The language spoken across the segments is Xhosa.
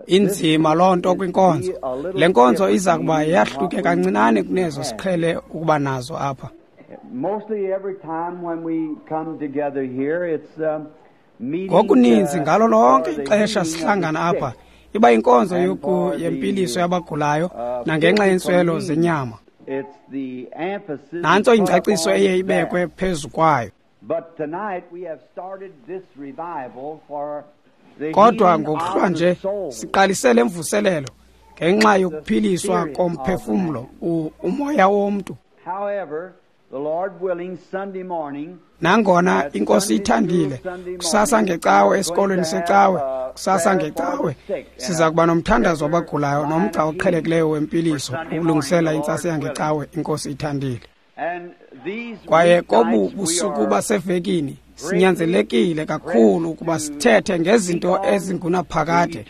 Inzima loo nto kwinkonzo. Le nkonzo iza kuba yahluke kancinane kunezo siqhele ukuba nazo apha. Ngokuninzi ngalo lonke ixesha sihlangana apha iba yinkonzo yempiliso yabagulayo nangenxa yentswelo zenyama. Nantso ingcaciso eye ibekwe phezu kwayo. Kodwa ngokuhlwa nje siqalise le mvuselelo ngenxa yokuphiliswa komphefumlo, umoya womntu. Nangona iNkosi ithandile, kusasa ngecawe esikolweni secawe, kusasa ngecawe siza kuba nomthandazo wabagulayo nomgca oqhelekileyo wempiliso ukulungisela intsasa yangecawe, iNkosi ithandile. Kwaye kobu busuku basevekini sinyanzelekile kakhulu ukuba sithethe ngezinto ezingunaphakade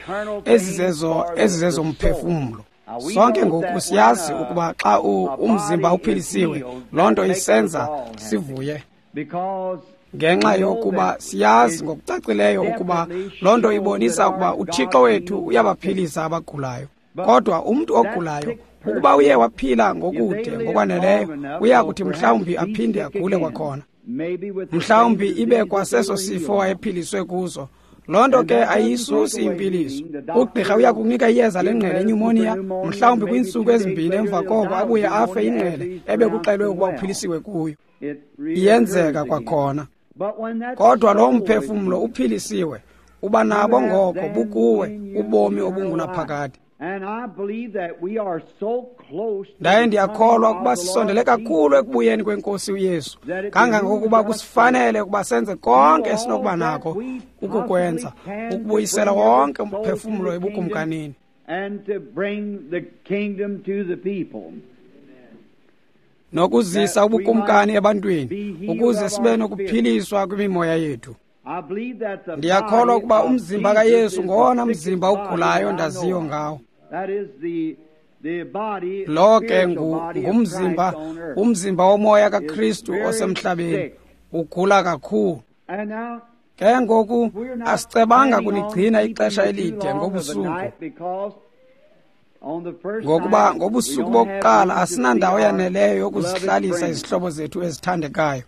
ezizezomphefumlo. Sonke ngoku siyazi ukuba xa umzimba uphilisiwe, loo nto isenza sivuye, ngenxa yokuba siyazi ngokucacileyo ukuba loo nto ibonisa ukuba uThixo wethu uyabaphilisa abagulayo. Kodwa umntu ogulayo, ukuba uye waphila ngokude ngokwaneleyo, uya kuthi mhlawumbi aphinde agule kwakhona, mhlawumbi ibe kwaseso sifo wayephiliswe kuso. Loo nto ke ayiyisusi impiliso. Ugqirha uya kunika iyeza lengqele enyumoniya, mhlawumbi kwiintsuku ezimbini emva koko abuye afe ingqele ebekuxelwe ukuba uphilisiwe kuyo. Iyenzeka kwakhona. Kodwa loo mphefumlo uphilisiwe, uba nabo ngoko bukuwe ubomi obungunaphakade. Ndaye ndiyakholwa ukuba sisondele kakhulu ekubuyeni kweNkosi uYesu, kangangokuba kusifanele ukuba senze konke esinokuba nako ukukwenza, ukubuyisela wonke umphefumlo ebukumkanini, nokuzisa ubukumkani ebantwini, ukuze sibe nokuphiliswa kwimimoya yethu. Ndiyakholwa ukuba umzimba kaYesu ngowona mzimba ugulayo ndaziyo ngawo. Lo ke ngumzimba, umzimba womoya kaKristu osemhlabeni, ugula kakhulu. Ke ngoku asicebanga kunigcina ixesha elide ngobusuku, ngokuba ngobusuku bokuqala asinandawo yaneleyo yokuzihlalisa izihlobo zethu ezithandekayo.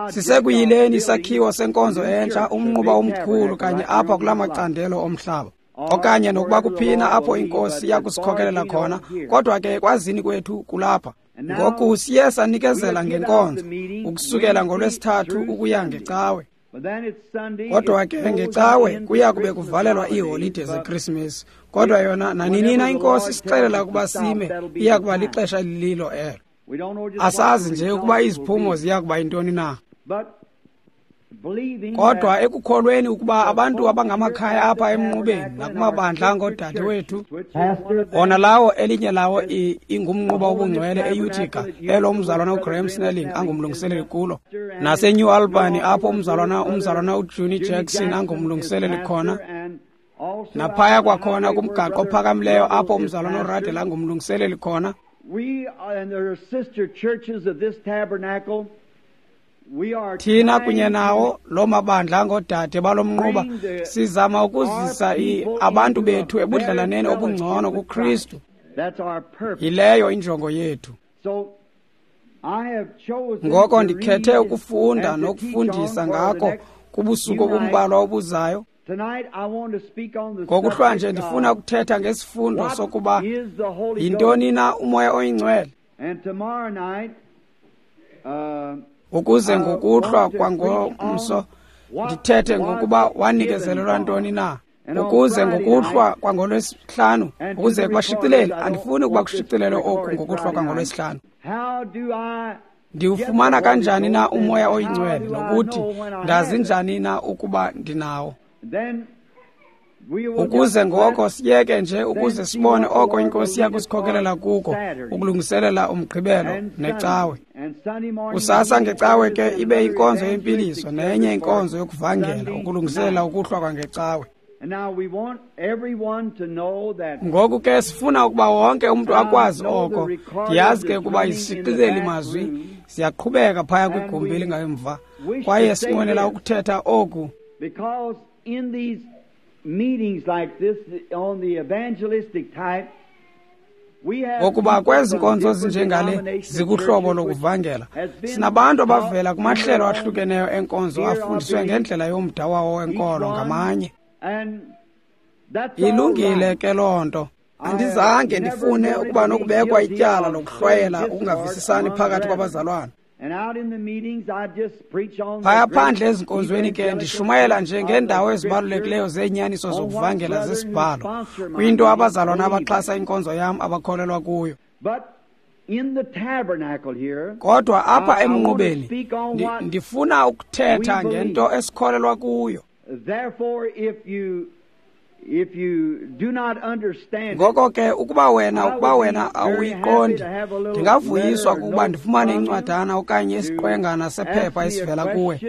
Sisekuyileni isakhiwo senkonzo entsha, umnquba omkhulu kanye apha kula macandelo omhlaba, okanye nokuba kuphina apho iNkosi iyakusikhokelela khona, kodwa ke kwazini kwethu kulapha. Ngoku siye sanikezela ngenkonzo ukusukela ngoLwesithathu ukuya ngecawe. Kodwa ke ngecawe kuya kube kuvalelwa iiholide zeKrisimesi, kodwa yona naninina iNkosi isixelela ukuba sime, iya kuba lixesha elililo elo. Asazi nje ukuba iziphumo ziya kuba yintoni na. Kodwa ekukholweni ukuba abantu abangamakhaya apha emnqubeni nakumabandla angoodade wethu, wona lawo elinye lawo ingumnquba obungcwele eUtica, elo umzalwana uGraham Snelling angumlungiseleli kulo, naseNew Albany apho umzalwana uJunie Jackson angumlungiseleli khona, naphaya kwakhona kumgaqo ophakamileyo apho umzalwana uRadel angumlungiseleli khona. Thina kunye nawo loo mabandla angoodade balo mnquba sizama ukuzisa abantu bethu ebudlelaneni obungcono kuKristu. Yileyo injongo yethu. Ngoko ndikhethe ukufunda nokufundisa ngako kubusuku obumbalwa obuzayo. Ngokuhlwa nje ndifuna ukuthetha ngesifundo sokuba yintoni na uMoya oyiNgcwele, ukuze ngokuhlwa kwangomso ndithethe ngokuba wanikezelelwa ntoni na, ukuze ngokuhlwa kwangolwesihlanu, ukuze kubashicilele, andifuni ukuba kushicilelwe oku ngokuhlwa kwangolwesihlanu. Ndiwufumana kanjani na uMoya oyiNgcwele, nokuthi ndazi njani na ukuba ndinawo? Ukuze ngoko siyeke nje, ukuze sibone oko iNkosi iyakusikhokelela kuko ukulungiselela umgqibelo necawe. Kusasa ngecawe ke ibe inkonzo yempiliso nenye inkonzo yokuvangela ukulungiselela ukuhlwa kwangecawe. Ngoku ke sifuna ukuba wonke umntu akwazi oko. Ndiyazi ke ukuba izishicileli mazwi ziyaqhubeka phaya kwigumbi elingemva, kwaye sinqwenela ukuthetha oku. Because in these meetings like this, on the evangelistic type, Ngokuba kwezi nkonzo zinjengale zikuhlobo lokuvangela, sinabantu abavela kumahlelo ahlukeneyo enkonzo afundiswe ngendlela yomda wawo wenkolo ngamanye. Ilungile ke loo nto. Andizange ndifune ukuba nokubekwa ityala lokuhlwayela ukungavisisani phakathi kwabazalwana. Phaya phandle ezinkonzweni ke ndishumayela nje ngeendawo ezibalulekileyo zeenyaniso zokuvangela zesibhalo, kwinto abazalwana abaxhasa inkonzo yam abakholelwa kuyo. Kodwa apha emnqubeni ndifuna ukuthetha ngento esikholelwa kuyo. Ngoko ke ukuba wena awuyiqondi, ndingavuyiswa kukuba ndifumane incwadana okanye isiqwengana sephepha esivela kuwe,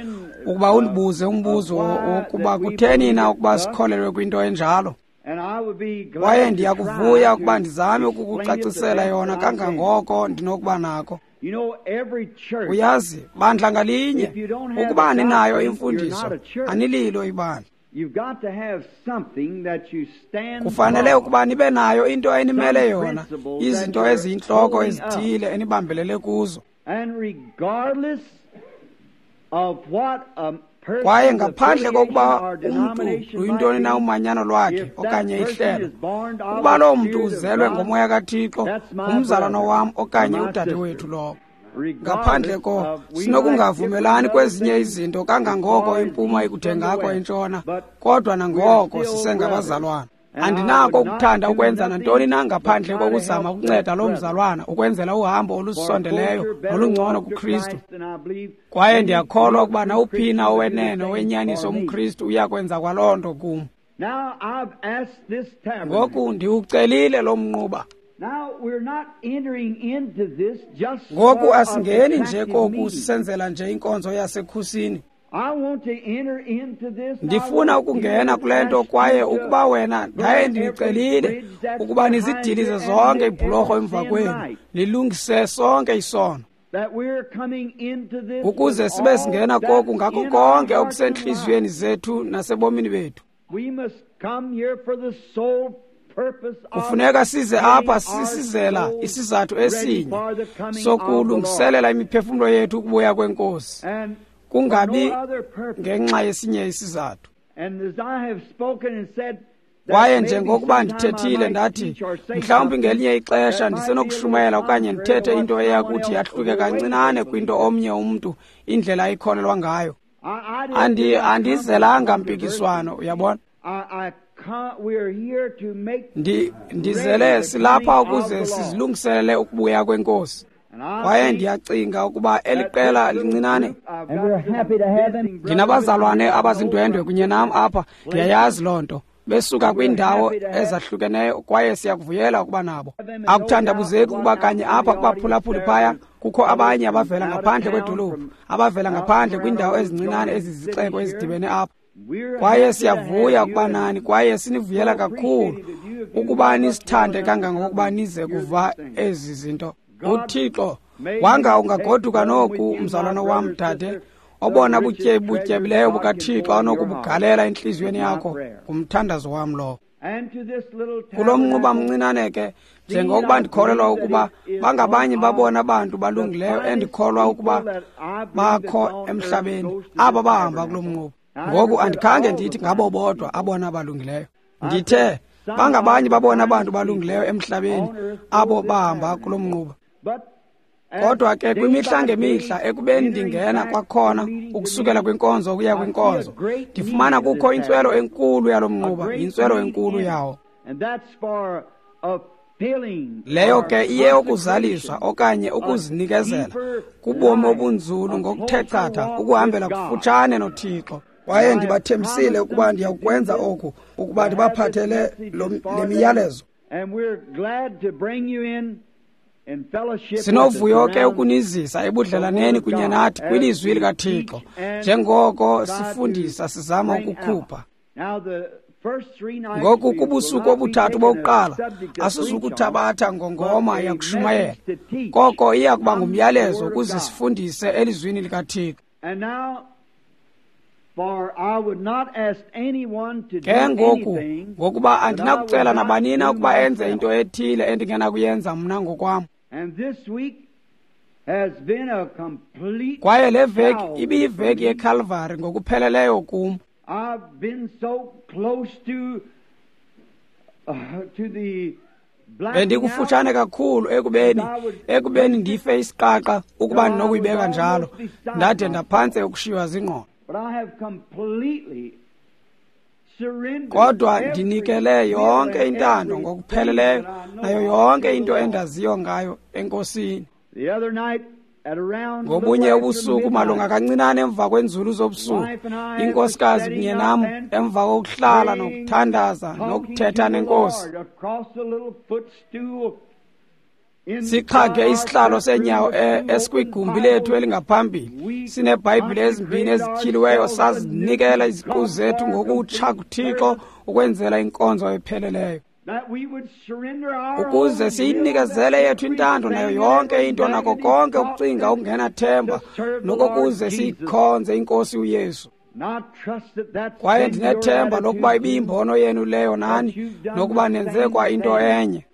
ukuba undibuze umbuzo wokuba kutheni na ukuba sikholelwe kwinto enjalo. Kwaye ndiyakuvuya ukuba ndizame ukukucacisela yona kangangoko ndinokuba nako. Uyazi, bandla ngalinye, ukuba aninayo imfundiso, anililo ibandla. Kufanele ukuba nibe nayo into enimele yona, izinto eziyintloko ezithile enibambelele kuzo. Kwaye ngaphandle kokuba umntu luyintoni na umanyano lwakhe okanye ihlelo, ukuba loo mntu uzelwe ngomoya kaThixo, ngumzalwana wam okanye udadewethu lowo. Ngaphandle ko sinokungavumelani kwezinye izinto kangangoko impuma ikuthengako entshona, kodwa nangoko sisengabazalwana. Andinako ukuthanda ukwenza nantoni na ngaphandle kokuzama ukunceda loo mzalwana ukwenzela uhambo olusondeleyo nolungcono kuKristu. Kwaye ndiyakholwa ukuba nawuphina owenene owenyaniso umKristu uyakwenza kwaloo nto kum. Ngoku ndiwucelile lo mnquba. Ngoku asingeni nje koku sisenzela nje inkonzo yasekhusini. Ndifuna ukungena kule nto, kwaye ukuba wena ndaye ndicelile ukuba nizidilize zonke iibhulorho emva kwenu, nilungise sonke isono, ukuze sibe singena koku ngako konke okusentliziyweni zethu nasebomini bethu. Kufuneka size apha sisizela isizathu esinye sokulungiselela imiphefumlo yethu ukubuya kweNkosi, kungabi ngenxa yesinye isizathu. Kwaye njengokuba ndithethile ndathi, mhlawumbi ngelinye ixesha ndisenokushumayela okanye ndithethe into eya kuthi yahluke kancinane kwinto omnye umntu indlela ayikholelwa ngayo. Andizelanga mpikiswano, uyabona. Ndizele silapha ukuze sizilungiselele ukubuya kweNkosi. Kwaye ndiyacinga ukuba eli qela lincinane, ndinabazalwane abazindwendwe kunye nam apha, ndiyayazi loo nto, besuka kwiindawo ezahlukeneyo, kwaye siyakuvuyela ukuba nabo. Akuthandabuzeki ukuba kanye apha kubaphulaphuli phaya kukho abanye abavela ngaphandle kwedolophu, abavela ngaphandle kwiindawo ezincinane ezizixeko ezidibene apha. Kwaye siyavuya ukuba nani, kwaye sinivuyela kakhulu ukuba nisithande kangangokuba nize kuva ezi zinto. UThixo wanga ungagoduka noku, mzalwana wam, dade, obona butyebileyo bukaThixo anokubugalela entliziyweni yakho, ngumthandazo wam lowo. Kulo mnquba mncinane ke, njengokuba ndikholelwa ukuba bangabanye babona bantu balungileyo endikholwa ukuba bakho emhlabeni, aba bahamba kulo mnquba. Ngoku andikhange ndithi ngabo bodwa abona balungileyo. Ndithe bangabanye babona abantu balungileyo emhlabeni abo bahamba kulo mnquba. Kodwa ke kwimihla ngemihla ekubeni ndingena kwakhona ukusukela kwinkonzo ukuya kwinkonzo, ndifumana kukho intswelo enkulu yalo mnquba, yintswelo enkulu yawo. Leyo ke iye ukuzaliswa okanye ukuzinikezela kubomi obunzulu ngokuthe chatha, ukuhambela kufutshane noThixo. Kwaye ndibathembisile ukuba ndiyakwenza oku, ukuba ndibaphathele le miyalezo. Sinovuyo ke ukunizisa ebudlelaneni kunye nathi kwilizwi likaThixo, njengoko sifundisa sizama ukukhupha. Ngoku kubusuku obuthathu bokuqala, asizukuthabatha ngongoma yakushumayela, koko iya kuba ngumyalezo ukuze sifundise elizwini likaThixo. Ke ngoku, ngokuba andinakucela nabanina ukuba enze into ethile endingenakuyenza mna ngokwam. Kwaye le veki ibiyiveki yeKalvari ngokupheleleyo kum. Bendikufutshane kakhulu ekubeni ndife isiqaqa ukuba ndinokuyibeka njalo, ndade ndaphantse ukushiywa zingqondo. Kodwa ndinikele yonke intando ngokupheleleyo nayo yonke into endaziyo ngayo eNkosini. Ngobunye ubusuku malunga kancinane emva kwenzulu zobusuku, inkosikazi kunye nam emva kokuhlala nokuthandaza nokuthetha nenkosi, sixhage isihlalo seenyawo esikwigumbi lethu elingaphambili, sineBhayibhile ezimbini ezityhiliweyo, sazinikela iziqu zethu ngokutsha kuThixo ukwenzela inkonzo epheleleyo, ukuze siyinikezele yethu intando nayo yonke into nako konke ukucinga okungenathemba, nokokuze siyikhonze iNkosi uYesu. Kwaye ndinethemba lokuba ibiyimbono yenu leyo nani, nokuba nenze kwa into enye.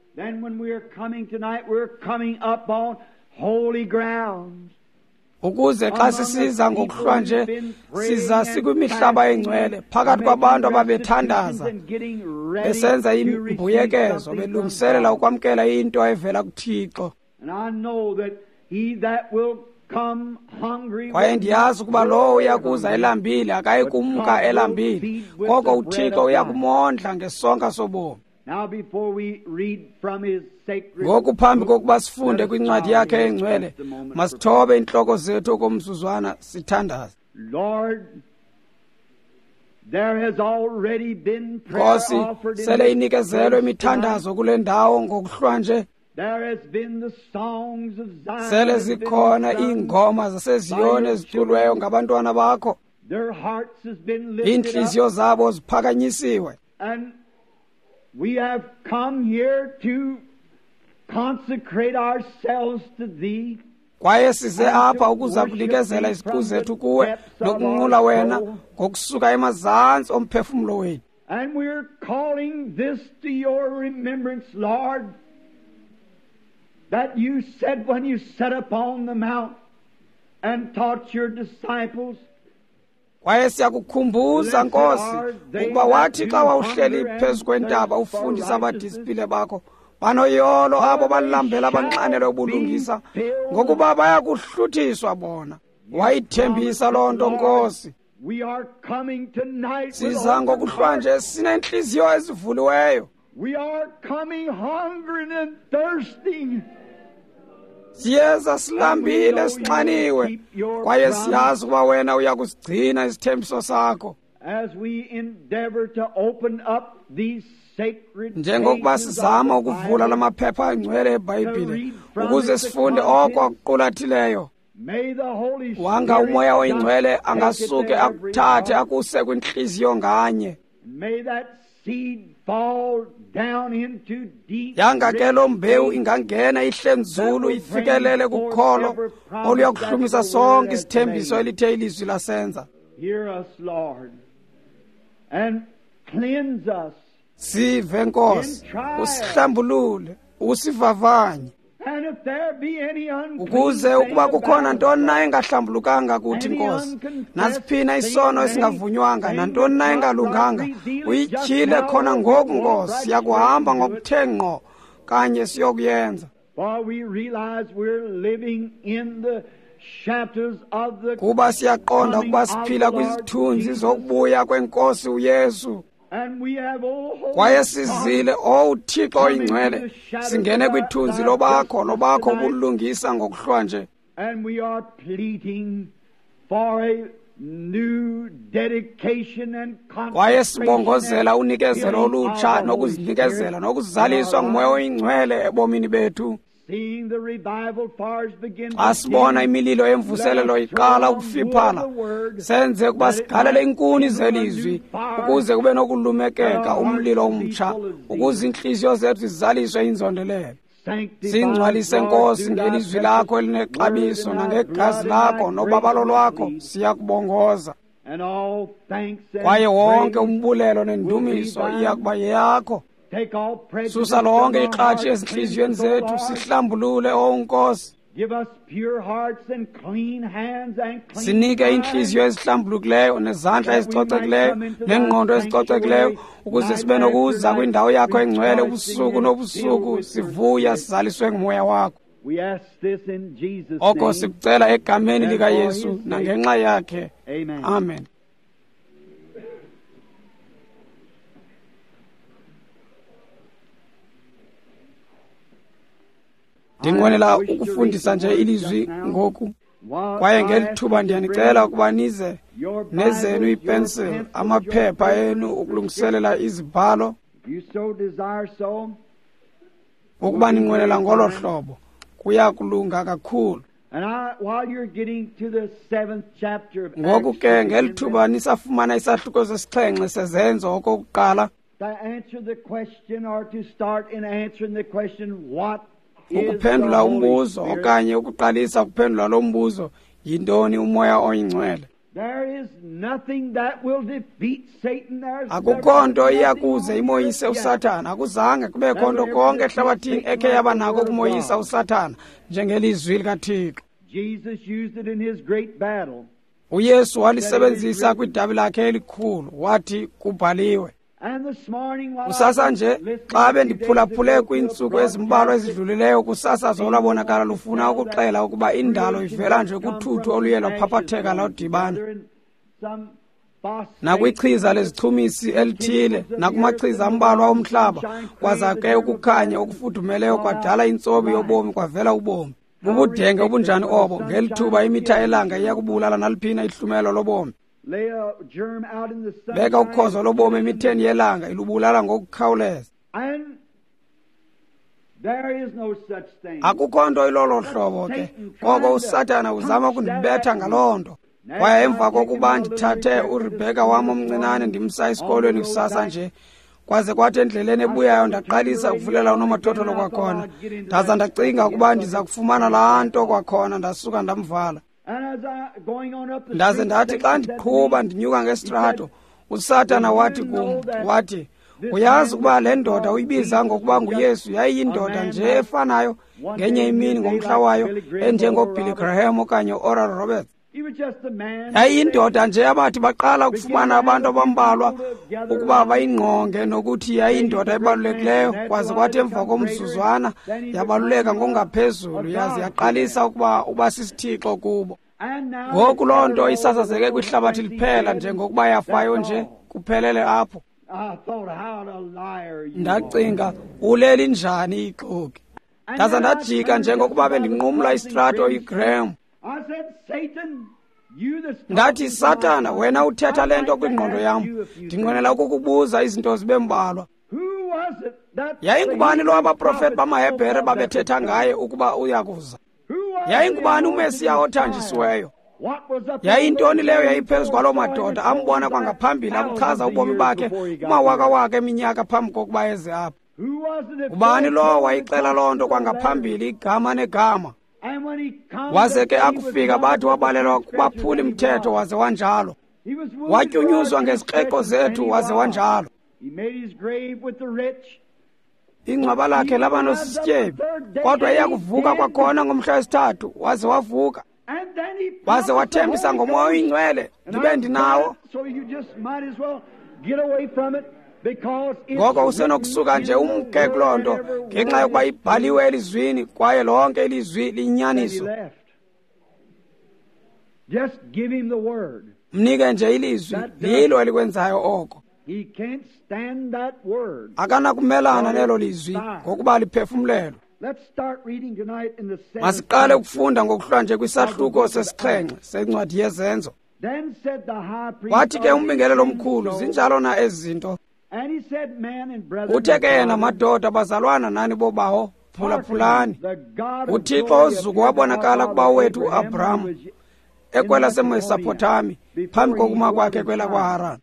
Ukuze xa sisiza ngokuhlwa nje, siza sikwimihlaba engcwele phakathi kwabantu ababethandaza besenza imbuyekezo belungiselela ukwamkela into evela kuThixo. Kwaye ndiyazi ukuba lowo uyakuza elambile akayi kumka elambile, koko uThixo uyakumondla ngesonka sobomi. Ngoku phambi kokuba sifunde kwincwadi yakhe engcwele, masithobe iintloko zethu okomzuzwana sithandaze. Nkosi, sele inikezelwe imithandazo kule ndawo ngokuhlwa nje. Sele zikhona iingoma zaseZiyoni eziculweyo ngabantwana bakho. Iintliziyo zabo ziphakanyisiwe. We have come here to consecrate ourselves to thee. Kwaye size apha ukuza kunikezela iziqu zethu kuwe nokunqula wena ngokusuka emazantsi omphefumlo wethu. And we're calling this to your remembrance, Lord, that you said when you sat upon the mount and taught your disciples. Kwaye siyakukhumbuza Nkosi ukuba wathi xa wawuhleli phezu kwentaba ufundisa abadisipile bakho, banoyolo abo balambela abanxanelwe ubulungisa, ngokuba bayakuhluthiswa bona. Wayithembisa loo nto Nkosi. Siza ngokuhlwa nje sineentliziyo ezivuliweyo. Siyeza silambile sinxaniwe, kwaye siyazi ukuba wena uyakusigcina isithembiso sakho. Njengokuba sizama ukuvula la maphepha angcwele eBhayibhile ukuze sifunde oko akuqulathileyo, wanga uMoya oyiNgcwele angasuke akuthathe akuse kwintliziyo nganye. Yanga ke loo mbewu ingangena ihle nzulu ifikelele kukholo oluya kuhlumisa sonke isithembiso elithe ilizwi lasenza. Sive Nkosi, usihlambulule, usivavanye, ukuze ukuba kukhona ntoni na engahlambulukanga kuthi Nkosi, nasiphina isono esingavunywanga, nantoni na engalunganga, uyityhile khona ngoku Nkosi. Siyakuhamba ngokuthe ngqo kanye siyokuyenza. Kuba siyaqonda ukuba siphila kwizithunzi zokubuya kweNkosi uYesu. Kwaye sizile, owu Thixo oyingcwele, singene kwithunzi lobakho ubulungisa ngokuhlwa nje. Kwaye sibongozela unikezelo olutsha nokuzinikezela nokuzaliswa nguMoya oyingcwele ebomini bethu. Xa sibona imililo yemvuselelo iqala ukufiphala, senze ukuba sigalele inkuni zelizwi ukuze kube nokulumekeka umlilo omtsha, ukuze iintliziyo zethu zizaliswe inzondelelo. Singcwalise Nkosi ngelizwi lakho elinexabiso nangegazi lakho nobabalo lwakho, siyakubongoza. Kwaye wonke umbulelo nendumiso iya kuba yeyakho. Susa lonke ikratshi ezintliziyweni zethu, sihlambulule, O Nkosi. Sinike iintliziyo ezihlambulukileyo nezandla ezicocekileyo neengqondo ezicocekileyo, ukuze sibe nokuza kwindawo yakho engcwele ubusuku nobusuku, sivuya sizaliswe ngumoya wakho. Oko sikucela egameni likaYesu nangenxa yakhe. Amen. Ndinqwenela ukufundisa nje ilizwi ngoku, kwaye ngeli thuba ndiyanicela ukuba nize nezenu iipencil, amaphepha enu ukulungiselela izibhalo, ukuba ninqwenela ngolo hlobo kuya kulunga kakhulu. Ngoku ke ngeli thuba nisafumana isahluko sesixhenxe seZenzo okokuqala, ukuphendula umbuzo okanye ukuqalisa ukuphendula lo mbuzo, yintoni uMoya oyiNgcwele? Akukho nto iyakuze imoyise uSathana. Akuzange kubekho nto konke ehlabathini ekhe yaba nako ukumoyisa uSathana njengelizwi likaThixo. uYesu walisebenzisa kwidabi lakhe elikhulu, wathi kubhaliwe. Kusasa nje xa bendiphulaphule kwiintsuku ezimbalwa ezidlulileyo, kusasazo olwabonakala lufuna ukuxela ukuba indalo ivela nje kuthuthu oluye lwaphaphatheka lwadibana nakwichiza lezichumisi elithile nakumachiza ambalwa omhlaba, kwaza ke ukukhanya okufudumeleyo kwadala intsobi yobomi, kwavela ubomi. Bubudenge obunjani obo! Ngeli thuba imitha elanga iyakubulala naliphina ihlumelo lobomi. Beka ukhozo lobomi emitheni yelanga, ilubulala ngokukhawuleza. Akukho nto ilolo hlobo ke, koko uSathana uzama ukundibetha ngaloo nto. Kwaye emva kokuba ndithathe uRebheka wam omncinane ndimsa esikolweni kusasa nje, kwaze kwathi endleleni ebuyayo ndaqalisa ukuvulela unomathotholo kwakhona, ndaza ndacinga ukuba ndiza kufumana laa nto kwakhona, ndasuka ndamvala. Ndaze ndathi xa ndiqhuba ndinyuka ngesitrato, uSathana wathi kum, wathi, uyazi ukuba le ndoda uyibiza ngokuba nguYesu yayiyindoda nje efanayo ngenye imini ngomhla wayo, enjengoBilly Graham okanye uOral Roberts. Yayiyindoda nje abathi baqala ukufumana abantu abambalwa ukuba bayingqonge nokuthi yayiyindoda ebalulekileyo, kwaze kwathi emva komzuzwana yabaluleka ngokungaphezulu, yaze yaqalisa ukuba uba sisithixo kubo. Ngoku loo nto isasazeke kwihlabathi liphela njengokuba yafayo nje, kuphelele apho. Ndacinga, uleli njani ixoki? Ndaza ndajika njengokuba bendinqumla istrato iGraham. Ndathi, Sathana, wena uthetha le nto kwingqondo yam. Ndinqwenela ukukubuza izinto zibe mbalwa. Yayingubani lo abaprofeti bamaHebhere babethetha ngaye ukuba uyakuza? Yayingubani uMesiya othanjisiweyo? Yayintoni leyo yayiphezu kwaloo madoda ambona kwangaphambili akuchaza ubomi bakhe kumawakawaka eminyaka phambi kokuba eze apha? Ngubani lowo wayixela loo nto kwangaphambili, igama negama? Waze ke akufika bathi wabalelwa kubaphuli mthetho, waze wanjalo. Watyunyuzwa ngezikreqo zethu, waze wanjalo. Ingcwaba lakhe laba nosisityebi, kodwa iyakuvuka kwakhona ngomhla wesithathu, waze wavuka. Waze wathembisa ngoMoya oyiNgcwele, ndibe ndinawo. Ngoko usenokusuka nje umke kuloo nto ngenxa yokuba ibhaliwe elizwini, kwaye lonke ilizwi liyinyaniso. Mnike nje ilizwi, lilo elikwenzayo oko. Akanakumelana nelo lizwi ngokuba liphefumlelwe. Masiqale ukufunda ngokuhlwa nje kwisahluko sesixhenxe sencwadi yeZenzo. Wathi ke umbingelelo omkhulu, zinjalo na ezi zinto? Uthe ke yena, madoda, bazalwana nani bobawo, phulaphulani. UThixo ozuko wabonakala kubawo wethu uAbraham ekwelaseMesopotami phambi kokuma kwakhe kwelakwaHaran.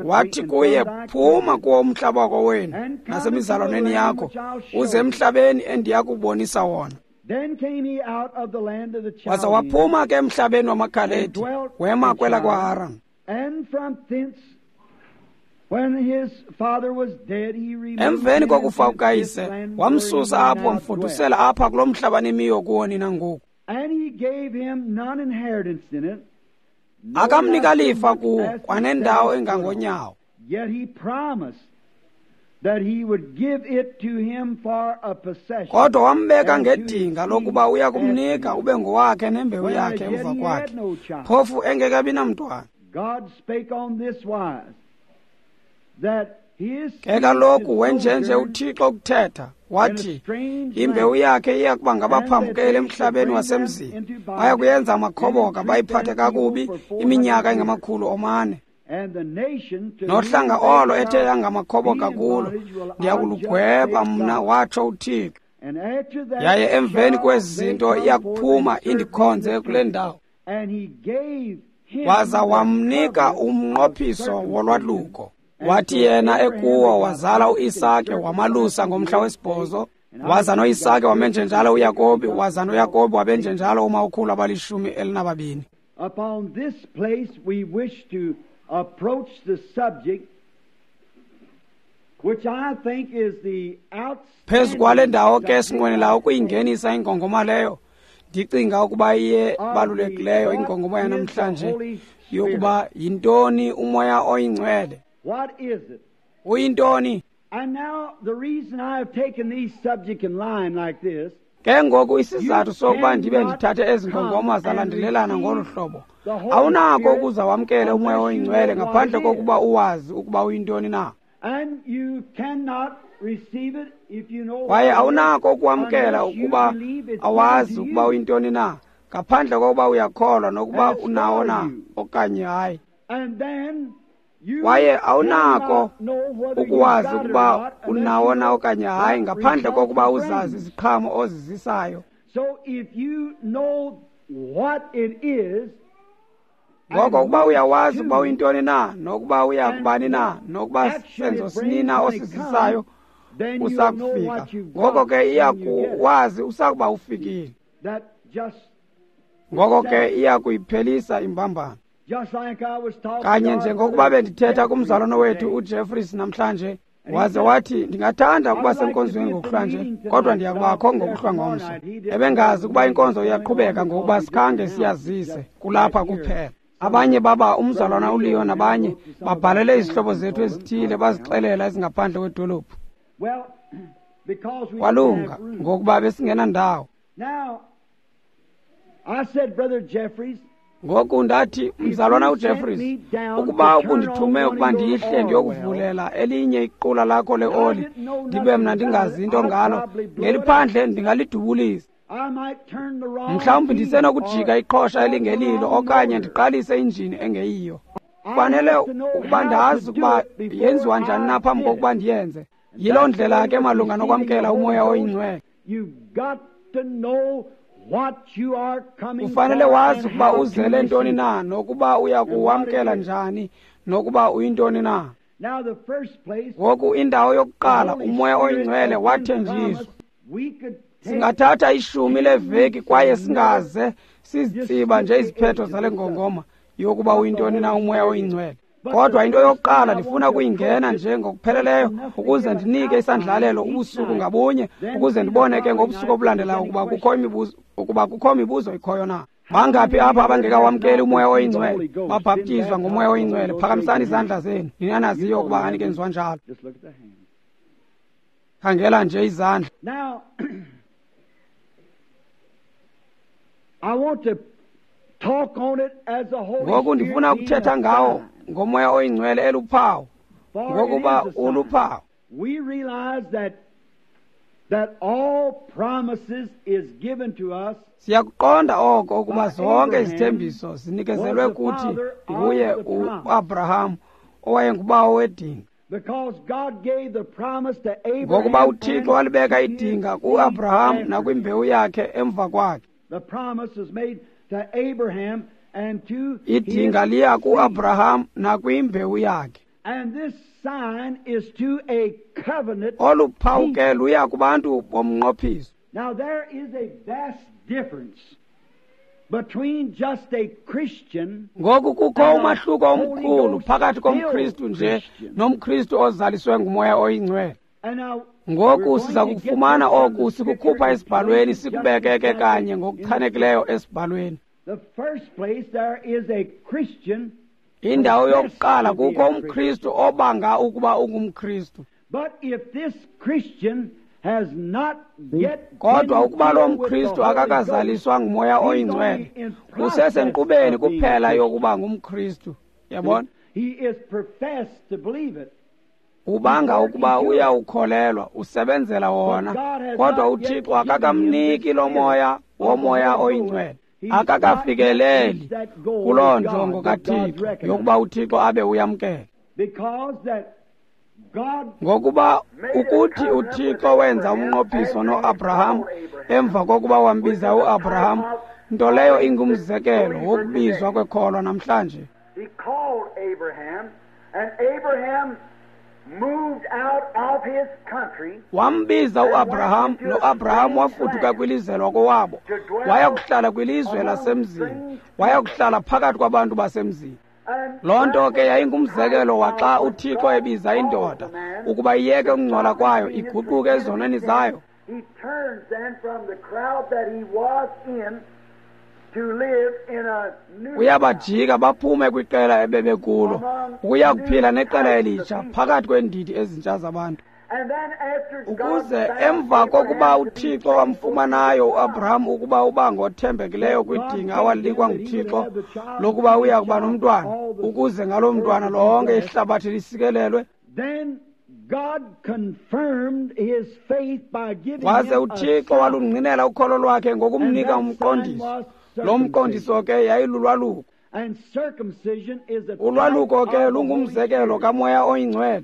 Wathi kuye, phuma kuwo umhlaba wakowenu nasemizalwaneni yakho, uze emhlabeni endiya kubonisa wona. Waza waphuma ke emhlabeni wamaKhaledi, wema kwela kwaHaran. Emveni kokufa kukayise, wamsusa apho wamfudusela apha kulo mhlaba nimiyo kuwo nina ngoku. Akamnika lifa kuwo kwanendawo engangonyawo. Kodwa wambeka ngedinga lokuba uya kumnika ube ngowakhe nembewu yakhe emva kwakhe, phofu engekabi namntwana. Ke kaloku wenjenje uThixo ukuthetha, wathi, imbewu yakhe iya kuba ngabaphambukeli emhlabeni wasemzini, baya kuyenza amakhoboka, bayiphathe kakubi iminyaka engama-400. Nohlanga olo ethe yangamakhoboka kulo, ndiyakulugweba mna, watsho uThixo. Yaye emveni kwezi zinto iya kuphuma indikhonze kule ndawo. Waza wamnika umnqophiso wolwaluko. Wathi yena ekuwo wazala uIsake, wamalusa ngomhla wesibhozo. Waza noIsake wamenjenjalo uYakobi, waza noYakobi wabenjenjalo umakhulu abali-12. Upon this place we wish to approach the subject which I think is the Phezu kwale ndawo ke sinqwenela ukuyingenisa ingongoma leyo, ndicinga ukuba iye balulekileyo ingongoma yanamhlanje yokuba yintoni uMoya oyiNgcwele. What is it? Uyintoni? And now the reason I have taken these subject in line like this, ke ngoku isizathu sokuba ndibe ndithathe ezi ngongoma zalandelelana ngolu hlobo, awunako ukuza wamkele uMoya oyiNgcwele ngaphandle kokuba uwazi ukuba uyintoni na. And you cannot receive it if you know, kwaye awunako ukuwamkela ukuba awazi ukuba uyintoni na, ngaphandle kokuba uyakholwa nokuba unawo na okanye hayi. And then kwaye awunako ukuwazi ukuba unawo na okanye hayi ngaphandle kokuba uzazi iziqhamo ozizisayo. So if you know what it is, ngoko ukuba uyawazi ukuba uyintoni na, nokuba uya kubani na, nokuba senzo sinina osizisayo usakufika, ngoko ke iya kuwazi usakuba ufikile. Ngoko ke iya kuyiphelisa imbambano. Kanye njengokuba bendithetha kumzalwana wethu uJeffries namhlanje, waze wathi, ndingathanda ukuba senkonzweni ngokuhlwanje, kodwa ndiyakubakho ngokuhlwa ngomso. Ebengazi ukuba inkonzo iyaqhubeka ngokuba sikhange siyazise kulapha kuphela. Abanye baba umzalwana uLeo nabanye babhalele izihlobo zethu ezithile bazixelela ezingaphandle kwedolophu. Kwalunga ngokuba besingenandawo. Ngoku ndathi, mzalwana uJeffries, ukuba ubundithume ukuba ndihle ndiyokuvulela elinye iqula lakho leoli, ndibe mna ndingazi into ngalo, ngeliphandle ndingalidubulisa. Mhlawumbi ndisenokujika iqhosha elingelilo okanye ndiqalise injini engeyiyo. Kufanele ukuba ndazi ukuba yenziwa njani na phambi kokuba ndiyenze. Yiloo ndlela ke malunga nokwamkela uMoya oyiNgcwele. Ufanele wazi ukuba uzele ntoni na, nokuba uya kuwamkela njani, nokuba uyintoni na. Ngoku indawo yokuqala, uMoya oyiNgcwele wathenjiswa. Singathatha 10 leveki kwaye singaze sizitsiba nje iziphetho zale ngongoma yokuba uyintoni na uMoya oyiNgcwele. Kodwa into yokuqala ndifuna kuyingena nje ngokupheleleyo ukuze ndinike isandlalelo ubusuku ngabunye, ukuze ndibone ke ngobusuku obulandelayo ukuba kukho mibuzo ikhoyo na. Bangaphi apha abangekawamkeli uMoya oyiNgcwele, babhaptizwa ngoMoya oyiNgcwele? Phakamisani izandla zenu, nina naziyo ukuba anikenziwa njalo. Khangela nje izandla. Ngoku ndifuna ukuthetha ngawo ngoMoya oyiNgcwele eluphawu, ngokuba uluphawu. We realize that all promises is given to us. Siyakuqonda oko ukuba zonke izithembiso zinikezelwe kuthi nguye uAbraham owayengubawo wedinga. Because God gave the promise to Abraham, ngokuba uThixo walibeka idinga kuAbraham nakwimbewu yakhe emva kwakhe. The promise was made to Abraham and to idinga liya kuAbraham nakwimbewu yakhe. And this sign is to a covenant. Olu phawu ke luya kubantu bomnqophiso. Now there is a vast difference between just a Christian. Ngoku kukho umahluko omkhulu phakathi komKristu nje nomKristu ozaliswe nguMoya oyiNgcwele. Ngoku siza kufumana oku sikukhupha esibhalweni sikubekeke kanye ngokuchanekileyo esibhalweni. The first place there is a Christian. Indawo yokuqala kukho umKristu obanga ukuba ungumKristu. But if this Christian has not yet kodwa ukuba lo mKristu akakazaliswa nguMoya oyiNgcwele, usesenkqubeni kuphela yokuba ngumKristu. Yabona? He is professed to believe it. Ubanga ukuba uyawukholelwa, usebenzela wona, kodwa uThixo akakamniki lo moya woMoya oyiNgcwele. Akakafikeleli kuloo njongo kaThixo yokuba uThixo abe uyamkela. Ngokuba ukuthi uThixo wenza umnqophiso noAbraham emva kokuba wambiza uAbraham, nto leyo ingumzekelo wokubizwa kwekholwa namhlanje. Wambiza uAbraham, noAbraham wafuduka kwilizwe lwakowabo, waya kuhlala kwilizwe lasemzini, waya kuhlala phakathi kwabantu basemzini. Loo nto ke yayingumzekelo waxa uThixo ebiza indoda ukuba iyeke ukungcola kwayo iguquke ezonweni zayo. Uyabajika baphume kwiqela ebebekulo ukuya kuphila neqela elitsha phakathi kweendidi ezintsha zabantu. Ukuze emva kokuba uThixo wamfumanayo uAbraham ukuba uba ngothembekileyo kwidinga awalinikwa nguThixo lokuba uya kuba nomntwana, ukuze ngaloo mntwana lonke ihlabathi lisikelelwe, waze uThixo walungqinela ukholo lwakhe ngokumnika umqondiso. Lo mqondiso ke yayilulwaluko. Ulwaluko ke lungumzekelo kaMoya oyiNgcwele.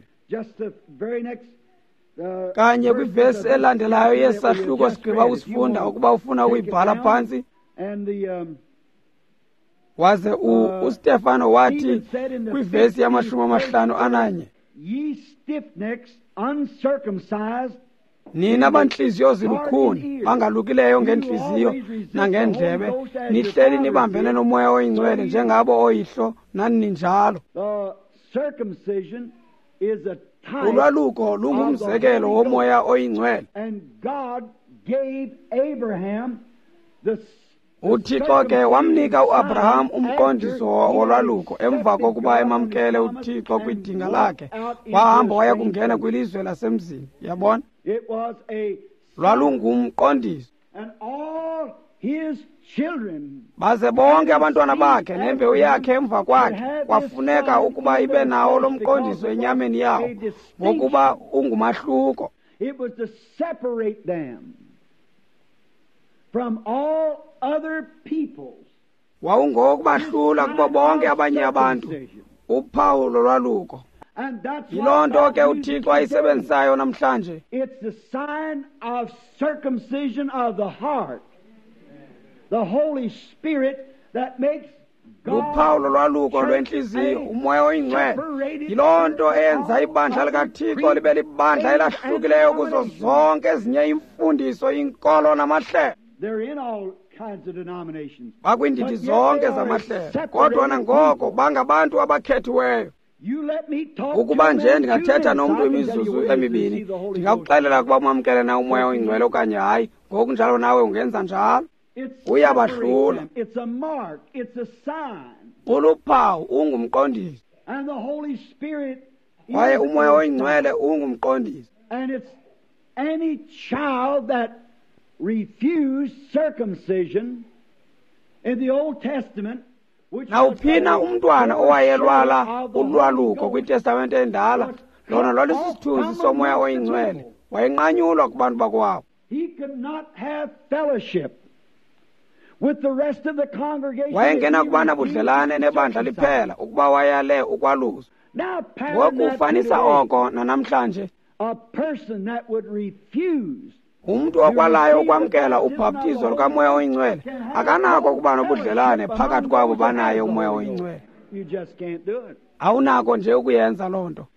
Kanye kwivesi elandelayo yesahluko sigqiba usifunda ukuba ufuna ukuyibhala phantsi. Waze uStefano wathi kwivesi yama-51, nina bantliziyo zilukhuni bangalukileyo ngentliziyo nangendlebe, nihleli nibambene noMoya oyiNgcwele njengabo oyihlo nani ninjalo. Ulwaluko lungumzekelo woMoya oyiNgcwele. UThixo ke wamnika uAbraham umqondiso wolwaluko emva kokuba emamkele uThixo kwidinga lakhe, wahamba waya kungena kwilizwe lasemzini. Yabona? Lwalungumqondiso. Baze bonke abantwana bakhe nembewu yakhe emva kwakhe kwafuneka ukuba ibe nawo lo mqondiso enyameni yawo, ngokuba ungumahluko. It was to separate them from all other peoples. Wawungokubahlula kubo bonke abanye abantu, uphawu lolwaluko. Yiloo nto ke uThixo ayisebenzisayo namhlanje. It's the sign of circumcision of the heart. The Holy Spirit that makes luphawu lolwaluko lwentliziyo, uMoya oyiNgcwele. Yiloo nto eyenza ibandla likaThixo libe libandla elahlukileyo kuzo zonke ezinye iimfundiso, iinkolo namahlelo. Bakwiindidi zonke zamahlelo, kodwa nangoko bangabantu abakhethiweyo. Ukuba nje ndingathetha nomntu imizuzu emibini, ndingakuxelela ukuba umamkele na uMoya oyiNgcwele okanye hayi. Ngokunjalo nawe ungenza njalo. Uyabahlula. Uluphawu ungumqondiso, kwaye uMoya oyiNgcwele ungumqondiso. Any child that refused circumcision in the Old Testament, nawuphina umntwana owayelwala ulwaluko kwiTestamente endala, lona lwalisisithunzi soMoya oyiNgcwele, wayenqanyulwa kubantu bakwabo. He could not have fellowship with the rest of the congregation. Wayengena nabudlelane nebandla liphela ukuba wayale ukwaluswa. Ngoku ufanisa oko nanamhlanje. A person that would refuse Umntu okwalayo ukwamkela ubhaptizo lukaMoya oyiNgcwele akanako ukuba nobudlelane phakathi kwabo banaye uMoya oyiNgcwele. Awunako nje ukuyenza loo nto.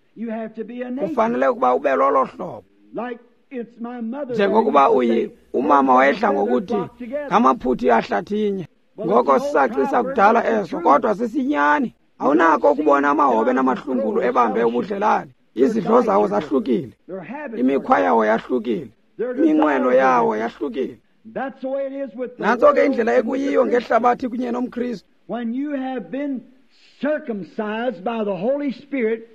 Kufanele ukuba ube lolo hlobo. Njengokuba umama wayedla ngokuthi ngamaphuthi ahlathinye. Ngoko sisacisa kudala eso, kodwa sisinyani. Awunako ukubona amahobe namahlungulu ebambe ubudlelane. Izidlo zawo zahlukile, imikhwa yawo yahlukile, iminqweno yawo yahlukile. Nantso ke indlela ekuyiyo ngehlabathi kunye nomKristu. When you have been circumcised by the Holy Spirit,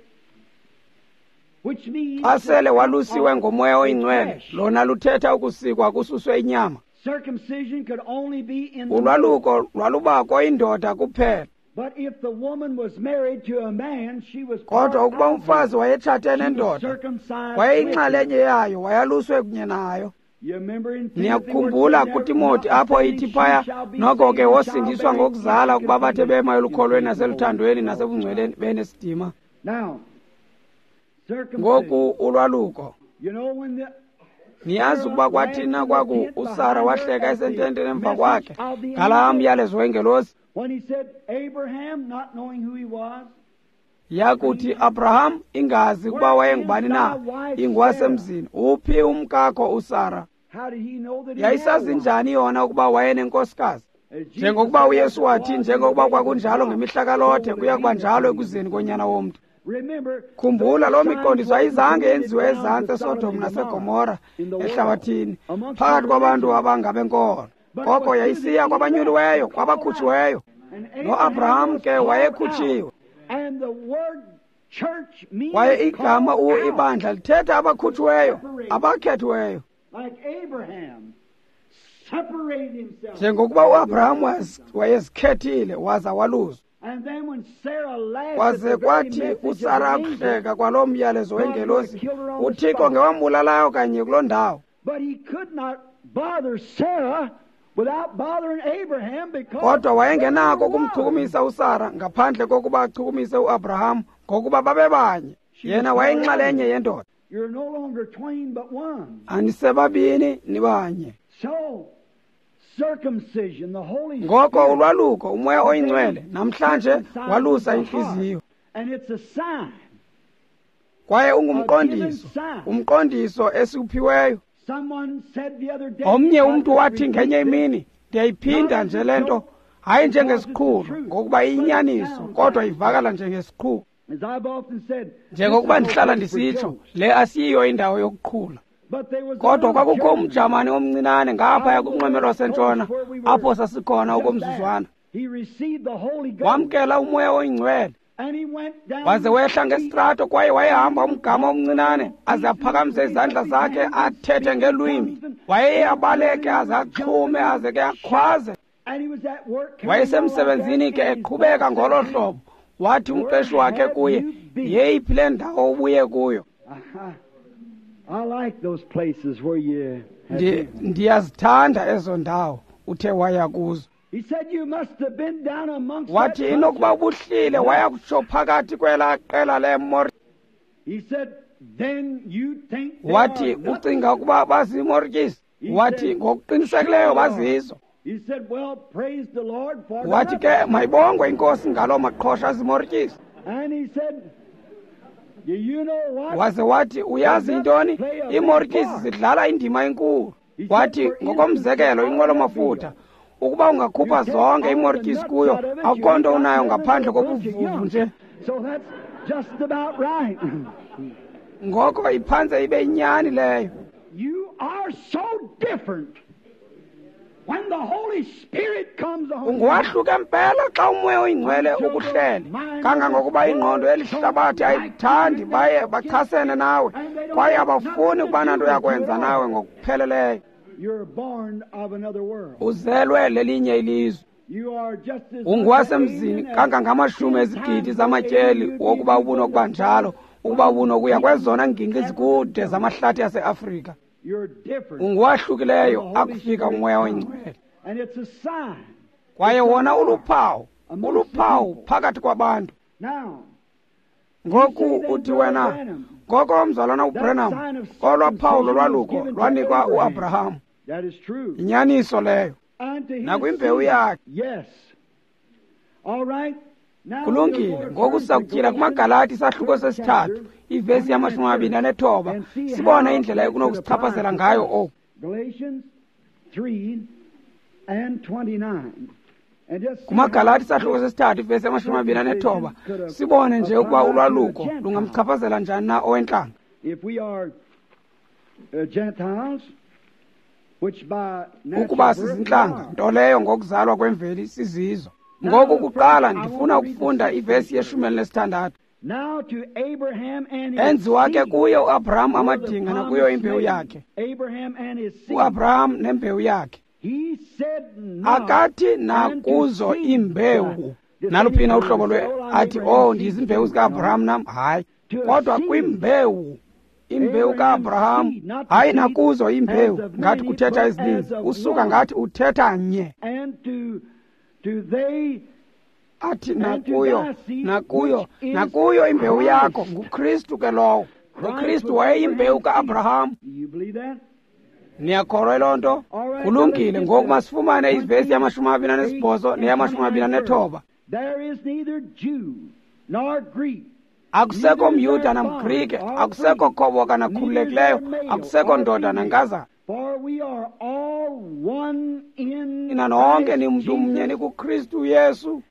which means xa sele walusiwe ngoMoya oyiNgcwele, lona luthetha ukusikwa kususwe inyama. Circumcision could only be in the Ulwaluko lwalubakho indoda kuphela. But if the woman was married to a man, she was kodwa ukuba umfazi wayetshate nendoda, wayeyinxalenye yayo, wayaluswe kunye nayo. Niyakukhumbula kuTimoti apho ithi phaya, noko ke wosindiswa ngokuzala ukuba bathe bema elukholweni naseluthandweni nasebungcweleni benesidima. Ngoku ulwaluko. Niyazi ukuba kwathina kwaku uSara wahleka esententeni emva kwakhe ngalaa myalezo wengelosi. Yakuthi Abraham ingazi ukuba wayengubani na, ingwasemzini, uphi umkakho uSara? Yayisazi njani yona ukuba wayenenkosikazi? Njengokuba uYesu wathi, njengokuba kwakunjalo ngemihla kaLothe, kuya kuba njalo ekuzeni konyana womntu. Khumbula, loo miqondiso ayizange yenziwe ezantsi eSodom naseGomora ehlabathini phakathi kwabantu abangabenkolo. Koko yayisiya kwabanyuliweyo, kwabakhutshiweyo. NoAbraham ke wayekhutshiwe. Kwaye igama ibandla lithetha abakhutshiweyo, abakhethiweyo. Njengokuba uAbraham wayezikhethile waza waluzwa. Kwaze kwathi uSara akuhleka kwaloo myalezo wengelosi, uThixo ngewambulalayo kanye kuloo ndawo. Kodwa wayengenako ukumchukumisa uSara ngaphandle kokuba achukumise uAbraham, ngokuba babebanye. Yena wayeyinxalenye yendoda. Anisebabini, nibanye. Ngoko ulwaluko, uMoya oyiNgcwele namhlanje walusa intliziyo. Kwaye ungumqondiso, umqondiso esiwuphiweyo. Omnye umntu wathi ngenye imini, ndiyayiphinda nje le nto, hayi njengesiqhulo, ngokuba iyinyaniso, kodwa ivakala njengesiqhulo. Njengokuba ndihlala ndisitsho, le asiyiyo indawo yokuqhula. Kodwa kwakukho umJamani omncinane ngaphaya kunxweme lwasentshona, apho sasikhona okomzuzwana. Wamkela uMoya oyiNgcwele, waze wehla ngesitrato, kwaye wayehamba umgama omncinane aze aphakamise izandla zakhe athethe ngelwimi. Wayeye abaleke aze axhume aze ke akhwaze. Wayesemsebenzini ke eqhubeka ngolo hlobo. Wathi umqeshi wakhe kuye, yeyiphi le ndawo ubuye kuyo? Ndiyazithanda ezo ndawo uthe waya kuzo. Wathi inokuba ubuhlile waya kutsho phakathi kwelaa qela leemor. Wathi ucinga ukuba bazimortyisi? Wathi ngokuqinisekileyo bazizo. Wathi ke mayibongwe inkosi ngaloo maqhosha azimortyisi. Waze wathi uyazi intoni? Iimortyisi zidlala indima enkulu. Wathi ngokomzekelo inqwelo-mafutha, ukuba ungakhupha zonke iimortyisi kuyo, akukho nto unayo ngaphandle kobuvuvu nje. Ngoko iphantse ibe yinyani leyo. Unguwahluke mpela xa uMoya oyiNgcwele ukuhlele, kangangokuba ingqondo elihlabathi ayikuthandi, baye bachasene nawe, kwaye abafuni ukuba nanto yakwenza nawe ngokupheleleyo. Uzelwe lelinye ilizwe. Unguwasemzini kangangamashumi ezigidi zamatyeli wokuba ubunokuba njalo, ukuba ubunokuya kwezona ngingqi zikude zamahlathi aseAfrika. Unguwahlukileyo akufika uMoya oyiNgcwele. Kwaye wona uluphawu, uluphawu phakathi kwabantu. Ngoku uthi wena, ngoko umzalwana uBranham, kolwa phawu lolwaluko lwanikwa uAbraham. Inyaniso leyo. Nakwimbewu yakhe. Kulungile, ngoku sizakutyhila kumaGalati isahluko sesithathu, ivesi yama-29, sibone indlela ekunokusichaphazela ngayo oku. KumaGalati isahluko sesithathu, ivesi yama-29, sibone nje ukuba ulwaluko lungamchaphazela njani na owentlanga. Ukuba sizintlanga, nto leyo ngokuzalwa kwemveli sizizo. Ngoku kuqala ndifuna ukufunda ivesi ye-16. Enziwa ke kuye uAbraham amadinga nakuyo imbewu yakhe. UAbraham nembewu yakhe. Akathi nakuzo imbewu. Naluphina uhlobo lwe athi, oh, ndizimbewu zikaAbraham nam. Hayi, kodwa kwimbewu, imbewu kaAbraham, hayi nakuzo imbewu, ngathi kuthetha ezininzi, usuka ngathi uthetha nye. Athi nakuyo, nakuyo, nakuyo imbewu yakho, nguKristu ke lowo. UKristu wayeyimbewu kaAbraham. Niyakholwa loo nto? Kulungile, ngoku masifumane ivesi yama-28 neyama-29. Akusekho mYuda namGrike, akusekho khoboka nakhululekileyo, akusekho ndoda nankazana. Nina nonke nimntu mnye nikuKristu Yesu.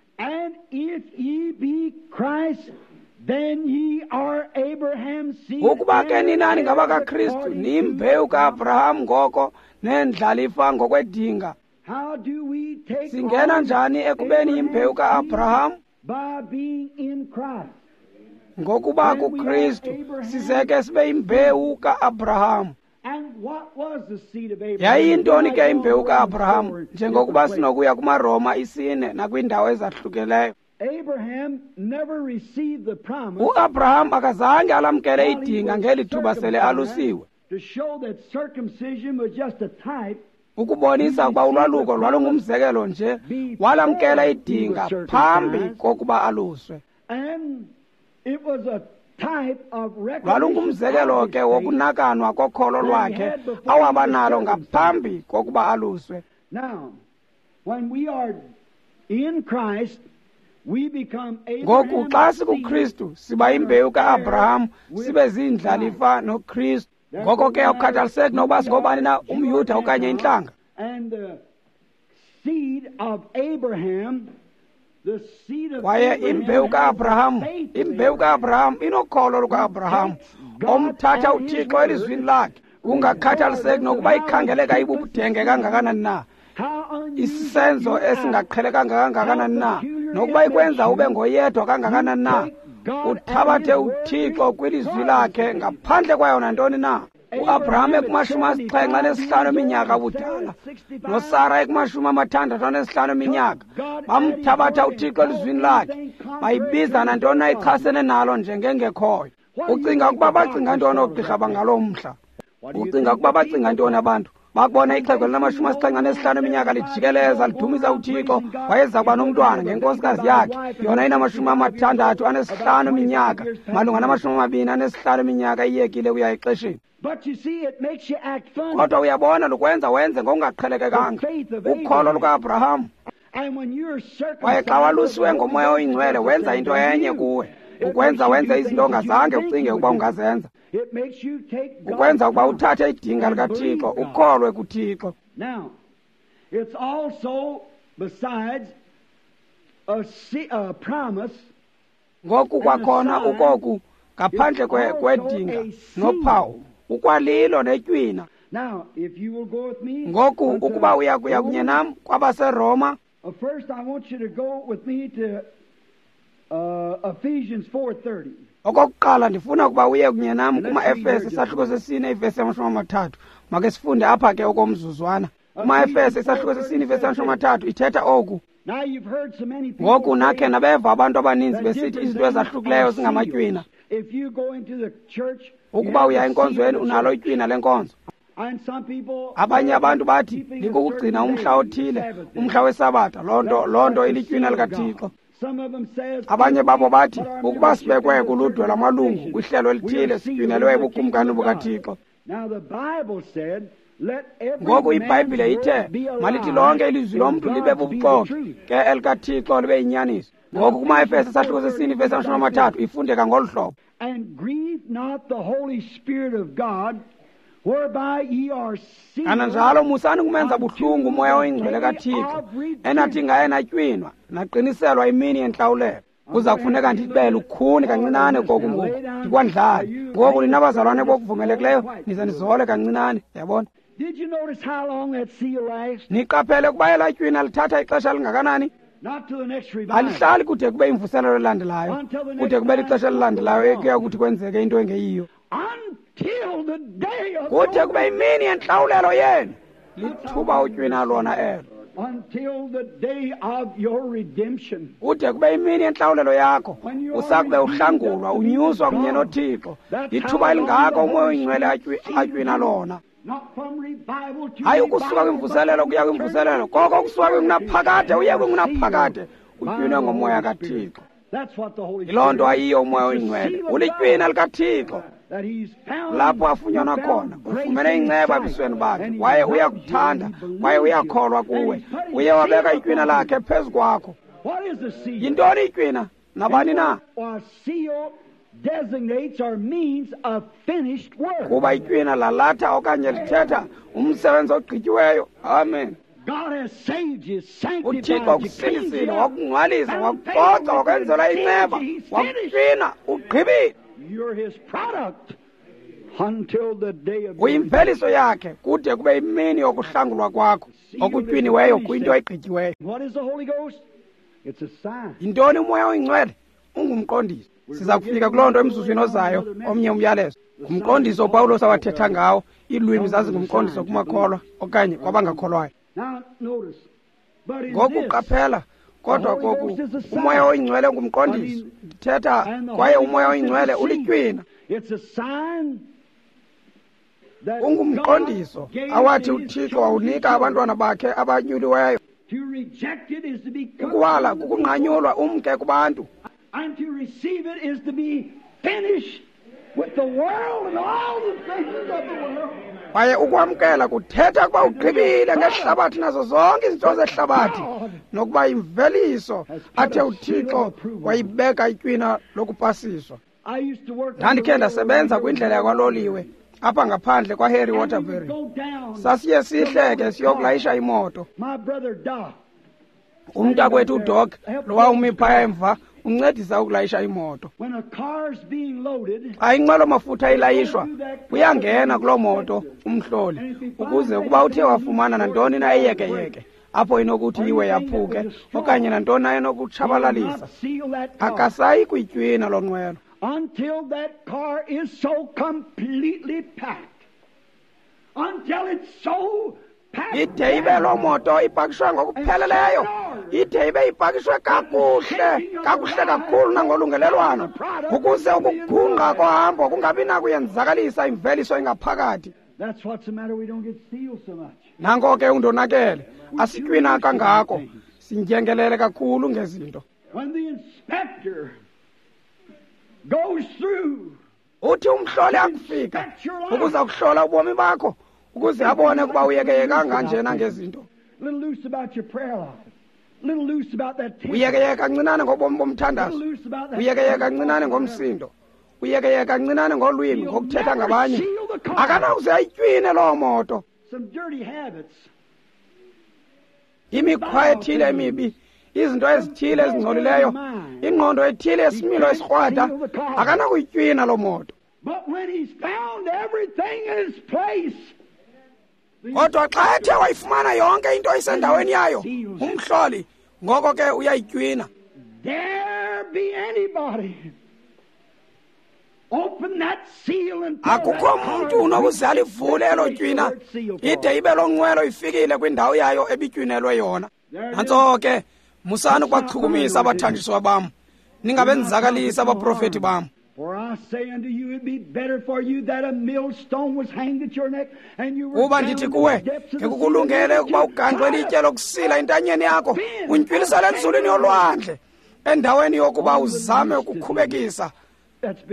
Ukuba ke ninani ngabakaKristu, niyimbewu kaAbraham ngoko neendlalifa ngokwedinga. Singena njani ekubeni yimbewu kaAbraham? Ngokuba kuKristu sizeke sibe yimbewu kaAbraham. Yayiyintoni ke imbewu kaAbraham? Njengokuba sinokuya kumaRoma 4 nakwiindawo ezahlukileyo. UAbraham akazange alamkele idinga ngeli thuba sele alusiwe, ukubonisa ukuba ulwaluko lwalungumzekelo nje. Walamkela idinga phambi kokuba aluswe. Lwalungumzekelo ke wokunakanwa kokholo lwakhe awaba nalo ngaphambi kokuba aluswe. Ngoku xa sikuKristu siba imbewu kaAbraham, sibe ziindlalifa noKristu. Ngoko ke akukhathaliseki nokuba singobani na, umYuda okanye intlanga. Kwaye imbewu kaAbraham, imbewu kaAbraham inokholo lukaAbraham omthatha uThixo elizwini lakhe, kungakhathaliseki nokuba ikhangeleka ibubudenge kangakanani na, isenzo esingaqhelekanga kangakanani na, nokuba ikwenza ube ngoyedwa kangakanani na, uthabathe uThixo kwilizwi lakhe ngaphandle kwayo nantoni na. uAbraham ekumashumi 75 eminyaka ubudala, noSara ekumashumi 65 eminyaka, bamthabatha uThixo elizwini lakhe, bayibiza nantoni na ichasene nalo njengengekhoyo. Ucinga ukuba bacinga ntoni oogqirha bangaloo mhla? Ucinga ukuba bacinga ntoni abantu? Bakubona ixhego linama-75 eminyaka lijikeleza lidumisa uThixo, wayeza kuba nomntwana ngenkosikazi yakhe, yona inama-65 eminyaka, malunga nama-25 eminyaka iyekile kuya exesheni. Kodwa uyabona, lukwenza wenze ngokungaqhelekekanga ukholo lukaAbraham. Kwaye xa walusiwe ngoMoya oyiNgcwele, wenza into enye kuwe, ukwenza wenze izinto ongazange ucinge ukuba ungazenza, ukwenza ukuba uthathe idinga likaThixo, ukholwe kuThixo. Ngoku kwakhona ukoku ngaphandle kwedinga nophawu, ukwalilo netywina. Ngoku ukuba uya kuya kunye nam kwabaseRoma, okokuqala ndifuna ukuba uye kunye nam kumaEfese isahluko sesine ivesi yama-30. Make sifunde apha ke okomzuzwana. KumaEfese isahluko sesine ivesi yama-30 ithetha oku. Ngoku nakhe nabeva abantu abaninzi besithi izinto ezahlukileyo zingamatywina. Ukuba uya enkonzweni unalo itywina lenkonzo. Abanye abantu bathi likukugcina umhla othile, umhla weSabatha, loo nto ilitywina likaThixo. Abanye babo bathi ukuba sibekwe kuludwe lwamalungu kwihlelo elithile sitywinelwe ebukumkani bukaThixo. Ngoku iBhayibhile ithe malithi lonke ilizwi lomntu libe bubuxoki, ke elikaThixo libe yinyaniso. Ngoku kumaEfese isahluko sesine ivesi 30 ifundeka ngolu hlobo. Kananjalo musani kumenza buhlungu uMoya oyiNgcwele kaThixo, enathi ngaye natywinwa naqiniselwa imini yentlawulelo. Kuza kufuneka ndibele ukhuni kancinane koku ngoku, ndikwandlale. Ngoku nina bazalwane bokuvumelekileyo nize nizole kancinane, yabona. Niqaphele ukuba elaa tywina lithatha ixesha elingakanani? Alihlali kude kube imvuselelo elandelayo, kude kube lixesha elilandelayo ekuya kuthi kwenzeke into engeyiyo. Kude kube imini yentlawulelo yenu, lithuba utywina lona elo. Kude kube imini yentlawulelo yakho, usakube uhlangulwa, unyuswa kunye noThixo. Lithuba elingako uMoya oyiNgcwele atywina lona. Hayi ukusuka kwimvuselelo kuya kwimvuselelo, koko ukusuka kwingunaphakade uye kwingunaphakade, utywinwe ngoMoya kaThixo. Yiloo nto ayiyo uMoya oyiNgcwele, ulitywina likaThixo. Lapho afunyanwa khona, ufumene inceba ebusweni bakhe, kwaye uyakuthanda, kwaye uyakholwa kuwe. Uye wabeka itywina lakhe phezu kwakho. Yintoni itywina? Nabani na? Kuba itywina lalatha okanye lithetha umsebenzi ogqityiweyo. Amen. UThixo ukusindisile, wakungcwalisa, wakucoca, wakwenzela inceba, wakutywina, ugqibile. Uyimveliso yakhe kude kube imini yokuhlangulwa kwakho okutywiniweyo kwinto egqityiweyo. Yintoni uMoya oyiNgcwele? Ungumqondiso. Siza kufika kuloo nto emzuzwini ozayo, omnye umyalezo. Ngumqondiso uPawulos awathetha ngawo. Iilwimi zazingumqondiso kumakholwa okanye kwabangakholwayo. Ngoku qaphela, kodwa koku uMoya oyiNgcwele ngumqondiso. Ndithetha kwaye uMoya oyiNgcwele ulitywina. Ungumqondiso awathi uThixo wawunika abantwana bakhe abanyuliweyo. Ukuwala kukunqanyulwa umke kubantu. Kwaye ukwamkela kuthetha ukuba ugqibile ngehlabathi nazo zonke izinto zehlabathi, nokuba imveliso athe uThixo wayibeka itywina lokupasiswa. Ndandikhe ndasebenza kwindlela yakwaloliwe apha ngaphandle kwaHarry Waterbury. Sasiye sihleke siyokulayisha imoto. Umntakwethu uDoc lowa umi phaya emva uncedisa ukulayisha imoto. Xa inqwelo-mafutha ilayishwa, uyangena kuloo moto umhloli ukuze ukuba uthe wafumana nantoni na eyekeyeke apho inokuthi iwe yaphuke okanye nantoni na enokutshabalalisa, akasayi kuyitywina loo nqwelo. Until that car is so completely packed. Until it's so packed. Ide ibe loo moto ipakishwe ngokupheleleyo, ide ibe ipakishwe kakuhle, kakuhle kakhulu nangolungelelwano, ukuze ukugungqa kohambo kungabi nakuyenzakalisa imveliso engaphakathi. That's what's the matter, we don't get sealed so much. Nanko ke undonakele, asitywina kangako, sindyengelele kakhulu ngezinto. When the inspector goes through, uthi umhloli akufika ukuza kuhlola ubomi bakho, ukuze abone ukuba uyekeyekanga njena ngezinto. Uyekeyeka kancinane ngobomi bomthandazo, uyekeyeka kancinane ngomsindo, uyekeyeka kancinane ngolwimi, ngokuthetha ngabanye. Akanakuze ayitywine loo moto. Imikhwa ethile emibi, izinto ezithile ezingcolileyo, ingqondo ethile esimilo esikrwada, akanakuyitywina loo moto. Kodwa xa ethe wayifumana yonke into isendaweni yayo umhloli, ngoko ke uyayitywina. Akukho mntu unokuze alivule elo tywina ide ibe loo nqwelo ifikile kwindawo yayo ebitywinelwe yona. Nantso ke, musani ukubachukumisa abathanjiswa bam, ningabenzakalisi abaprofeti bam. Kuba ndithi kuwe, ngekukulungele ukuba ugangxwe ilitye lokusila entanyeni yakho, untywilisele enzulwini yolwandle, endaweni yokuba uzame ukukhubekisa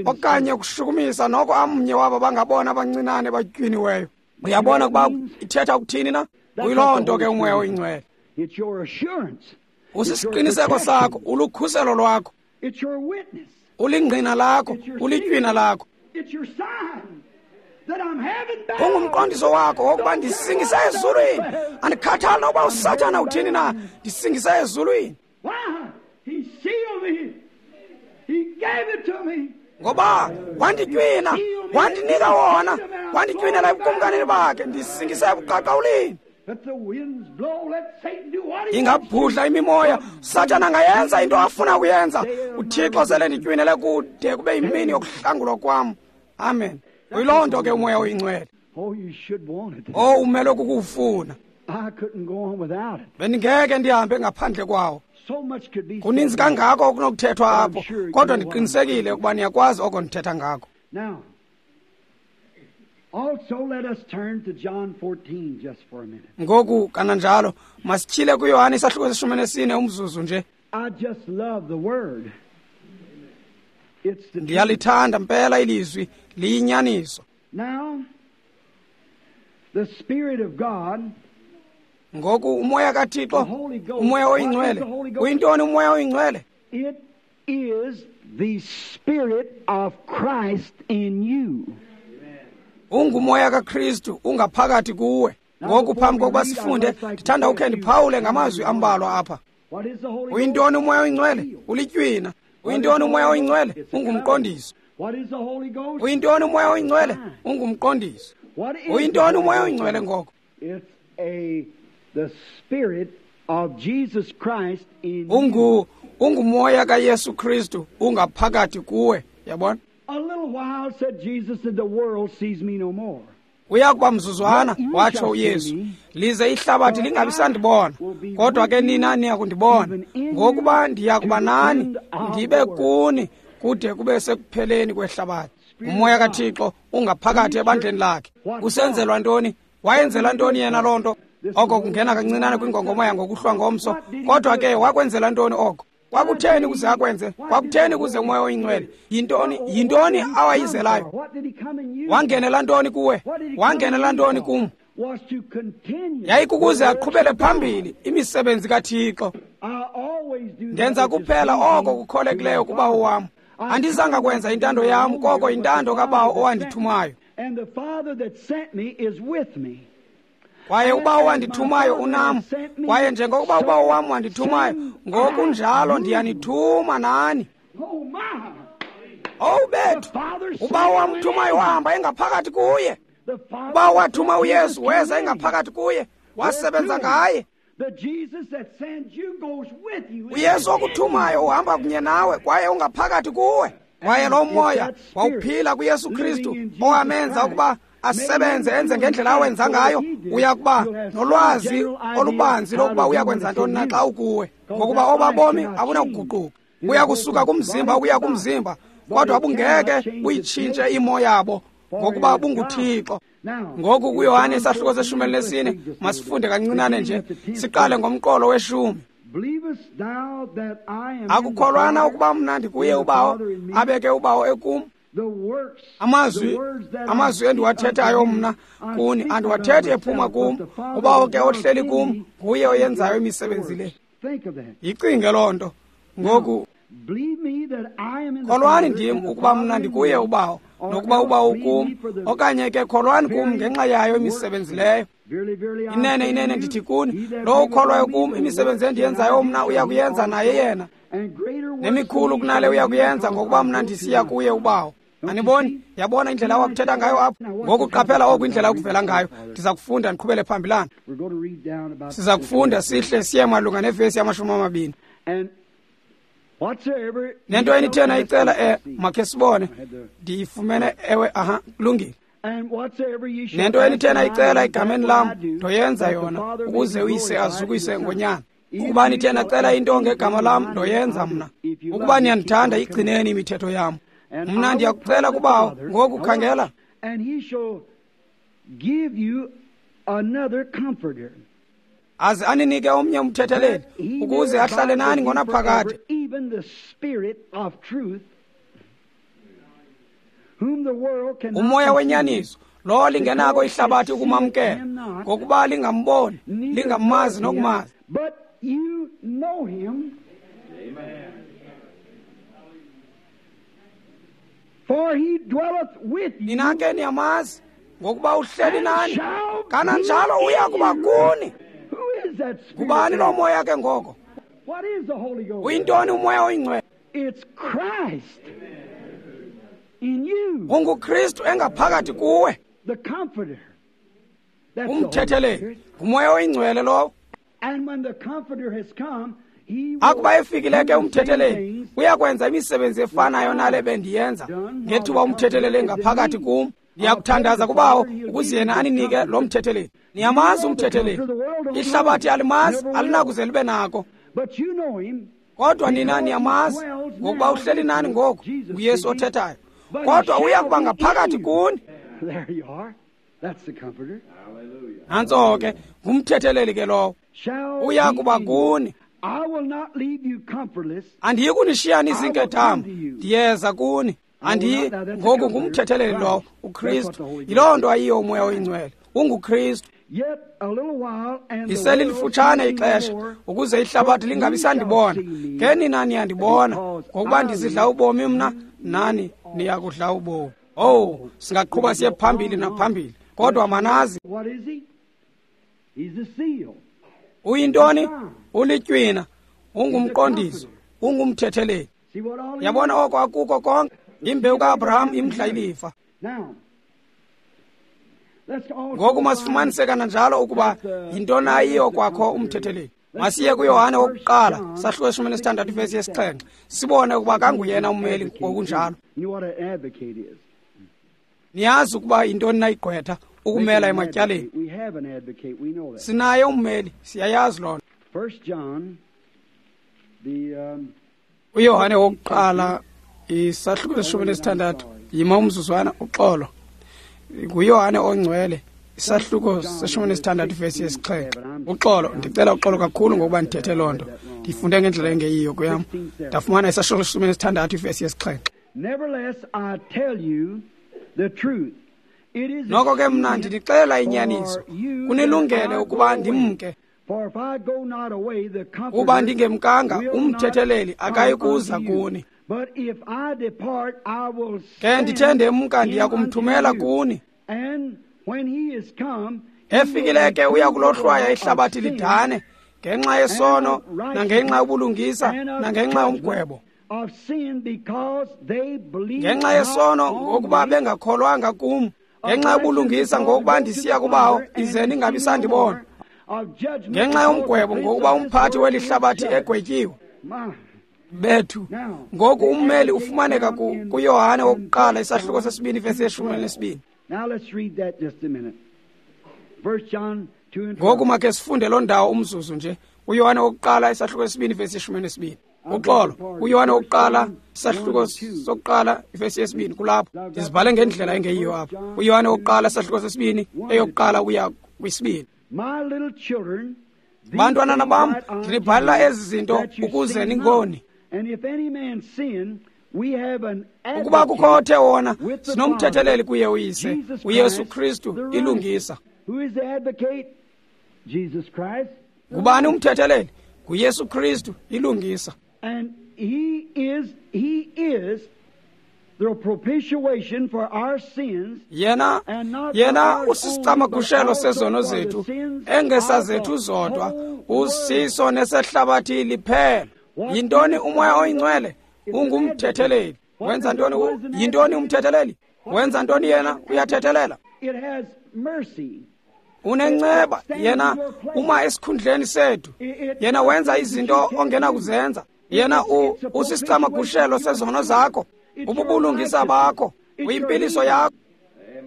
okanye ukushukumisa noko amnye wabo bangabona abancinane batywiniweyo. Uyabona ukuba ithetha ukuthini na? Kuyiloo nto ke uMoya oyiNgcwele. Usisiqiniseko sakho, ulukhuselo lwakho. Ulingqina lakho, ulitywina lakho. Ungumqondiso wakho wokuba ndisingise ezulwini. Andikhathali nokuba uSathana uthini na, ndisingise ezulwini. Ngoba wanditywina, wandinika wona, wanditywinela ebukumkanini bakhe, ndisingise ebuqaqawulini. Ingabhudla imimoya, Sathana angayenza into afuna kuyenza. UThixo sele nditywinele kude kube yimini yokuhlangulwa kwam. Amen. Uyiloo nto ke uMoya oyiNgcwele. Oh, umele kukuwufuna. Bendingeke ndihambe ngaphandle kwawo. Kuninzi kangako okunokuthethwa apho, kodwa ndiqinisekile ukuba niyakwazi oko ndithetha ngako. Ngoku kananjalo masityhile kuYohane isahluko seshumi nesine umzuzu nje. Ndiyalithanda mpela ilizwi, liyinyaniso. Ngoku uMoya kaThixo, uMoya oyiNgcwele. Uyintoni uMoya oyiNgcwele? It is the Spirit of Christ in you. UnguMoya kaKristu ungaphakathi kuwe. Ngoku phambi kokuba sifunde, ndithanda ukhe ndiphawule ngamazwi ambalwa apha. Uyintoni uMoya oyiNgcwele? Ulitywina. Uyintoni uMoya oyiNgcwele? Ungumqondiso. Uyintoni uMoya oyiNgcwele? Ungumqondiso. Uyintoni uMoya oyiNgcwele ngoko? The Spirit of Jesus Christ in ungumoya kaYesu Kristu ungaphakathi kuwe, yabona? A little while, said Jesus, and the world sees me no more. Uyakuba mzuzwana, watsho uYesu, lize ihlabathi lingabi sandibona, kodwa ke nina niya kundibona, ngokuba ndiya kuba nani, ndibe kuni kude kube sekupheleni kwehlabathi. Umoya kaThixo ungaphakathi ebandleni lakhe. Usenzelwa ntoni? Wayenzela ntoni yena loo nto? Oko kungena kancinane kwingongoma yangokuhlwa ngomso, kodwa ke wakwenzela ntoni oko? Kwakutheni ukuze akwenze? Kwakutheni ukuze uMoya oyiNgcwele? Yintoni awayizelayo? Wangenela ntoni kuwe? Wangenela ntoni kum? Yayikukuze aqhubele phambili imisebenzi kaThixo. Ndenza kuphela oko kukholekileyo kuBawo wam. Andizanga kwenza intando yam, koko intando kaBawo owandithumayo. Kwaye uBawo wandithumayo unam, kwaye njengokuba uBawo wam wandithumayo, ngokunjalo ndiyanithuma nani. Owu bethu, uBawo wamthumayo wahamba engaphakathi kuye. Ubawo wathuma uYesu, weza engaphakathi kuye, wasebenza ngaye. uYesu okuthumayo uhamba kunye nawe, kwaye ungaphakathi kuwe. Kwaye lo moya wawuphila kuYesu Kristu owamenza ukuba asebenze enze ngendlela awenza ngayo, uya kuba nolwazi olubanzi lokuba uya kwenza ntoni na xa ukuwe, ngokuba obabomi abunakuguquka. Uya kusuka kumzimba ukuya kumzimba, kodwa bungeke buyitshintshe imo yabo, ngokuba bunguThixo. Ngoku kuYohane isahluko seshumi elinesine, masifunde kancinane nje, siqale ngomqolo weshumi. Akukholwana ukuba mna ndikuye uBawo, abeke uBawo ekum. Amazwi endiwathethayo mna kuni, andiwathethi ephuma kum. uBawo ke ohleli kum, nguye oyenzayo imisebenzi le. Yicinge loo nto. Ngoku kholwani ndim ukuba mna ndikuye uBawo, nokuba uBawo ukum, okanye ke kholwani kum ngenxa yayo imisebenzi leyo. Inene, inene ndithi kuni, lowo ukholwayo kum, imisebenzi endiyenzayo mna uya kuyenza naye yena, nemikhulu kunale uya kuyenza, ngokuba mna ndisiya kuye uBawo. Aniboni? Yabona indlela awakuthetha ngayo apho? Ngoku qaphela oku indlela okuvela ngayo. Ndiza kufunda ndiqhubele phambilana. Siza kufunda sihle siye malunga nevesi yama-20. Nento enithe nayicela, makhe sibone. Ndiyifumene, ewe, aha, kulungile. Nento enithe nayicela egameni lam, ndoyenza yona, ukuze uyise azukise ngonyana. Ukuba nithe nacela into ngegama lam, ndoyenza mna. Ukuba niyandithanda, igcineni imithetho yam. Mna ndiyakucela kuBawo. Ngoku khangela. Aze aninike omnye umthetheleli, ukuze ahlale nani ngonaphakade. Umoya wenyaniso, lowo lingenako ihlabathi ukumamkela, ngokuba lingamboni, lingamazi nokumazi. You know him. Amen. For he dwelleth with you. Nina ke niyamazi ngokuba uhleli and nani, shall kananjalo be uya kuba in you. kuni. Who is that Spirit? Ngubani lo moya ke ngoko? What is the Holy Ghost? Uyintoni umoya oyingcwele? It's Christ in you, UnguKristu engaphakathi kuwe, the Comforter. That's the Holy umthetheleli. Spirit. Ngumoya oyingcwele lowo. And when the Comforter has come, he will Akuba efikile ke do the same umthetheleli, things uyakwenza imisebenzi efanayo nale bendiyenza ngethuba umthetheleli engaphakathi kum. Ndiyakuthandaza kubawo ukuze yena aninike lo mthetheleli. Niyamazi umthetheleli, ihlabathi alimazi, alinakuze libe nako. But you know him. Kodwa nina niyamazi ngokuba uhleli nani ngoku, nguYesu othethayo. Kodwa uya kuba ngaphakathi kuni. There you are. That's the Comforter. Hallelujah. Nantso ke, ngumthetheleli ke lowo, Shall uya be kuba in you. kuni. I will not leave you comfortless. Andiyi kunishiya nizinkedama, ndiyeza kuni. Andiyi ngoku, ngumthetheleli lowo, uKristu. Yiloo nto ayiyo umoya oyingcwele, unguKristu. Yet a little while and the Lisele world lifutshane shall see no ixesha more, ukuze ihlabathi lingabi sandibona. Ke nina niyandibona, ngokuba ndizidla ubomi mna, nani niya kudla ubomi. Owu, singaqhuba siye phambili naphambili, kodwa manazi. What is he? He's the seal. Uyintoni? Ulitywina, ungumqondiso, ungumthetheleli. See what all he Yabona oko akuko konke? Imbewu ka-Abraham imdla ilifa. is? Now, let's also Ngoku masifumanise kananjalo ukuba yintoni ayiyo kwakho umthetheleli. Masiye kuYohane wokuqala, sahluko 16 ivesi yesi-7, sibone ukuba kanguyena ummeli ngokunjalo. You know what an advocate is? Niyazi ukuba yintoni na igqwetha ukumela ematyaleni. We have an advocate. We know that. Sinaye ummeli, siyayazi loo nto. First John, the uYohane wokuqala isahluko 16, yima umzuzwana, uxolo. NguYohane ongcwele, isahluko 16 ivesi yesi-7. Uxolo, ndicela uxolo kakhulu ngokuba ndithethe loo nto. Ndifunde ngendlela engeyiyo kuyam. Ndafumana isahluko 16 ivesi yesi-7. Nevertheless, I tell you the truth. It is Noko ke mna expedient ndinixelela inyaniso, for you kunilungele that I ukuba go away. ndimke. For if I go not away, the Comforter Uba ndingemkanga, will not umthetheleli come akayi kuza unto you. kuni. But if I depart, I will Ke ndithe send ndemka, him ndiya unto kumthumela you. kuni. And when he is come, he Efikile will ke uya reprove the kulohlwaya world of ihlabathi sin lidane ngenxa yesono nangenxa yobulungisa and of nangenxa yomgwebo. judgment, of sin because they believe Ngenxa not yesono on ngokuba me. bengakholwanga kum, ngenxa yobulungisa ngokuba ndisiya kubawo ize ningabi sandibona, ngenxa yomgwebo ngokuba umphathi weli hlabathi egwetyiwe. Bethu, ngoku ummeli ufumaneka kuYohane wokuqala isahluko 2 ivesi 12. Now let's read that just a minute. First John 2 and 12. Ngoku makhe sifunde loo ndawo umzuzu nje. uYohane wokuqala isahluko 2 ivesi 12. Uxolo, uYohane wokuqala isahluko 1 ivesi 2 kulapho. Ndizibhale ngendlela engeyiyo apha. uYohane wokuqala isahluko 2 eyokuqala uya kwisibini. My little children, these Bantwanana things bam, write I unto ndinibhalela you, ezi zinto that you ukuze sin ningoni. not. And if any man sin, we have an Ukuba kukho advocate othe wona, with the sinomthetheleli Father, kuye uyise, Jesus uYesu Christ, Kristu the righteous. ilungisa. Who is the advocate? Jesus Christ. Ngubani umthetheleli? NguYesu Kristu ilungisa. And he is the propitiation for our sins. Yena And not yena for ours only, usisicamagushelo but also sezono for the zethu, sins engesazethu of the zodwa, whole world. usiso nesehlabathi liphela. Yintoni umoya oyingcwele? Ungumthetheleli. Wenza ntoni? Yintoni umthetheleli? Wenza ntoni yena? Uyathethelela. It has mercy. Unenceba yena uma esikhundleni sethu. Yena wenza izinto ongenakuzenza. Yena usisicamagushelo sezono zakho, ububulungisa bakho, uyimpiliso yakho,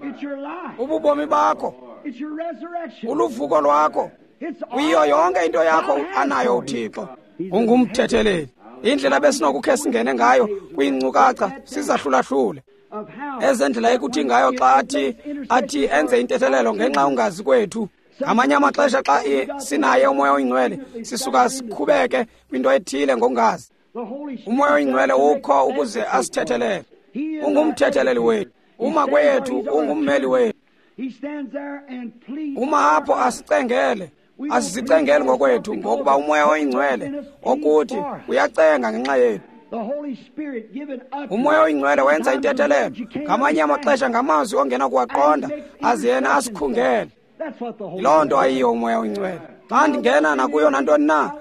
It's your life. ububomi bakho, It's your resurrection. uluvuko lwakho. It's Uyiyo all yonke into yakho God has anayo for you. uThixo. Ungumthetheleli. Indlela besinokukhe singene ngayo kwiinkcukacha sizahlulahlule Of how ezendlela ekuthi ngayo xa athi enze intethelelo ngenxa ungazi kwethu. Ngamanye amaxesha xa sinaye umoya oyingcwele sisuka sikhubeke kwinto ethile ngokungazi. the Holy Spirit Umoya oyingcwele ukho ukuze asithethelele. He is Ungumthetheleli our wethu. Uma kwethu ungummeli wethu. He stands there and pleads Uma apho asicengele. Asizicengeli ngokwethu, ngokuba uMoya oyiNgcwele okuthi uyacenga ngenxa yethu. UMoya oyiNgcwele wenza intethelelo ngamanye amaxesha ngamazwi ongena kuwaqonda, aze yena asikhungele. Yiloo nto ayiyo uMoya oyiNgcwele. Xa ndingena nakuyo nantoni na,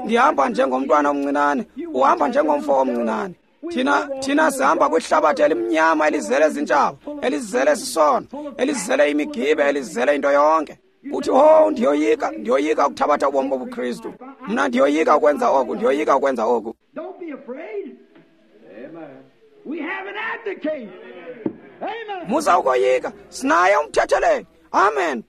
ndihamba njengomntwana omncinane, uhamba njengomfo omncinane. Thina sihamba kwihlabathi elimnyama elizele zintshaba, elizele sisono, elizele imigibe, elizele into yonke. Uthi, oh, ndiyoyika ukuthabatha ubomi bobuKristu. Mna ndiyoyika ukwenza oku, ndiyoyika ukwenza oku. Musa ukoyika, sinaye umthetheleli. Amen.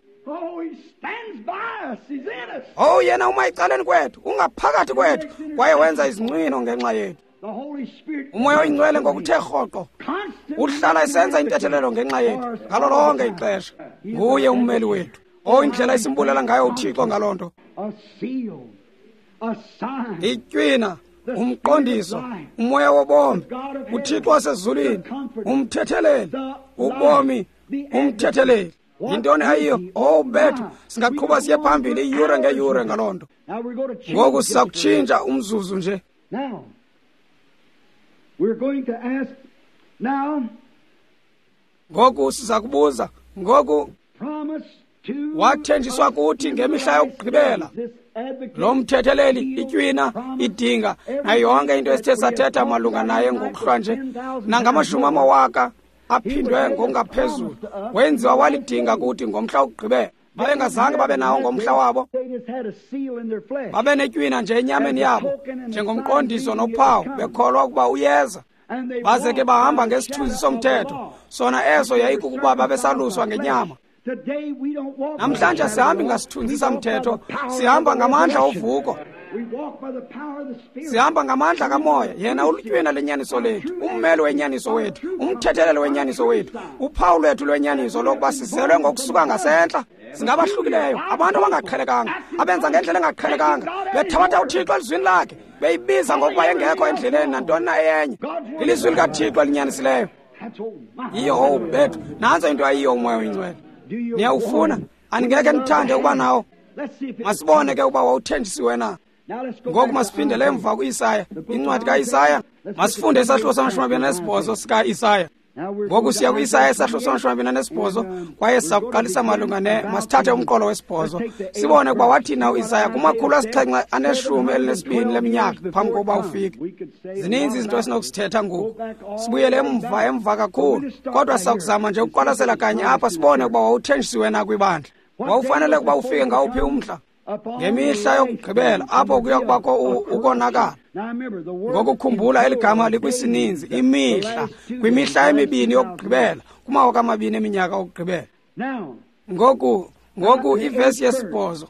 Oh, yena uma ecaleni kwethu, ungaphakathi kwethu, kwaye wenza izincwino ngenxa yethu. UMoya oyiNgcwele ngokuthe rhoqo uhlala esenza intethelelo ngenxa yethu ngalo lonke ixesha. Nguye ummeli wethu. Oh, indlela esimbulela ngayo uThixo ngaloo nto. Itywina, umqondiso, umoya wobomi, uThixo wasezulwini, umthetheleli, ubomi, umthetheleli. Yintoni ayiyo? Oh, bethu, singaqhuba siye phambili iyure ngeyure ngaloo nto. Ngoku siza kutshintsha umzuzu nje. Ngoku siza kubuza, ngoku wathenjiswa kuthi ngemihla yokugqibela lo mthetheleli, itywina, idinga, nayo yonke into esithe sathetha malunga naye ngokuhlwa nje, nangamashumi amawaka aphindwe ngokungaphezulu, wenziwa walidinga kuthi ngomhla wokugqibela. Babengazange babe nawo ngomhla wabo, babe netywina nje enyameni yabo njengomqondiso nophawu, bekholwa ukuba uyeza. Baze ke bahamba ngesithunzi somthetho, sona eso yayikukuba babesaluswa ngenyama. Namhlanje sihambi ngasithunzi samthetho, sihamba ngamandla ovuko. Sihamba ngamandla kamoya. Yena ulutywina lenyaniso lethu, ummeli wenyaniso wethu, umthetheleli wenyaniso wethu, uphawu lwethu lwenyaniso lokuba sizelwe ngokusuka ngasentla. Singabahlukileyo, abantu abangaqhelekanga, abenza ngendlela engaqhelekanga, bethabatha uThixo elizwini lakhe, beyibiza ngokuba engekho endleleni nantoni na eyenye. Ilizwi likaThixo elinyanisileyo. Yiyo, oh bethu, nantso into ayiyo uMoya oyiNgcwele. Niyawufuna? Andingeke ndithande ukuba nawo. Masibone ke ukuba wawuthenjisiwe na. Ngoku masiphindele emva ku-Isaya, incwadi ka-Isaya. Masifunde isahluko sama-28 sika-Isaya. Ngoku siya ku-Isaya isahluko sama-28, kwaye siza kuqalisa malunga ne masithathe umqolo wesibhozo, sibone ukuba wathina u-Isaya 712 leminyaka phambi kokuba ufike. Zininzi izinto esinokusithetha ngoku, sibuyele emva kakhulu, kodwa siza kuzama nje ukuqwalasela kanye apha sibone ukuba wawuthenjisiwe na kwibandla. Wawufanele ukuba ufike ngawuphi umhla? Ngemihla yokugqibela, apho kuya kubakho ukonakala. Ngokukhumbula eli gama likwisininzi, imihla, kwimihla emibini yokugqibela, kumawaka amabini eminyaka okugqibela. Ngoku ivesi yesibhozo.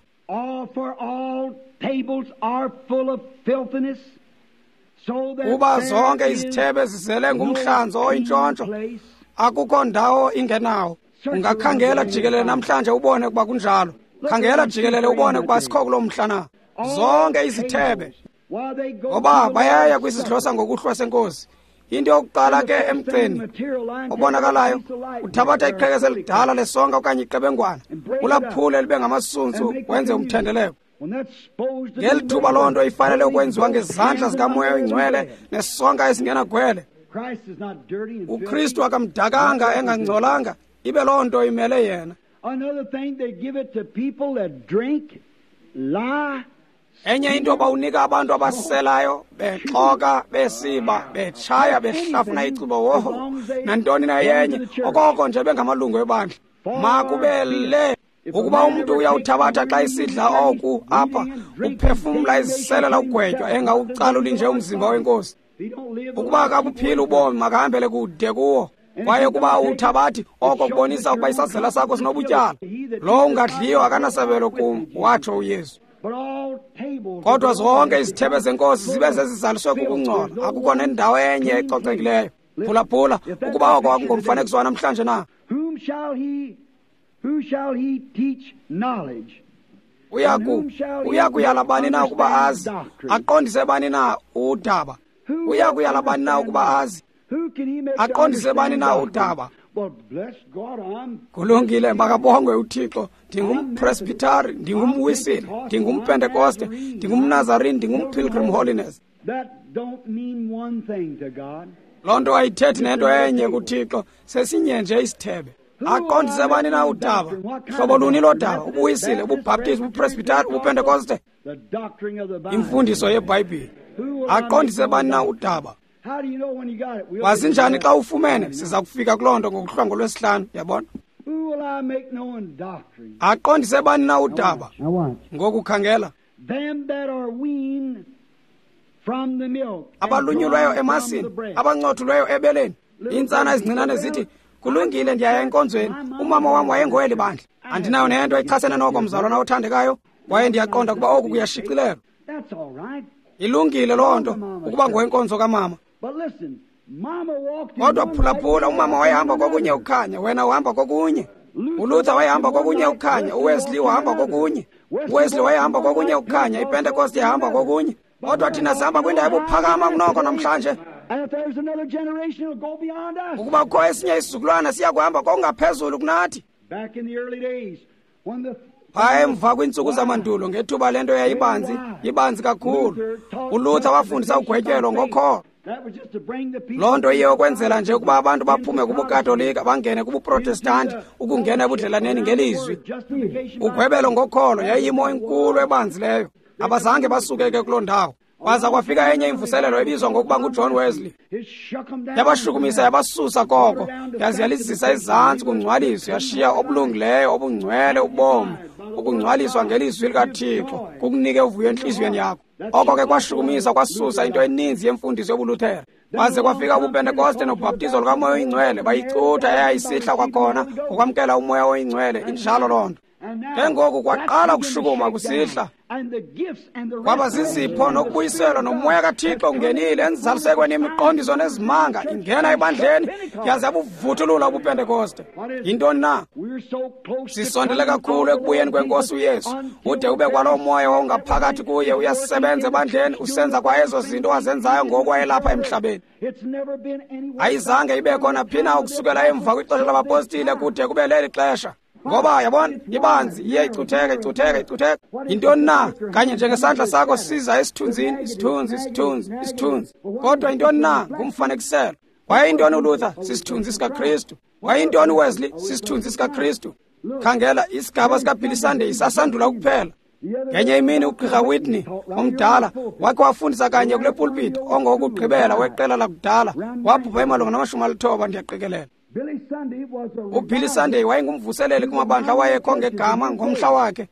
Kuba zonke izithebe zizele ngumhlanzo oyintshontsho, akukho ndawo ingenawo. Ungakhangela jikelele namhlanje ubone ukuba kunjalo. Khangela jikelele ubone ukuba sikho kuloo mhla na. Zonke izithebe, ngoba bayaya kwisidlo sangokuhlwa senkosi. Into yokuqala ke emgceni obonakalayo, uthabatha iqhekeza elidala lesonka okanye iqebengwana, ulaphule libe ngamasuntsu, wenze umthendeleko. Ngeli thuba loo nto ifanele ukwenziwa ngezandla zikaMoya oyiNgcwele nesonka esingenagwele. uKristu akamdakanga engangcolanga, ibe loo nto imele yena. Enye into bawunika abantu abaselayo, bexoka, besiba, betshaya, behlafuna icuba, woho, nantoni na yenye, okoko nje bengamalungu ebandla. Makube le ukuba umntu uyawuthabatha xa isidla oku apha, uphefumla iziselela ugwetywa, engawucaluli nje umzimba wenkosi. Ukuba akabuphili ubomi, makahambele kude kuwo. Kwaye ukuba uthabathi oko kubonisa ukuba isazela sakho sinobutyala. Lo ungadliyo akanasabelo kum, watsho uYesu. Kodwa zonke izithebe zenkosi zibe zezizaliswe kukungcola, akukho nendawo enye ecocekileyo. Phulaphula, ukuba oko akungomfanekiso wanamhlanje na. Uya kuyala bani na ukuba azi, aqondise bani na udaba? Uya kuyala bani na ukuba azi, aqondise bani na udaba? Kulungile, makabongwe uThixo. Ndingumpresbytari, ndingumwisile, ndingumpentekoste, ndingumnazarini, ndingumpilgrim holiness. Loo nto ayithethi nento enye kuThixo, sesinye nje isithebe. Aqondise bani na udaba? Hlobo luni lodaba? Ubuwisile, ububhaptizi, ubupresbytari, ubupentekoste? Imfundiso yeBhayibhile. Aqondise bani na udaba? Wazi njani xa ufumene? Siza kufika kuloo nto ngokuhlwa ngolwesihlanu, yabona? Aqondise bani na udaba? Ngoku khangela. Abalunyulweyo emasini, abancothulweyo ebeleni. Iintsana ezincinane zithi, kulungile, ndiyaya enkonzweni. Umama wam wayengoweli bandla. Andinayo nento echasene noko, mzalwana othandekayo, kwaye ndiyaqonda ukuba oku kuyashicilelwa. Ilungile loo nto, ukuba ngowenkonzo kamama. Kodwa phulaphula, umama wayehamba kokunye ukukhanya, wena uhamba kokunye. uLuther wayehamba kokunye ukukhanya, uWesley wahamba kokunye. uWesley wayehamba kokunye ukukhanya, iPentecost yahamba kokunye. Kodwa thina sihamba kwindawo ebuphakama kunoko namhlanje. Ukuba kukho esinye isizukulwana siya kuhamba kokungaphezulu kunathi. Phaya emva kwiintsuku zamandulo, ngethuba le nto yayibanzi, ibanzi kakhulu, uLuther wafundisa ugwetyelo ngokholo. Loo nto iye ukwenzela nje ukuba abantu baphume kubuKatolika bangene kubuProtestanti, ukungena ebudlelaneni ngelizwi. Ugwebelo ngokholo yayiyimo enkulu ebanzileyo. Abazange basuke ke kuloo ndawo. Kwaza kwafika enye imvuselelo ebizwa ngokuba nguJohn Wesley. Yabashukumisa, yabasusa koko, yaze yalizisa ezantsi kungcwaliso, yashiya obulungileyo, obungcwele ubomi. Ukungcwaliswa ngelizwi likaThixo kukunike uvuyo entliziyweni yakho. Oko ke kwashukumisa, kwasusa into eninzi yemfundiso yobuLuthere. Kwaze kwafika ubuPentekoste nobhaptizo lukaMoya oyiNgcwele, bayicutha eyayisihla kwakhona ngokwamkela uMoya oyiNgcwele. Injalo loo nto. Ke ngoku kwaqala ukushukuma kusihla. Kwaba zizipho nokubuyiselwa nomoya kaThixo ungenile enzalisekweni yemiqondiso nezimanga, ingena ebandleni yaze yabuvuthulula ubuPentekoste. Yintoni na? Sisondele kakhulu ekubuyeni kweNkosi uYesu, ude ube kwaloo moya wawungaphakathi kuye uyasebenza ebandleni, usenza kwa ezo zinto wazenzayo ngoku wayelapha emhlabeni. Ayizange ibe khona phi na ukusukela emva kwixesha labapostile kude kube leli xesha. Ngoba yabona, ibanzi iye icutheka, icutheka, icutheka. Yintoni na? Kanye njengesandla sakho siza esithunzini, isithunzi, isithunzi, isithunzi. Kodwa yintoni na? Ngumfanekiselo. Wayeyintoni uLuther? Sisithunzi sikaKristu. Wayeyintoni uWesley? Sisithunzi sikaKristu. Khangela, isigaba sikaBilly Sunday sasandula ukuphela. Ngenye imini ugqirha Whitney omdala wakhe wafundisa kanye kule pulpit, ongowokugqibela weqela lakudala, wabhubha emalunga nama-90, ndiyaqikelela. UBilly Sunday wayengumvuseleli kumabandla awayekho ngegama ngomhla wakhe.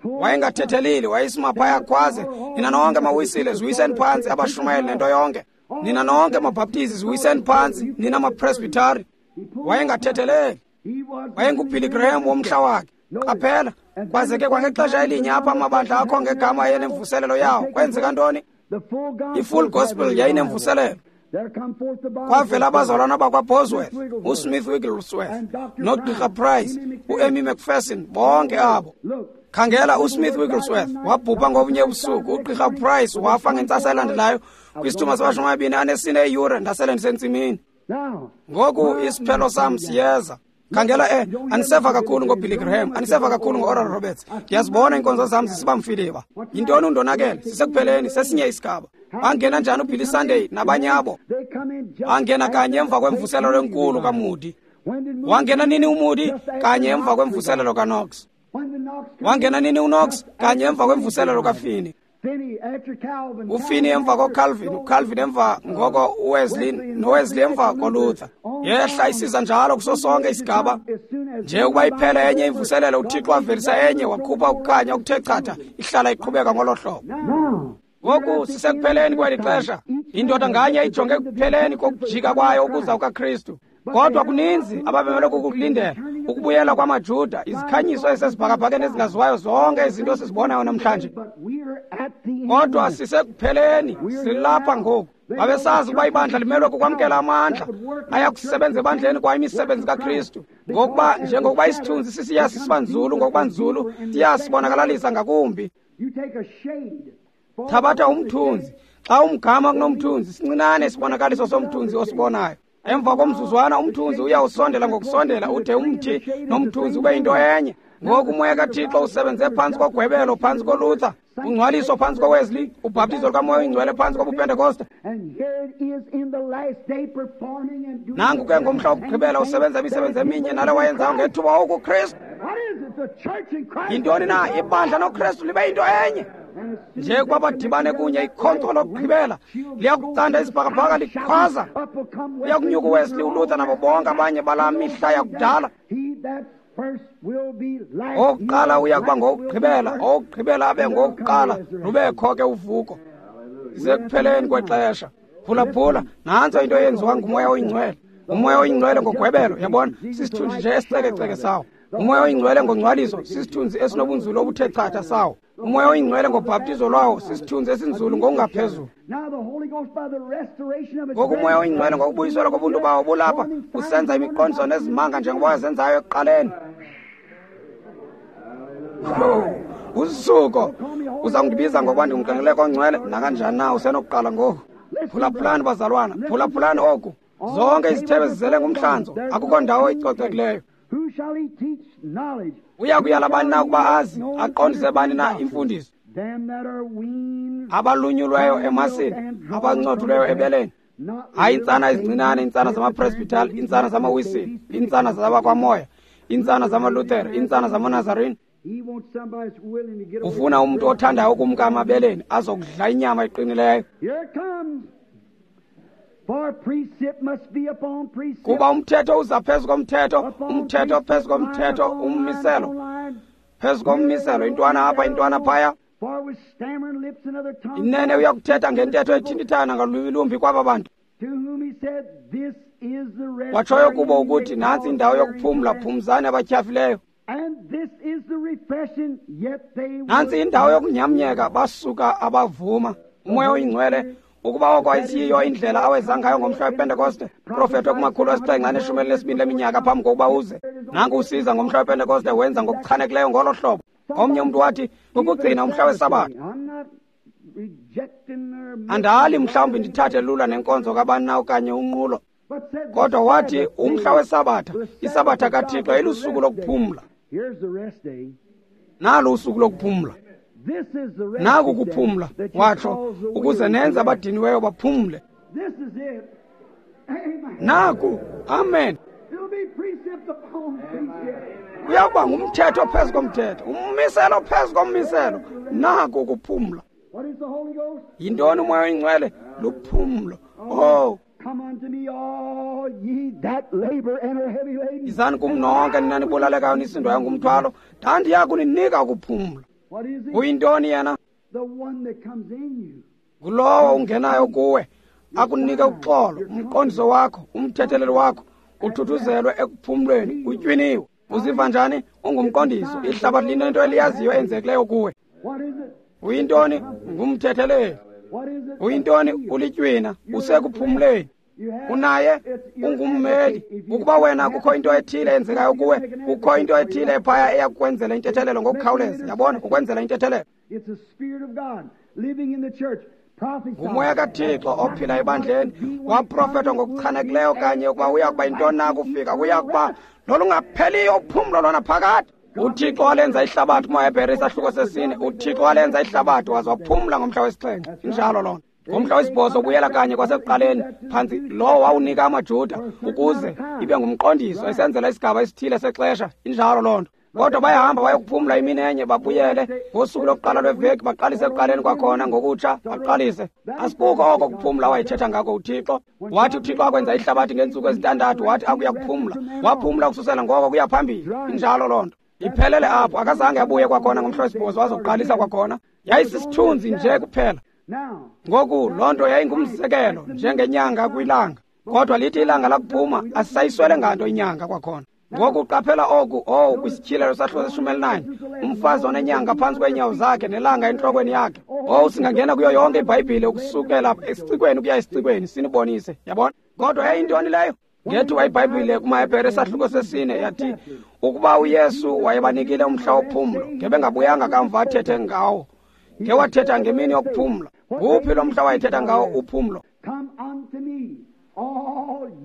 Wayengathetheleli, wayesima phaya akhwaze, nina nonke mawisile ziwiseni phantsi, abashumayeli nento yonke. Nina nonke mabhaptizi ziwiseni phantsi, nina mapresbytari. Wayengathetheleli. WayenguBilly Graham womhla wakhe. Qaphela, kwaze ke kwangexesha elinye apha amabandla akho ngegama ayenemvuselelo yawo. Kwenzeka ntoni? I-Full Gospel yayinemvuselelo. Kwavela abazalwana bakwaBosworth, uSmith Wigglesworth, noGqirha Price, uEmmy McPherson, bonke abo. Khangela, uSmith Wigglesworth wabhubha ngobunye ubusuku, uGqirha Price wafa ngentsasa elandelayo kwisithuba sama-24 eeyure, ndasele ndisentsimini. Ngoku isiphelo sam siyeza. Khangela, aniseva kakhulu ngoBilly Graham, aniseva kakhulu ngo-Oral Roberts. Ndiyazibona iinkonzo zam zisiba mfiliba. Yintoni undonakele? Sisekupheleni, sesinye isigaba. Bangena njani uBilly Sunday nabanye abo? Bangena kanye emva kwemvuselelo enkulu kaMoody. Wangena nini uMoody? Kanye emva kwemvuselelo kaKnox. Wangena nini uKnox? Kanye emva kwemvuselelo kaFinney. UFinney emva koCalvin, uCalvin emva ngoko uWesley, noWesley emva koLuther. Yehla isiza njalo kuso sonke isigaba. Nje ukuba iphele enye imvuselelo, uThixo wavelisa enye, wakhupha ukukhanya okuthe chatha, ihlala iqhubeka ngolo hlobo. Ngoku sisekupheleni kweli xesha. Indoda nganye ijonge ekupheleni kokujika kwayo ukuza kukaKristu. Kodwa kuninzi ababemele kukulindela, ukubuyela kwamaJuda, izikhanyiso ezisesibhakabhakeni ezingaziwayo, zonke izinto esizibonayo namhlanje. Kodwa sisekupheleni, silapha ngoku. Babesazi ukuba ibandla limelwe kukwamkela amandla ayakusebenza ebandleni kwa imisebenzi kaKristu. Ngokuba njengokuba isithunzi sisiya sisiba nzulu ngokuba nzulu, siya sibonakalisa ngakumbi. Thabatha umthunzi. Xa umgama kunomthunzi, sincinane isibonakaliso somthunzi osibonayo. Emva komzuzwana umthunzi uyawusondela ngokusondela ude umthi nomthunzi ube yinto enye. Ngoku uMoya kaThixo usebenze phantsi kogwebelo, phantsi koLuther, ungcwaliso phantsi koWesley, ubhaptizo lukaMoya oyiNgcwele phantsi kobuPentekoste. Nanku ke ngomhla wokugqibela usebenza imisebenzi eminye nale wayenzayo ngethuba wawukuKristu. Yintoni na? Ibandla noKristu libe yinto enye. Nje ukuba badibane kunye, ikhonkco lokugqibela liyakucanda isibhakabhaka likhwaza. Uyakunyuka uWesley, uLuther nabo bonke abanye balaa mihla yakudala. Owokuqala uya kuba ngowokugqibela, owokugqibela abe ngowokuqala, lubekho ke uvuko. Isekupheleni kwexesha. Phulaphula, nantso into eyenziwa nguMoya oyiNgcwele. UMoya oyiNgcwele ngogwebelo, yabona, sisithunzi nje esicekeceke sawo. UMoya oyiNgcwele ngongcwaliso, sisithunzi esinobunzulu obuthe chatha sawo. UMoya oyiNgcwele ngobhaptizo lwawo, sisithunzi esinzulu ngokungaphezulu. Ngoku uMoya oyiNgcwele ngokubuyiselwa kobuntu bawo bulapha, usenza imiqondiso nezimanga njengoba wazenzayo ekuqaleni. Usuko uza kundibiza ngokuba ndingumqengeleko ongcwele, nakanjani na usenokuqala ngoku. Phulaphulani bazalwana, phulaphulani oku. Zonke izithebe zizele ngumhlanzo, akukho ndawo icocekileyo. Uya kuyala bani na ukuba azi, aqondise bani na imfundiso? Abalunyulweyo emasini, abancothuleyo ebeleni. Hayi intsana ezincinane, intsana zamapresbitali, intsana zamawisile, intsana zabakwamoya, intsana zamaLuthere, intsana zamaNazarene. Ufuna umntu othandayo ukumka amabeleni azokudla inyama eqinileyo. Kuba umthetho uza phezu komthetho, umthetho phezu komthetho, ummiselo phezu kommiselo, intwana apha, intwana phaya. Inene uyakuthetha ngentetho ethintithana ngalwimi lumbi kwaba bantu. Watshoyo kubo ukuthi nantsi indawo yokuphumla, phumzani abatyhafileyo. Nantsi indawo yokunyamnyeka, basuka abavuma. UMoya oyiNgcwele ukuba oko ayisiyiyo indlela aweza ngayo ngomhla wePentekoste, profetwe kumakhulu 712 leminyaka phambi kokuba uze. Nanku usiza ngomhla wePentekoste, wenza ngokuchanekileyo ngolo hlobo. Omnye umntu wathi, kukugcina umhla weSabatha. Andali mhlawumbi ndithathe lula nenkonzo kabani na okanye unqulo, kodwa wathi umhla weSabatha, iSabatha kaThixo ilusuku lokuphumla. Nalo usuku lokuphumla. Naku kuphumla, watsho, ukuze nenze abadiniweyo baphumle. Naku, amen. Kuyakuba ngumthetho phezu komthetho, ummiselo phezu kommiselo. Naku kuphumla. Yintoni uMoya oyiNgcwele? Luphumlo. Oh, izani kum nonke nina nibulalekayo nisindwayo ngumthwalo, ndandiya kuninika ukuphumla. Uyintoni yena? Ngulowo ungenayo kuwe, akunike uxolo, umqondiso wakho, umthetheleli wakho, uthuthuzelwe ekuphumlweni, utywiniwe. Uziva njani? Ungumqondiso. Ihlabathi linento eliyaziyo enzekileyo kuwe. Uyintoni? Ngumthetheleli. Uyintoni? Ulitywina, usekuphumleni. Unaye, ungummeli. Ukuba wena kukho into ethile eyenzekayo kuwe, kukho into ethile ephaya eyakukwenzela intethelelo ngokukhawuleza. Yabona, ukwenzela intethelelo. NguMoya kaThixo ophila ebandleni, waprofetwa ngokuchanekileyo kanye ukuba uya kuba yintoni na kufika, kuya kuba lolungapheliyo uphumlo lona phakade. UThixo walenza ihlabathi kumaHebhere isahluko 4. UThixo walenza ihlabathi waze waphumla ngomhla wesixhenxe. Injalo lona. Ngomhla wesibhozo ubuyela kanye kwasekuqaleni phantsi lowo wawunika amaJuda ukuze ibe ngumqondiso esenzela isigaba esithile sexesha. Injalo loo nto. Kodwa bayahamba bayokuphumla imini enye, babuyele ngosuku lokuqala lweveki, baqalise ekuqaleni kwakhona ngokutsha, baqalise. Asikuko oko kuphumla wayethetha ngako uThixo. Wathi uThixo akwenza ihlabathi ngeentsuku ezintandathu, wathi akuya kuphumla. Waphumla ukususela ngoko kuya phambili. Injalo loo nto. Iphelele apho, akazange abuye kwakhona ngomhla wesibhozo wazokuqalisa kwakhona. Yayisisithunzi nje kuphela. Ngoku loo nto yayingumzekelo njengenyanga kwilanga, kodwa lithi ilanga lakuphuma asisayiswele nganto inyanga kwakhona. Ngoku qaphela oku, owu, kwisityhilelo sahluko se-19, umfazi onenyanga phantsi kweenyawo zakhe nelanga entlokweni yakhe. Owu, singangena kuyo yonke iBhayibhile ukusukela esicikweni ukuya esicikweni sinibonise, yabona. Kodwa yayintoni leyo? Ngethuba iBhayibhile kumaHebhere isahluko 4 yathi ukuba uYesu wayebanikile umhla wophumlo, ngebengabuyanga kamva athethe ngawo. Ngewathetha ngemini yokuphumla. Nguphi lo mhla wayethetha ngawo uphumlo?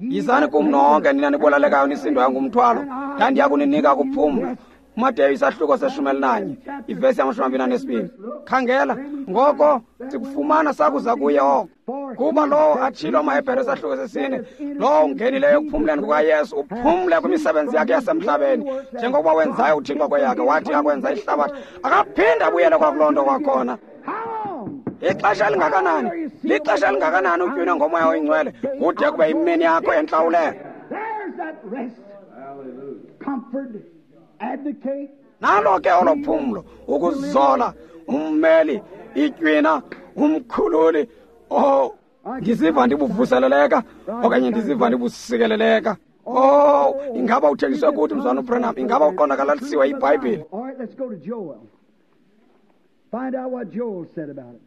Yizani kum nonke nina nibulalekayo nisindwayo ngumthwalo, ndandiya kuninika ukuphumla. Mateyu isahluko se-11 ivesi 22. Khangela, ngoko sikufumana sakuza kuye oko. Kuba lowo atshilo amaHebhere isahluko 4, lowo ungenileyo ekuphumleni kukaYesu uphumle kwimisebenzi yakhe yasemhlabeni, njengokuba wenzayo uThixo kweyakhe, wathi akwenza ihlabathi akaphinda abuyele kwakuloo nto kwakhona. Ixesha elingakanani? Lixesha elingakanani utywinwe ngoMoya oyiNgcwele kude kube imini yakho entlawulelo? Nalo ke olo phumlo, ukuzola, ummeli, itywina, umkhululi. Oh, ndiziva ndibuvuseleleka okanye ndiziva ndibusikeleleka. Oh, ingaba uthenjiswe kuthi mzwana uBranham? Ingaba uqondakalalisiwe iBhayibhile?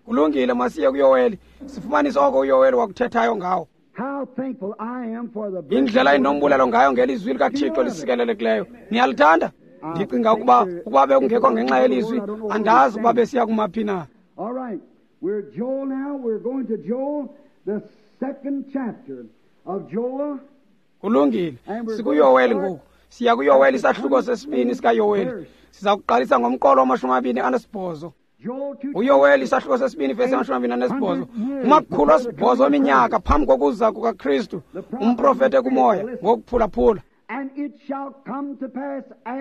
Kulungile, masiye kuYoweli sifumanise oko uYoweli wakuthethayo ngawo. Indlela endinombulela ngayo ngelizwi likaThixo lisikelelekileyo. Niyalithanda? Ndicinga ukuba bekungekho ngenxa yelizwi, andazi ukuba besiya kumaphi na. Kulungile, sikuYoweli ngoku. Siya kuYoweli isahluko 2 sikaYoweli. Siza kuqalisa ngomqolo wa-28. UYoweli isahluko 2 vesi 28. Kumakhulu 8 eminyaka phambi kokuza kukaKristu, umprofete kumoya ngokuphulaphula.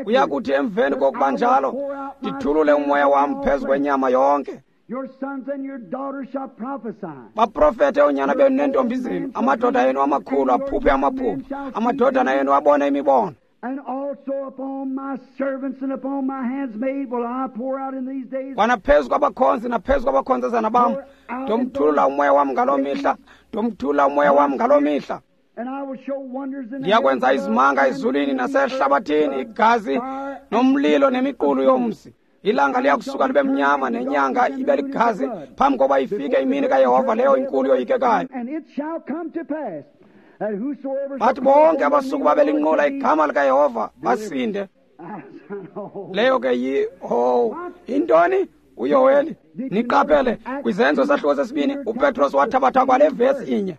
Uya kuthi emveni kokuba njalo, ndithulule umoya wam phezu kwenyama yonke. Baprofete oonyana benu neentombi zenu, amadoda enu amakhulu aphuphe amaphupha, amadodana enu abone imibono. Kwanaphezu kwabakhonzi naphezu kwabakhonzazana bam, ndomthulula umoya wam ngaloo mihla, ndomthulula umoya wam ngaloo mihla. Ndiyakwenza izimanga ezulwini nasehlabathini, igazi nomlilo nemiqulu yomsi. Ilanga liyakusuka libe mnyama nenyanga ibe ligazi phambi kokuba ifike imini kaYehova leyo inkulu yoyikekayo. Bathi bonke abasuku babelinqula igama likaYehova basinde. Leyo ke intoni? uYoweli. Niqaphele kwiZenzo sahluko 2, uPetros wathabatha kwale vesi inye.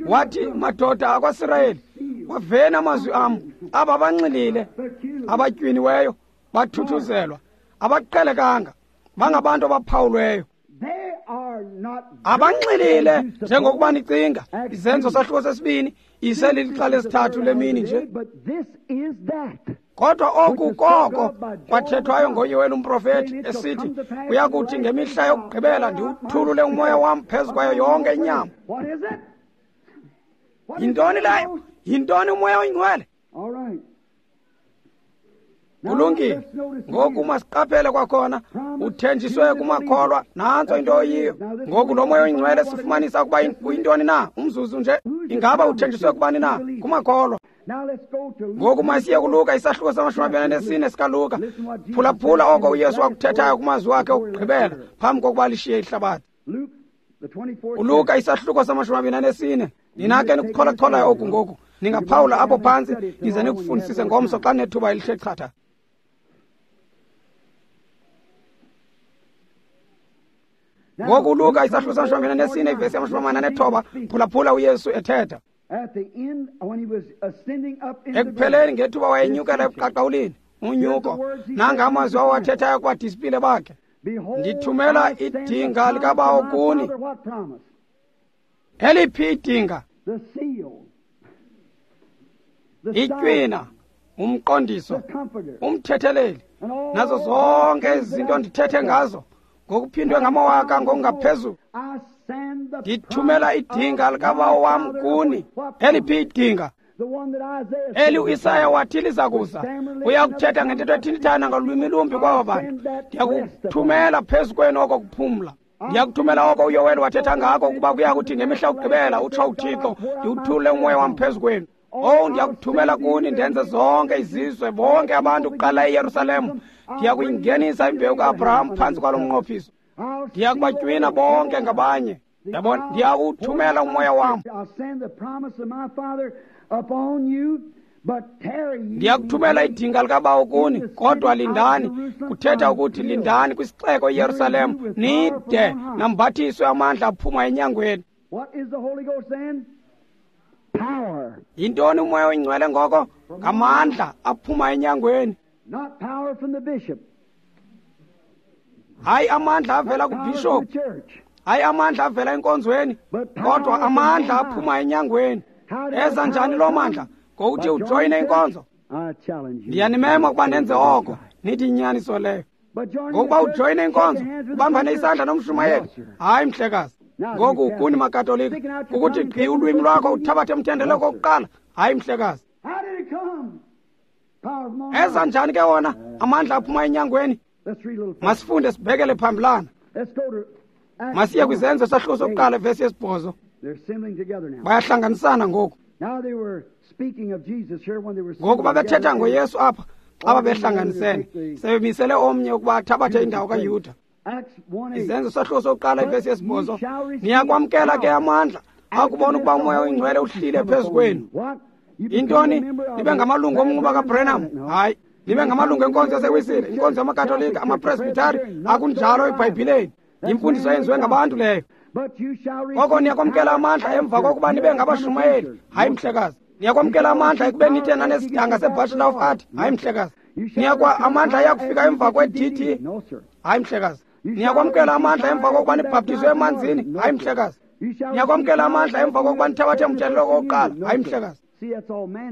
Wathi, madoda akwaSirayeli, waveni amazwi am. Aba banxilile, abatywiniweyo, bathuthuzelwa, abaqhelekanga, bangabantu abaphawulweyo. Abanxilile njengokuba nicinga. Izenzo sahluko 2 iselilixa lesithathu lemini nje. Kodwa oku koko kwathethwayo ngoYoweli umprofeti esithi, uyakuthi ngemihla yokugqibela ndiwuthulule umoya wam phezu kwayo yonke inyama. Yintoni leyo? Yintoni umoya oyingcwele? Kulungile. Ngoku masiqaphele kwakhona, uthenjiswe kumakholwa, nantso into oyiyo. Ngoku lo moya oyingcwele sifumanisa ukuba uyintoni na? Umzuzu nje. Ingaba uthenjiswe kubani na? Kumakholwa. Ngoku masiye kuLuka isahluko 24 sikaLuka. Phulaphula oko uYesu wakuthethayo kumazwi wakhe okugqibela phambi kokuba lishiye ihlabathi. ULuka isahluko 24. Nina ke nikuchola-cholayo oku ngoku, ningaphawula apho phantsi nize nikufundisise ngomso xa nethuba elihle chatha. Ngoku uLuka isahluko 24 ivesi 49, phulaphula uYesu ethetha. Ekupheleni ngethuba wayenyukela ebuqaqawulini, unyuko, nanga amazwi awathethayo kubadisipile bakhe. Ndithumela idinga likaBawo kuni. Eliphi idinga? Itywina, umqondiso, umthetheleli, nazo zonke izinto ndithethe ngazo ngokuphindwe ngamawaka ngokungaphezulu. Ndithumela idinga likaBawo wam kuni. Eliphi idinga? Eli uIsaya wathi liza kuza. Uyakuthetha ngentetho ethintithana ngolwimi lumbi kwaba bantu. Ndiyakuthumela phezu kwenu oko kuphumla. Ndiyakuthumela oko uYoweli wathetha ngako, ukuba kuya kuthi ngemihla yokugqibela, utsho uThixo, ndiwuthulule umoya wam phezu kwenu. Oh, ndiyakuthumela kuni ndenze zonke izizwe, bonke abantu kuqala eYerusalem. Ndiyakuyingenisa imbewu kaAbraham phantsi kwalo mnqophiso. Ndiyakubatywina bonke ngabanye. Yabona, ndiyakuthumela umoya wam. Ndiyakuthumela idinga likaBawo kuni, kodwa lindani. Kuthetha ukuthi lindani kwisixeko iYerusalem, nide nambathiswe amandla aphuma enyangweni. What is the Holy Ghost then? Power. Yintoni uMoya oyiNgcwele ngoko? Ngamandla aphuma enyangweni. Not power from the bishop. Hayi amandla avela kubishop. Hayi amandla avela enkonzweni, kodwa amandla aphuma enyangweni. Eza njani loo mandla? Ngokuthi ujoyine inkonzo. Ndiyanimema ukuba nenze oko, nithi inyaniso leyo. Ngokuba ujoyine inkonzo, ubambane isandla nomshumayeli. Hayi mhlekazi. Ngoku kuni maKatolika, ukuthi gqi ulwimi lwakho uthabathe umthendeleko wokuqala. Hayi mhlekazi. Eza njani ke wona amandla aphuma enyangweni? Masifunde sibhekele phambilana. Masiye kwiZenzo sahluko sokuqala ivesi yesibhozo. Bayahlanganisana ngoku. Ngoku babethetha ngoYesu apha xa babehlanganisene, sebemisele omnye ukuba athabathe indawo kaYuda. Izenzo sahluko sokuqala ivesi yesibhozo. Niyakwamkela ke amandla akubona ukuba uMoya oyiNgcwele uhlile phezu kwenu. Yintoni? Nibe ngamalungu omnquba kaBrenham? Hayi. Nibe ngamalungu enkonzo yaseWisile, inkonzo yamaKatolika, amaPresbitari. Akunjalo eBhayibhileni. Yimfundiso eyenziwe ngabantu leyo. Koko niyakwamkela amandla emva kokuba nibe ngabashumayeli. Hayi mhlekazi. Niyakwamkela amandla ekubeni nithe nanesidanga seBachelor of Art. Hayi mhlekazi. Niyakwa amandla ayakufika emva kwe-DT. Hayi mhlekazi. Niyakwamkela amandla emva kokuba nibhaptizwe emanzini. Hayi mhlekazi. Niyakwamkela amandla emva kokuba nithabathe umthendeleko wokuqala. Hayi mhlekazi.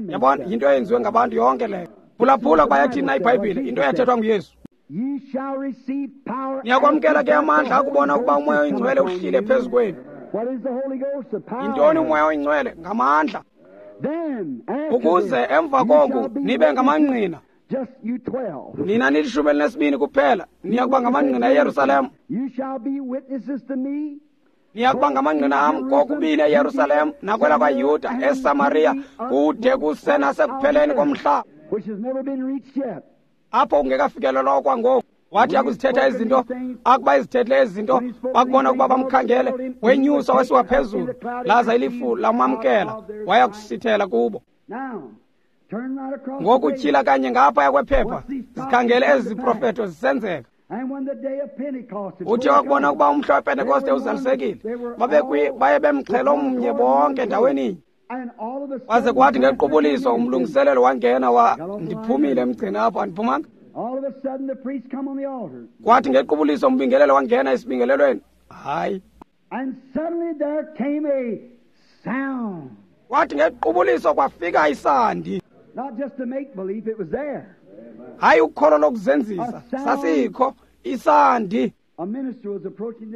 Yabona, yinto eyenziwe ngabantu yonke leyo. Phulaphula kuba yathini na iBhayibhile, into eyathethwa nguYesu. Niyakwamkela ke amandla akubona ukuba uMoya oyiNgcwele uhlile phezu kwenu. Yintoni uMoya oyiNgcwele? Ngamandla. Ukuze emva koku nibe ngamangqina. Nina nilishumi elinesibini kuphela, niyakuba ngamangqina eYerusalem. Niyakuba ngamangqina am kokubini eYerusalem nakwelakwaYuda, eSamariya, kude kuse nasekupheleni komhlaba, apho kungekafikelelwa okwangoku. Wathi akuzithetha izinto, akuba izithethile izinto, bakubona ukuba bamkhangele, wenyuswa wasiwa phezulu, laza ilifu lamamkela, waya kusithela kubo. Ngoku tyhila kanye ngaphaya kwephepha, zikhangele ezi ziprofeto zisenzeka. Uthi wakubona ukuba umhla wePentekoste uzalisekile, baye bemxhelo mnye bonke ndaweninye. Waze kwathi ngequbuliso umlungiselelo wangena ndiphumile emgceni apho, andiphumanga. Kwathi ngequbuliso umbingelelo wangena esibingelelweni. Hayi. Kwathi ngequbuliso kwafika isandi. Hayi ukholo lokuzenzisa, sasikho isandi.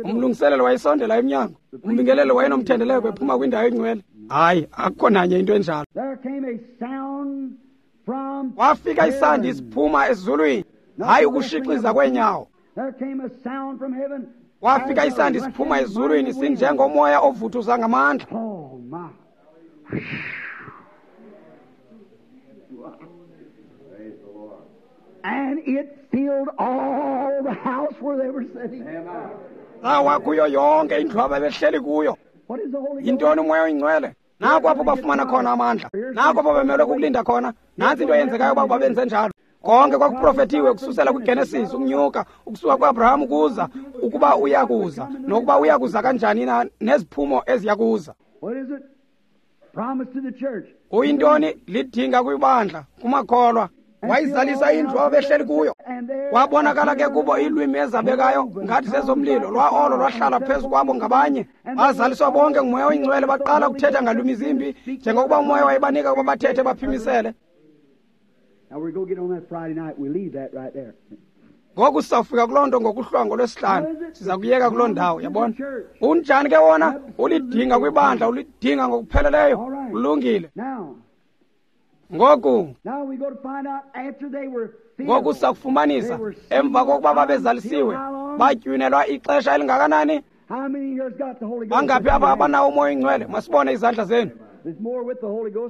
Umlungiselelo wayesondela emnyango, umbingelelo wayenomthendeleko ephuma kwindawo engcwele. Hayi, akukho nanye into enjalo. Wafika isandi siphuma ezulwini, hayi ukushixiza kweenyawo. Wafika isandi siphuma ezulwini sinjengomoya ovuthuza ngamandla. And it filled all the house where they were sitting. Sawa kuyo yonke indlu ababehleli kuyo. Yintoni uMoya oyiNgcwele? Nako apho bafumana khona amandla. Nako apho bemelwe kukulinda khona. Nantsi into eyenzekayo uba babenze njalo. Konke kwakuprofethiwe kususela kwiGenesis ukunyuka, ukusuka kuAbraham kuza, ukuba uyakuza, nokuba uyakuza kanjani na, neziphumo eziyakuza. Uyintoni? Lidinga kwibandla, kumakholwa. Wayizalisa indlu ababehleli kuyo. Kwabonakala ke kubo iilwimi ezabekayo ngathi zezomlilo, lwa olo lwahlala phezu kwabo ngabanye. Bazaliswa bonke nguMoya oyiNgcwele, baqala ukuthetha ngalwimi zimbi njengokuba uMoya wayebanika ukuba bathethe baphimisele. Ngoku sizawufika kuloo nto ngokuhlwa ngolwesihlanu, siza kuyeka kuloo ndawo, yabona. Unjani ke wona? Ulidinga kwibandla, ulidinga ngokupheleleyo. Ulungile. Ngoku sakufumanisa emva kokuba babezalisiwe, batywinelwa ixesha elingakanani? Bangaphi apha abanawo uMoya oyiNgcwele? Masibone izandla zenu.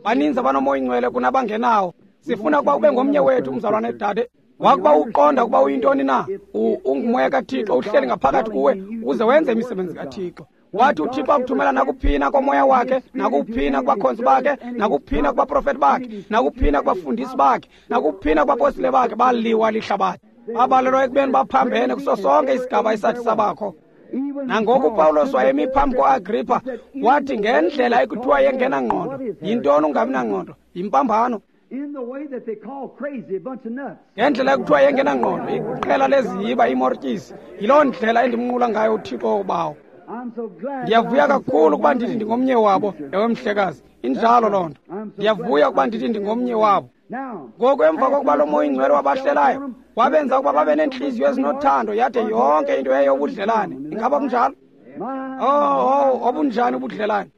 Baninzi abanoMoya oyiNgcwele kunabangenawo. Sifuna ukuba ube ngomnye wethu, umzalwane dade. Wakuba uqonda ukuba uyintoni na, unguMoya kaThixo uhleli ngaphakathi kuwe ukuze wenze imisebenzi kaThixo. Wathi uThixo akuthumela nakuphina komoya wakhe, nakuphina kubakhonzi bakhe, nakuphina kubaprofeti bakhe, nakuphina kubafundisi bakhe, nakuphina kubapostile bakhe, baliwa lihlabathi. Babalelwa ekubeni baphambene kuso sonke isigaba esathi sabakho. Nangoku uPawulos wayemi phambi koAgrippa, wathi ngendlela ekuthiwa yengenangqondo. Yintoni ungabi nangqondo? Yimpambano. Ngendlela ekuthiwa yengenangqondo, iqela leziyiba imortyisi. Yiloo ndlela endimnqula ngayo uThixo uBawo. Ndiyavuya kakhulu ukuba ndithi ndingomnye wabo. Ewe mhlekazi, injalo loo nto. Ndiyavuya ukuba ndithi ndingomnye wabo. Ngoku emva kokuba lo Moya Ingcwele wabahlelayo, wabenza ukuba babe neentliziyo ezinothando, yade yonke into yayeyobudlelane. Ingaba kunjalo? Oh, obunjani ubudlelane!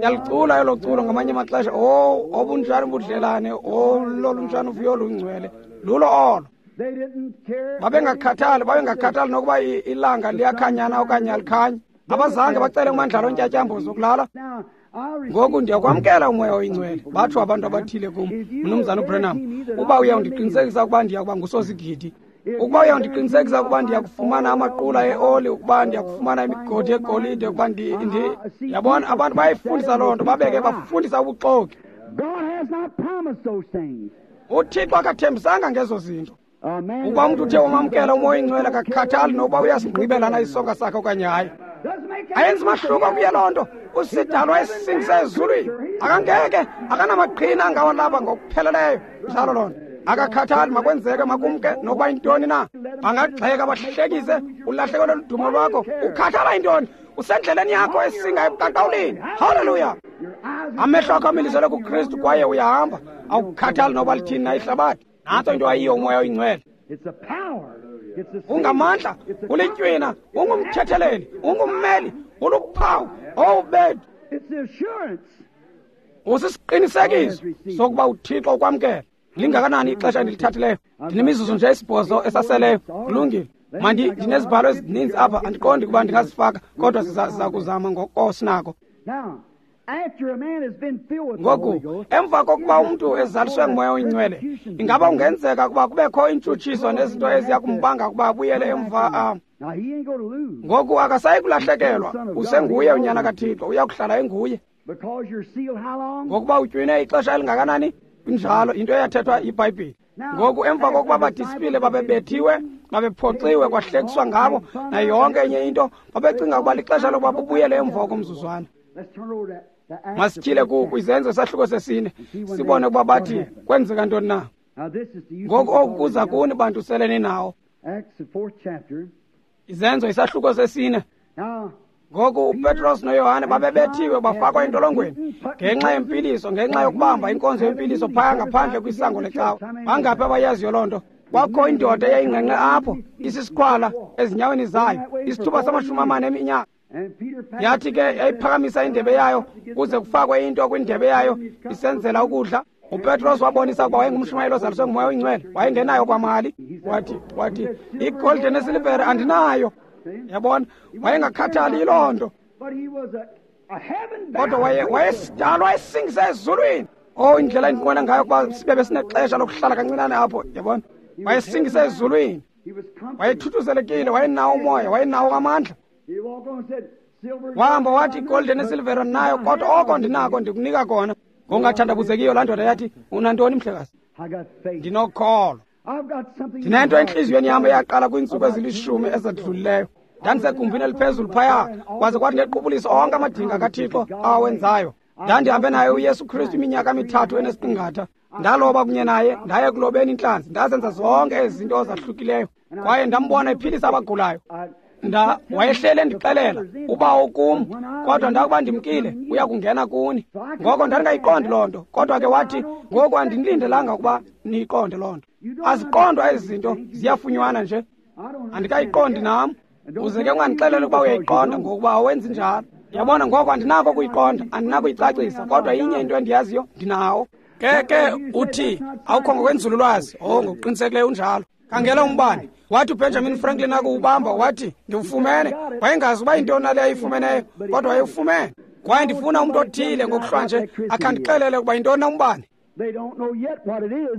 Yalicula elo culo ngamanye amaxesha. Oh, obunjani ubudlelane! Oh, lolunjani uvuyo olungcwele! Lulo olo. Babengakhathali, babengakhathali nokuba ilanga liyakhanyana okanye alikhanyi. Abazange bacele umandlalo ontyatyambo zokulala. Ngoku ndiyakwamkela uMoya Oyingcwele. Batsho abantu abathile kum, Mnumzana uBranham, uba uyawundiqinisekisa ukuba ndiya kuba ngusosigidi, ukuba uyawundiqinisekisa ukuba ndiyakufumana amaqula eoli, ukuba ndiyakufumana imigodi yegolide, ukuba ndi yabona, abantu bayayifundisa loo nto, babeke bafundisa ubuxoki. UThixo akathembisanga ngezo zinto. Ukuba umntu uthe wamamkela uMoya Oyingcwele, akakhathali nokuba uyasigqibelana isonka sakhe okanye hayi. Ayenzi mahluko kuye loo nto. Usidalwa esisingise ezulwini. Akangeke, akanamaqhina angawalapha ngokupheleleyo. Njalo loo nto. Akakhathali, makwenzeke, makumke nokuba yintoni na. Bangagxeka, bahlekise, ulahlekelwe ludumo lwakho. Ukhathala yintoni? Usendleleni yakho esinga ebuqaqawulini. Haleluya! Amehlo akho amiliselwe kuKristu kwaye uyahamba. Awukhathali noba lithini na ihlabathi. Nantso into ayiyo uMoya Oyingcwele. Ungamandla, ulitywina, ungumthetheleli, ungummeli, uluphawu, owubethu. Usisiqinisekiso sokuba uThixo ukwamkele. Lingakanani ixesha endilithathileyo? Ndinemizuzu nje esibhozo esaseleyo. Kulungile. Mandi ndinezibhalo ezininzi apha, andiqondi ukuba ndingazifaka, kodwa siza kuzama ngoko sinako. Ngoku emva kokuba umntu ezaliswe nguMoya Oyingcwele, ingaba kungenzeka ukuba kubekho intshutshiso nezinto eziya kumbanga ukuba abuyele emva? Ngoku akasayi kulahlekelwa, usenguye unyana kaThixo, uya kuhlala enguye. Ngokuba utywine ixesha elingakanani? Injalo into eyathethwa yiBhayibhile. Ngoku emva kokuba abadisipile babebethiwe, babephoxiwe, kwahlekiswa ngabo nayo yonke enye into, babecinga ukuba lixesha lokuba bubuyele emva komzuzwana. Masityhile kwiZenzo isahluko sesine, sibone ukuba bathi kwenzeka ntoni na. Ngoku oku kuza kuni bantu sele ninawo. Izenzo isahluko sesine. Ngoku uPetros noYohane babebethiwe bafakwa entolongweni ngenxa yempiliso, ngenxa yokubamba inkonzo yempiliso phaya ngaphandle kwisango lecawa. Bangaphi abayaziyo loo nto? Kwakho indoda eyayingqengqe apho, isisiqhwala ezinyaweni zayo, isithuba sama-40 eminyaka. Yathi ke yayiphakamisa indebe yayo kuze kufakwe into kwindebe yayo isenzela ukudla. uPetros wabonisa ukuba wayengumshumayeli ozaliswe nguMoya Oyingcwele, wayengenayo kwamali. Wathi igolide nesilivere andinayo. Yabona, wayengakhathali yiloo nto, kodwa wayesidalwa esingise ezulwini. Oh, indlela endinqwena ngayo ukuba sibe besinexesha lokuhlala kancinane apho. Yabona, wayesingise ezulwini, wayethuthuzelekile, wayenawo umoya, wayenawo amandla. Wahamba wathi igolide nesilivere ndinayo, kodwa oko ndinako ndikunika kona. Ngongathandabuzekiyo laa ndoda yathi, unantoni mhlekazi? Ndinokholo. Ndinento entliziyweni yam eyaqala kwiintsuku ezilishumi ezadlulileyo. Ndandisegumbini eliphezulu phaya, kwaze kwathi ngequbuliso onke amadinga kaThixo awenzayo. Ndandihambe naye uYesu Kristu iminyaka 3 enesiqingatha. Ndaloba kunye naye, ndaye kulobeni intlanzi, ndazenza zonke ezi zinto zahlukileyo. Kwaye ndambona ephilisa abagulayo. Wayehlele endixelela uba ukum, kodwa ndakuba ndimkile uya kungena kuni. Ngoko ndandingayiqondi loo nto, kodwa ke wathi ngoku andinilindelanga ukuba niyiqonde loo nto. Aziqondwa ezi zinto, ziyafunywana nje. Andikayiqondi nam. Uze ke ungandixeleli ukuba uyayiqonda, ngokuba awenzi njalo. Yabona, ngoko andinako ukuyiqonda, andinakuyicacisa, kodwa inye into endiyaziyo, ndinawo. Ke uthi awukho ngokwenzululwazi. Oh, ngokuqinisekileyo unjalo. Khangela umbane. Wathi uBenjamin Franklin akuwubamba, wathi ndiwufumene. Wayengazi uba yintoni nale ayifumeneyo, kodwa wayewufumene. Kwaye ndifuna umntu othile ngokuhlwa nje akhandixelele ukuba yintoni na umbane.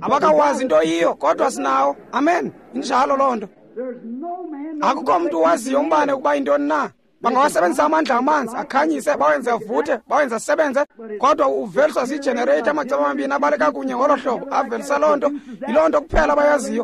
Abakawazi into yiyo, kodwa sinawo. Amen. Injalo loo nto. Akukho mntu waziyo umbane ukuba yintoni na. Bangawasebenzisa amandla amanzi akhanyise, bawenze avuthe, bawenze asebenze, kodwa uveliswa ziijenereyitha amaceba amabini abaleka kunye ngolo hlobo, avelisa loo nto. Yiloo nto kuphela abayaziyo.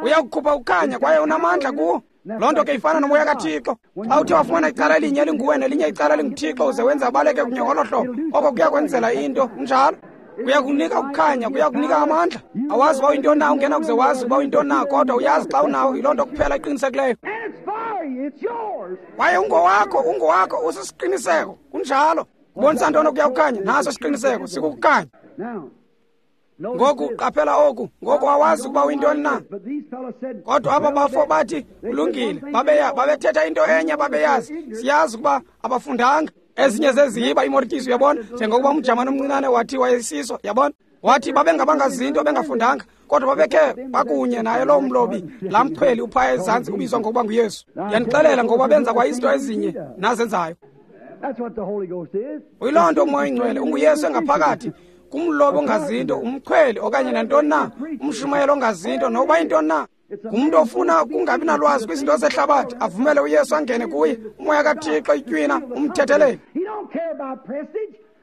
Uyakukhupha ukukhanya kwaye unamandla kuwo. Loo nto ke ifana nomoya kaThixo. Xa uthe wafumana icala elinye elinguwe nelinye icala elinguThixo, uze wenze abaleke kunye ngolo hlobo, oko kuya kwenzela into. Kunjalo. Kuyakunika ukukhanya, kuyakunika amandla. Awazi uba uyintoni na, ungena kuze wazi uba uyintoni na, kodwa uyazi xa unawo. Yiloo nto kuphela iqinisekileyo. Kwaye ungowakho, ungowakho, usisiqiniseko. Kunjalo. Kubonisa ntoni okuya kukhanya? Naso isiqiniseko, sikukukhanya. Ngoku qaphela oku. Ngoku awazi ukuba uyintoni na. Kodwa aba bafo bathi kulungile, babethetha into enye babeyazi. Siyazi ukuba abafundanga. Ezinye zeziyiba imortyisi, uyabona, njengokuba umjamane omncinane wathi wayesiso, yabona. Wathi babengabangazinto bengafundanga, kodwa babekhe bakunye naye loo mlobi, laa mchweli uphaya ezantsi ubizwa ngokuba nguYesu. Ndiyanixelela ngokuba benza kwa izinto ezinye nazenzayo. Uyiloo nto uMoya oyiNgcwele, unguYesu engaphakathi kumlobi ongazinto, umchweli okanye nantoni na, umshumayeli ongazinto, nokuba yintoni na. Ngumntu ofuna kungabi nalwazi kwizinto zehlabathi, avumele uYesu angene kuye, umoya kaThixo itywina umthetheleli.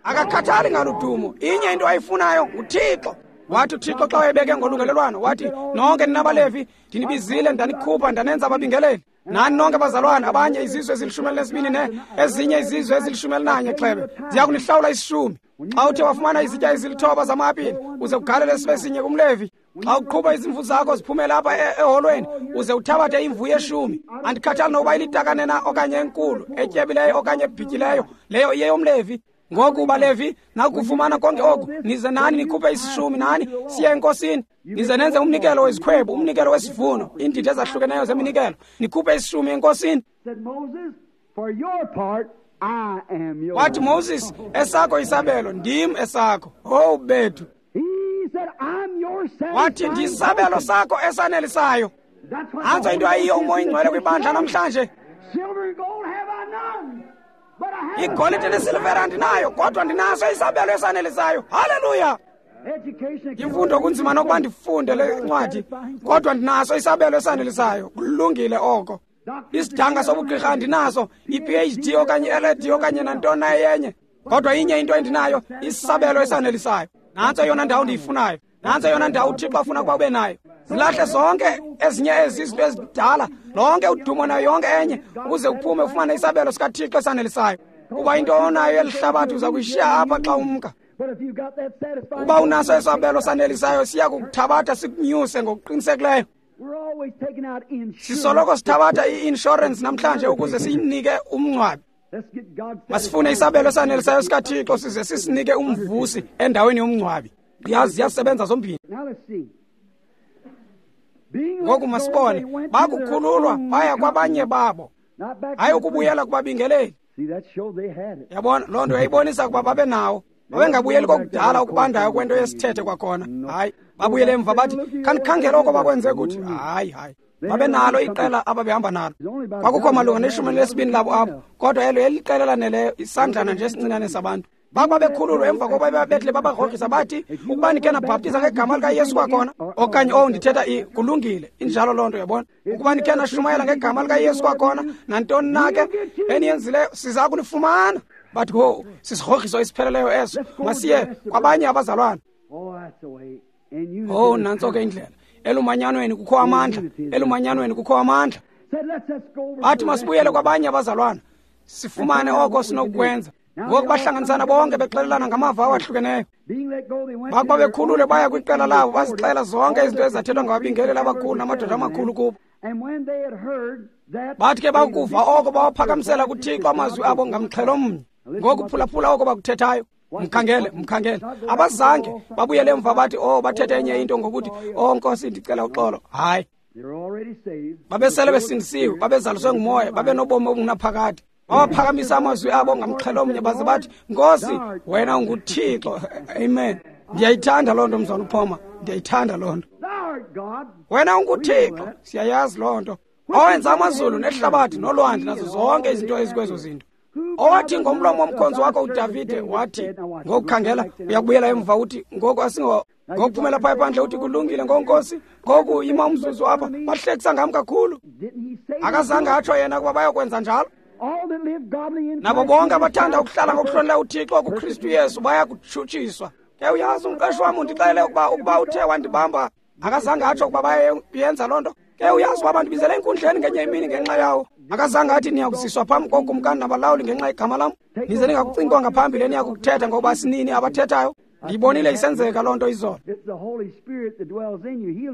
Akakhathali ngaludumo, inye into ayifunayo nguThixo. Wathi uThixo xa wayebeke ngolungelelwano, wathi nonke nina baLevi ndinibizile, ndanikhupha, ndanenza ababingeleli. Nani nonke bazalwane, abanye izizwe ezili-12 ne ezinye izizwe ezili-11 xhebe ziya kunihlawula isishumi. Xa uthe wafumana izitya ezili-9 zama-apile, uze ugalele sibe sinye kumLevi. Xa uqhuba izimvu zakho ziphumele apha eholweni, uze uthabathe imvu yeshumi. Andikhathali nokuba ilitakane na okanye enkulu, etyebileyo okanye ebhityileyo, leyo iyeyomLevi. Ngoku baLevi, nakufumana konke oku, nize nani nikhuphe isishumi, nani siye enkosini. Nize nenze umnikelo wezikhwebu, umnikelo wesivuno, iindidi ezahlukeneyo zeminikelo, nikhuphe isishumi enkosini. Wathi Moses, esakho isabelo, ndim esakho. Owu bethu. Wathi ndisabelo sakho esanelisayo. Nantso into ayiyo uMoya oyiNgcwele kwibandla namhlanje. Igolide nesilivera andinayo, kodwa ndinaso isabelo esanelisayo. Haleluya! Imfundo kunzima nokuba ndifunde le ncwadi, kodwa ndinaso isabelo esanelisayo. Kulungile oko. Isidanga sobugqirha andinaso, i-PhD okanye i-LLD okanye nantoni na eyenye, kodwa inye into endinayo, isabelo esanelisayo. Nantso eyona ndawo ndiyifunayo. Nantso eyona ndawo uThixo afuna ukuba ube nayo. Zilahle zonke ezinye ezi izinto ezidala, lonke udumo nayo yonke enye, ukuze uphume ufumane isabelo sikaThixo esanelisayo. Kuba into onayo elihlabathi uza kuyishiya apha xa umka. Uba unaso isabelo sanelisayo, siya kukuthabatha sikunyuse ngokuqinisekileyo. Sisoloko sithabatha i-inshorensi namhlanje ukuze siyinike umngcwabi. Masifune isabelo esanelisayo sikaThixo size sisinike umvusi endaweni yomngcwabi. Yazi ziyasebenza zombini. Ngoku masibone, bakukhululwa baya kwabanye babo, hayi ukubuyela kubabingeleli. Yabona, loo nto yayibonisa ukuba babe nawo. Babengabuyeli kokudala okubandayo kwento yesithethe kwakhona. Hayi, babuyele emva bathi khanikhangele oko bakwenze kuthi. Hayi, hayi, babenalo iqela ababehamba nalo. Kwakukho malunga ne-12 labo apho, kodwa elo yayiliqela laneleyo, isandlana nje esincinane sabantu. Bakuba bekhululwa emva kokuba bebetle babagrogrisa bathi, ukuba nikhe nabhaptiza ngegama likaYesu kwakhona, okanye owu ndithetha kulungile, injalo loo nto, yabona. Ukuba nikhe nashumayela ngegama likaYesu kwakhona, nantoni na ke eniyenzileyo, siza kunifumana. Bathi ho, sisigrogriso esipheleleyo eso, masiye kwabanye abazalwane. Oh, nantso ke indlela. Elumanyanweni kukho amandla, elumanyanweni kukho amandla. Bathi masibuyele kwabanye abazalwana, sifumane oko sinokukwenza. Ngoku bahlanganisana bonke bexelelana ngamava awahlukeneyo. Bakuba bekhulule baya kwiqela labo, bazixela zonke izinto ezathethwa ngababingeleli abakhulu namadoda amakhulu kubo. Bathi ke bakuva oko bawaphakamisela kuThixo amazwi abo ngamxhelo mnye. Ngoku phulaphula oko bakuthethayo. Mkhangele, mkhangele. Abazange babuyele emva bathi, oh, bathethe enye into ngokuthi, oh Nkosi, ndicela uxolo. Hayi, babesele besindisiwe, babezaliswe ngumoya, babenobomi obungunaphakade. Bawaphakamisa amazwi abo ngamxhelo omnye baze bathi, Nkosi, wena unguThixo. Amen. Ndiyayithanda loo nto, mzwana uPhoma. Ndiyayithanda loo nto. Wena unguThixo, siyayazi loo nto. Owenza amazulu nehlabathi nolwandle nazo zonke izinto ezikwezo zinto. Owathi ngomlomo womkhonzi wakho uDavide wathi, ngokukhangela uyakubuyela emva uthi, ngoku asingo ngokuphumela phaya phandle uthi kulungile ngonkosi, ngoku ima umzuzu apha, bahlekisa ngam kakhulu. Akazange atsho yena ukuba bayokwenza njalo. Nabo bonke abathanda ukuhlala ngokuhlonela uThixo kuKristu Yesu baya kutshutshiswa. Ke uyazi umqeshi wam undixelele ukuba uthe wandibamba, akazange atsho ukuba bayenza loo nto. Ke uyazi uba bandibizele enkundleni ngenye imini ngenxa yawo. Akazange athi niyakuziswa phambi kokumkani nabalawuli ngenxa yegama lam. Nize ningakucingi kwangaphambili eniyakukuthetha, ngoba sinini abathethayo. Ndiyibonile isenzeka loo nto izolo.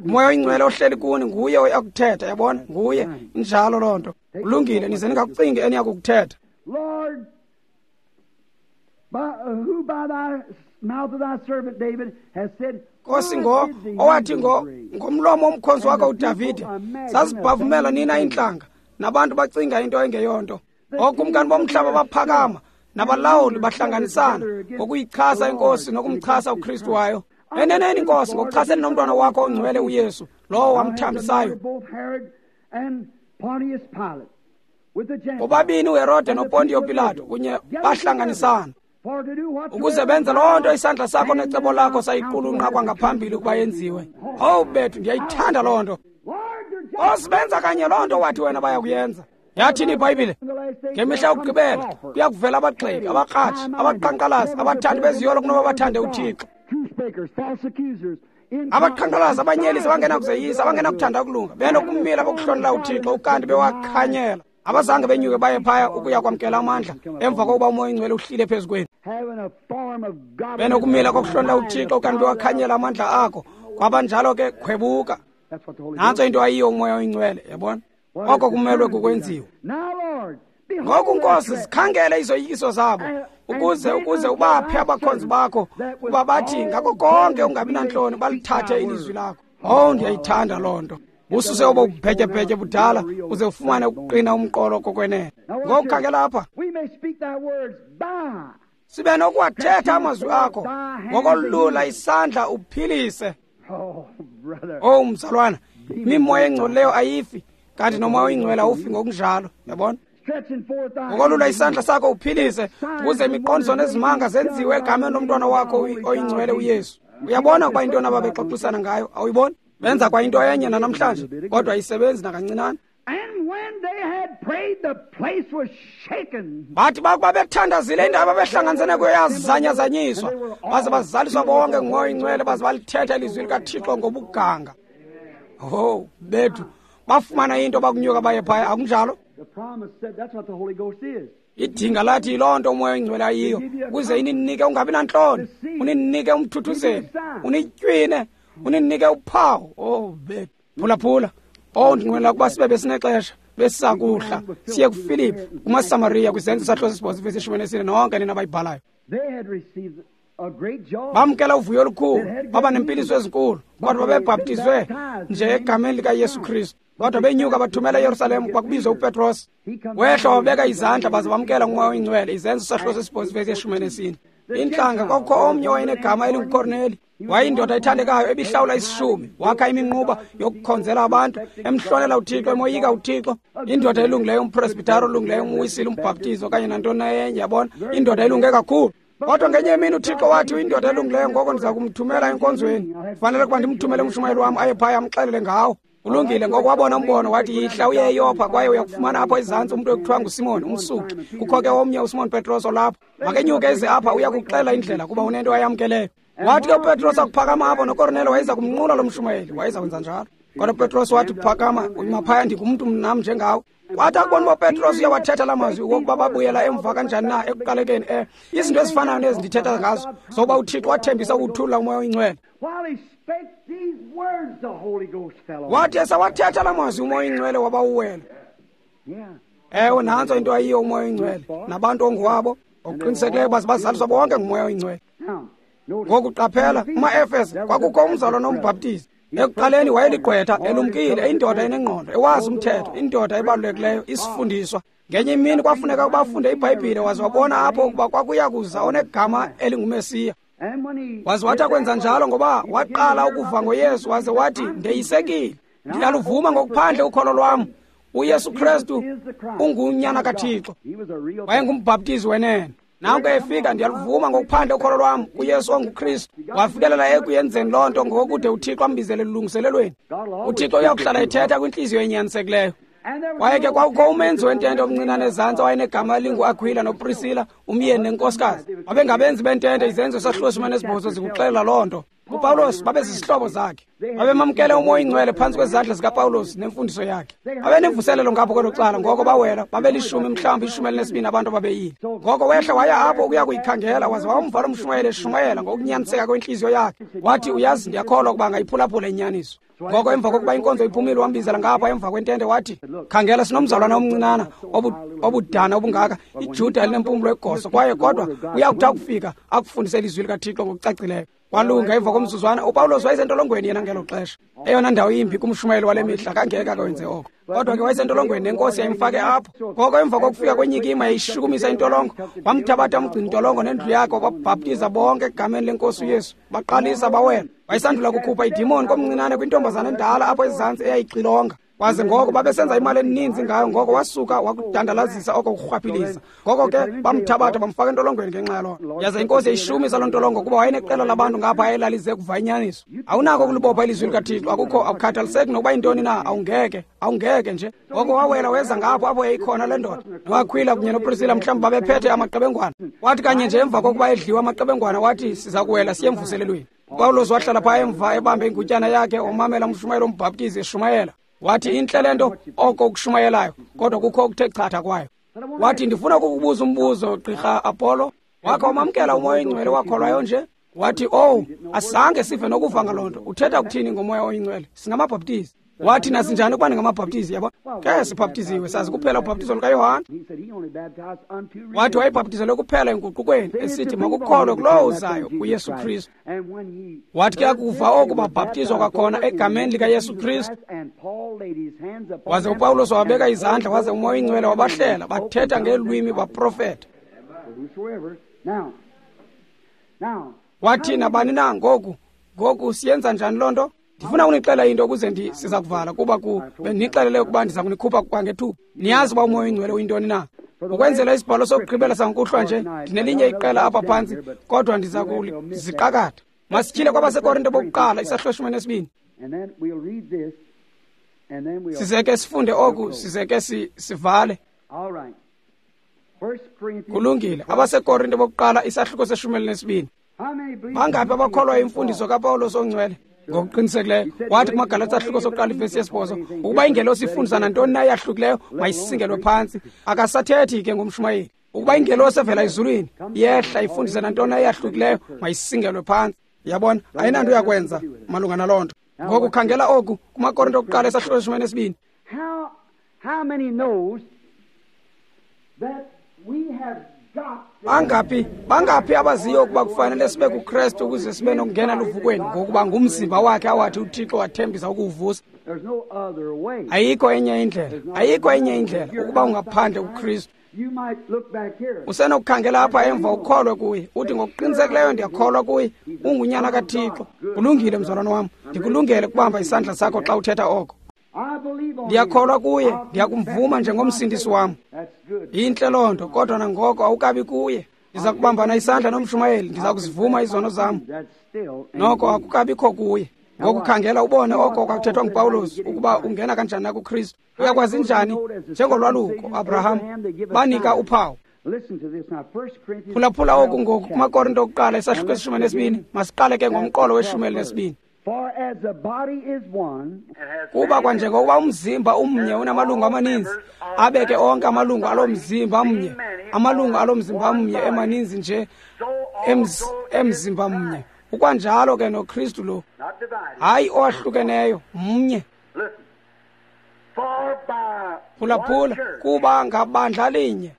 Umoya oyingcwele ohleli kuni nguye oyakuthetha, yabona, nguye. Injalo loo nto. Kulungile, nize ningakucingi eniyakukuthetha. Nkosi, owathi ngomlomo womkhonzi wakho uDavide, zazibhavumela nina iintlanga, nabantu bacinga into engeyonto. Ookumkani bomhlaba baphakama, nabalawuli bahlanganisana ngokuyichasa inkosi nokumchasa uKristu wayo. Eneneni Nkosi, ngokuchasene nomntwana wakho ongcwele uYesu, lowo wamthambisayo. Bobabini uHerode noPontiyo Pilato kunye bahlanganisana ukuze benze loo nto isandla sakho necebo lakho sayiqulunqa kwangaphambili ukuba yenziwe. Owu bethu, ndiyayithanda loo nto. Nkosi, benza kanye loo nto wathi wena bayakuyenza. Yathini iBhayibhile? Ngemihla yokugqibela kuya kuvela abagxeki, abakratshi, abaqhankqalazi, abathandi beziyolo kunoba bathande uThixo. Abaqhankqalazi, abanyelisi, abangenakuzeyisa, abangenakuthanda ukulunga, benokumila bokuhlonela uThixo ukanti bewakhanyela. Abazange benyuke baye phaya ukuya kwamkela amandla emva kokuba uMoya oyiNgcwele uhlile phezu kwenu. Benokumila kokuhlonela uThixo ukanti bewakhanyela amandla akho. Kwabanjalo ke khwebuka. Nantso into ayiyo uMoya oyiNgcwele, yabona? Oko kumelwe kukwenziwa. Ngoku Nkosi, zikhangele izoyikiso zabo, ukuze ubaphe abakhonzi bakho ukuba bathi ngako konke ungabi nantloni balithathe ilizwi lakho. Oh, ndiyayithanda loo nto. Ususe obo bubhetyebhetye budala uze ufumane ukuqina umqolo kokwenene. Ngoku khangela apha. Sibe nokuwathetha amazwi akho ngokolula isandla uphilise. Oh mzalwana, imimoya engcolileyo ayifi, kanti nomoya oyingcwele awufi ngokunjalo, yabona? Ngokolula isandla sakho uphilise, ukuze imiqondiso nezimanga zenziwe egameni lomntwana wakho oyingcwele uYesu. Uyabona ukuba intoni ababexoxisana ngayo, awuyiboni? Benza kwa into enye nanamhlanje, kodwa ayisebenzi nakancinane. Bathi bakuba bethandazile indawo ababehlanganisene kuyo yazanyazanyiswa, baze bazaliswa bonke nguMoya oyiNgcwele, baze balithetha ilizwi likaThixo ngobuganga. Oh, bethu, bafumana into bakunyuka baye phaya, akunjalo? Idinga lathi yiloo nto uMoya oyiNgcwele ayiyo, ukuze ininike ungabi nantloni, uninike umthuthuzeli, unitywine, uninike uphawu. Oh bethu, phulaphula. Oh, ndinqwenela ukuba sibe besinexesha besisakuhla siye kuFilipu kumaSamariya kwiZenzo sahlo 8 vesi 14, nonke nina abayibhalayo. Bamkela uvuyo olukhulu, baba nempiliso ezinkulu, kodwa babebhaptizwe nje egameni likaYesu Kristu. Kodwa benyuka bathumela eYerusalem kwakubizwe uPetros. Wehla wabeka izandla baze bamkela nguMoya oyiNgcwele. Izenzo sahlo 8 vesi 14. Intlanga kwakukho omnye owayenegama elinguKorneli. Wayindoda ethandekayo ebihlawula isishumi, wakha iminquba yokukhonzela abantu, emhlonela uThixo, emoyika uThixo. Indoda elungileyo, umpresbitari olungileyo, umwisile, umbhaptizi okanye nantoni na enye, yabona? Indoda elunge kakhulu. Kodwa ngenye imini uThixo wathi uyindoda elungileyo, ngoko ndiza kumthumela enkonzweni. Kufanele ukuba ndimthumele umshumayeli wam aye phaya amxelele ngawo. Ulungile, ngoko wabona umbono wathi yihla uye eYopha, kwaye uyakufumana apho ezantsi umntu ekuthiwa nguSimon, umsuki. Kukho ke omnye uSimon Petros olapho. Makenyuke eze apha, uya kuxela indlela kuba unento ayamkeleyo. Wathi ke uPetros akuphakama apho, noKornelo wayeza kumnqula lo mshumayeli, wayeza kwenza njalo. Kodwa uPetros wathi phakama, uyima phaya, ndingumntu nam njengawe. Wathi akubona uba uPetros uyawathetha la mazwi wokuba babuyela emva kanjani na ekuqalekeni, izinto ezifanayo nezi ndithetha ngazo, zokuba uThixo wathembisa ukuthulula uMoya oyiNgcwele. Wathi esawathetha la mazwi uMoya oyiNgcwele wabawuwela. Ewe, nantso into ayiyo uMoya oyiNgcwele, nabantu onguwabo ngokuqinisekileyo baze bazaliswa bonke nguMoya oyiNgcwele. Ngoku qaphela, kuma-Efese kwakukho umzalwana nombhaptizi. Ekuqaleni wayeligqwetha, elumkile, indoda enengqondo, ewazi umthetho, indoda ebalulekileyo, isifundiswa. Ngenye imini kwafuneka ukuba afunde iBhayibhile, waze wabona apho ukuba kwakuya kuza onegama elinguMesiya. Waze wathi akwenza njalo ngoba waqala ukuva ngoYesu, waze wathi, ndeyisekile, ndiyaluvuma ngokuphandle ukholo lwam, uYesu Kristu ungunyana kaThixo. Wayengumbhaptizi wenene. Nanko efika, ndiyaluvuma ngokuphandle ukholo lwam kuYesu onguKristu. Wafikelela ekuyenzeni loo nto ngokude uThixo ambizele elungiselelweni. uThixo uyakuhlala ethetha kwintliziyo enyanisekileyo. Kwaye ke kwakukho umenzi wentente omncinane ezantsi owayenegama elinguAkhwila noPrisila, umyeni nenkosikazi. Babengabenzi bentente, izenzo sahluko 18 zikuxelela loo nto. UPawulos babezizihlobo zakhe. Babemamkele uMoya oyiNgcwele phantsi kwezandla zikaPawulos nemfundiso yakhe. Babenemvuselelo ngapho kwelo cala, ngoko bawela, babelishumi mhlawumbi 12 abantu ababeyile. Ngoko wehla waya apho ukuya kuyikhangela, waze wamva lo mshumayeli eshumayela ngokunyaniseka kwentliziyo yakhe. Wathi, uyazi, ndiyakholwa ukuba angayiphulaphula inyaniso. Ngoko emva kokuba inkonzo iphumile, wambizela ngapha emva kwentente wathi, khangela, sinomzalwana omncinana obudana obungaka, iJuda elinempumlo egoso, kwaye kodwa uyakuthi akufika akufundise ilizwi likaThixo ngokucacileyo. Walunga emva komzuzwana, uPawulos wayesentolongweni yena ngelo xesha. Eyona ndawo imbi kumshumayeli wale mihla kangeke akwenze oko. Kodwa ke wayesentolongweni nenkosi yayimfake apho. Ngoko emva kokufika kwenyikima yayishukumisa intolongo, wamthabatha umgcini intolongo nendlu yakhe, wababhaptiza bonke egameni lenkosi uYesu. Baqalisa bawela. Wayesandula kukhupha idimoni komncinane kwintombazana endala apho ezantsi eyayixilonga. Kwaze ngoko babesenza imali eninzi ngayo, ngoko wasuka wakudandalazisa oko kurhwaphiliza. Ngoko ke bamthabatha bamfaka entolongweni ngenxa yaloo nto. Yaze inkosi yayishumisa loo ntolongo kuba wayeneqela labantu ngapha ayelalize kuva inyaniso. Awunako ukulibopha ilizwi likaThixo, akukho, akukhathaliseki nokuba yintoni na, awungeke nje. Ngoko wawela weza ngapho apho yayikhona le ndoda. NoAkhwila kunye noPrisila mhlawumbi babephethe amaqebengwana. Wathi kanye nje emva kokuba edliwe amaqebengwana, wathi siza kuwela siye emvuselelweni. UPawulos wahlala phaa emva ebambe ingutyana yakhe, wamamela umshumayeli ombhaptizi eshumayela. Wathi intle le nto oko ukushumayelayo, kodwa kukho okuthe chatha kwayo. Wathi, ndifuna ukukubuza umbuzo, Gqirha Apollo. Wakha wamamkela uMoya oyiNgcwele wakholwayo nje? Wathi, owu, asange sive nokuva ngaloo nto. Uthetha kuthini ngoMoya oyiNgcwele? Singamabhaptizi. Wathi, nasinjani ukuba ningamabhaptizi, yabo? Ke sibhaptiziwe, sazi kuphela ubhaptizo lukaYohane. Wathi wayebhaptizelwe kuphela enguqukweni, esithi makukholwe kulowo uzayo, uYesu Kristu. Wathi ke akuva oku babhaptizwa kwakhona egameni likaYesu Kristu. Waze uPawulos wabeka izandla, waze uMoya oyiNgcwele wabahlela, bathetha ngeelwimi, baprofeta. Wathi nabani na ngoku siyenza njani loo nto? Ndifuna unixela into ukuze siza kuvala, kuba bendinixelele ukuba ndiza kunikhupha kwangethuba. Niyazi uba uMoya oyiNgcwele uyintoni na? Ukwenzela isibhalo sokugqibela sangokuhlwa nje, ndinelinye iqela apha phantsi, kodwa ndiza kuziqakatha. Masityhile kwabaseKorinte bokuqala isahluko 12. Size ke sifunde oku, size ke sivale. Kulungile. AbaseKorinte bokuqala isahluko 12. Bangaphi abakholwa imfundiso kaPawulos ongcwele? Ngokuqinisekileyo. Wathi kumaGalati isahluko sokuqala ivesi 8, ukuba ingelosi ifundisa nantoni na eyahlukileyo, mayisingelwe phantsi. Akasathethi ke ngomshumayeli. Ukuba ingelosi evela ezulwini yehla ifundise nantoni na eyahlukileyo, mayisingelwe phantsi. Yabona, ayinanto yakwenza malunga naloo nto. Ngoku khangela oku kumaKorinte okuqala isahluko 12. Bangaphi abaziyo ukuba kufanele sibe kuKristu ukuze sibe nokungena luvukweni, ngokuba ngumzimba wakhe awathi uThixo wathembisa ukuwuvusa? Ayikho enye indlela, ayikho enye indlela ukuba ungaphandle kuKristu. Usenokukhangela apha emva ukholwe kuye, uthi ngokuqinisekileyo ndiyakholwa kuye, ungunyana kaThixo. Kulungile, mzalwana wam, ndikulungele ukubamba isandla sakho xa uthetha oko. Ndiyakholwa kuye, ndiyakumvuma njengomsindisi wam. Intle loo nto, kodwa nangoko awukabi kuye. Ndiza kubambana isandla nomshumayeli, ndiza kuzivuma izono zam. Noko akukabikho kuye. Ngoku khangela ubone oko kwakuthethwa nguPawulos ukuba ungena kanjani na kuKristu. Uyakwazi njani? Njengolwaluko, Abraham, banika uphawu. Phulaphula oku ngoku kumaKorinte okuqala isahluko 12. Masiqale ke ngomqolo we-12. Kuba kwanjengokuba umzimba umnye unamalungu amaninzi, abeke onke amalungu alo mzimba mnye, amalungu alo mzimba mnye emaninzi nje emzimba mnye. Ukwanjalo ke noKristu lo, hayi owahlukeneyo, mnye. Phulaphula, kuba ngabandla linye.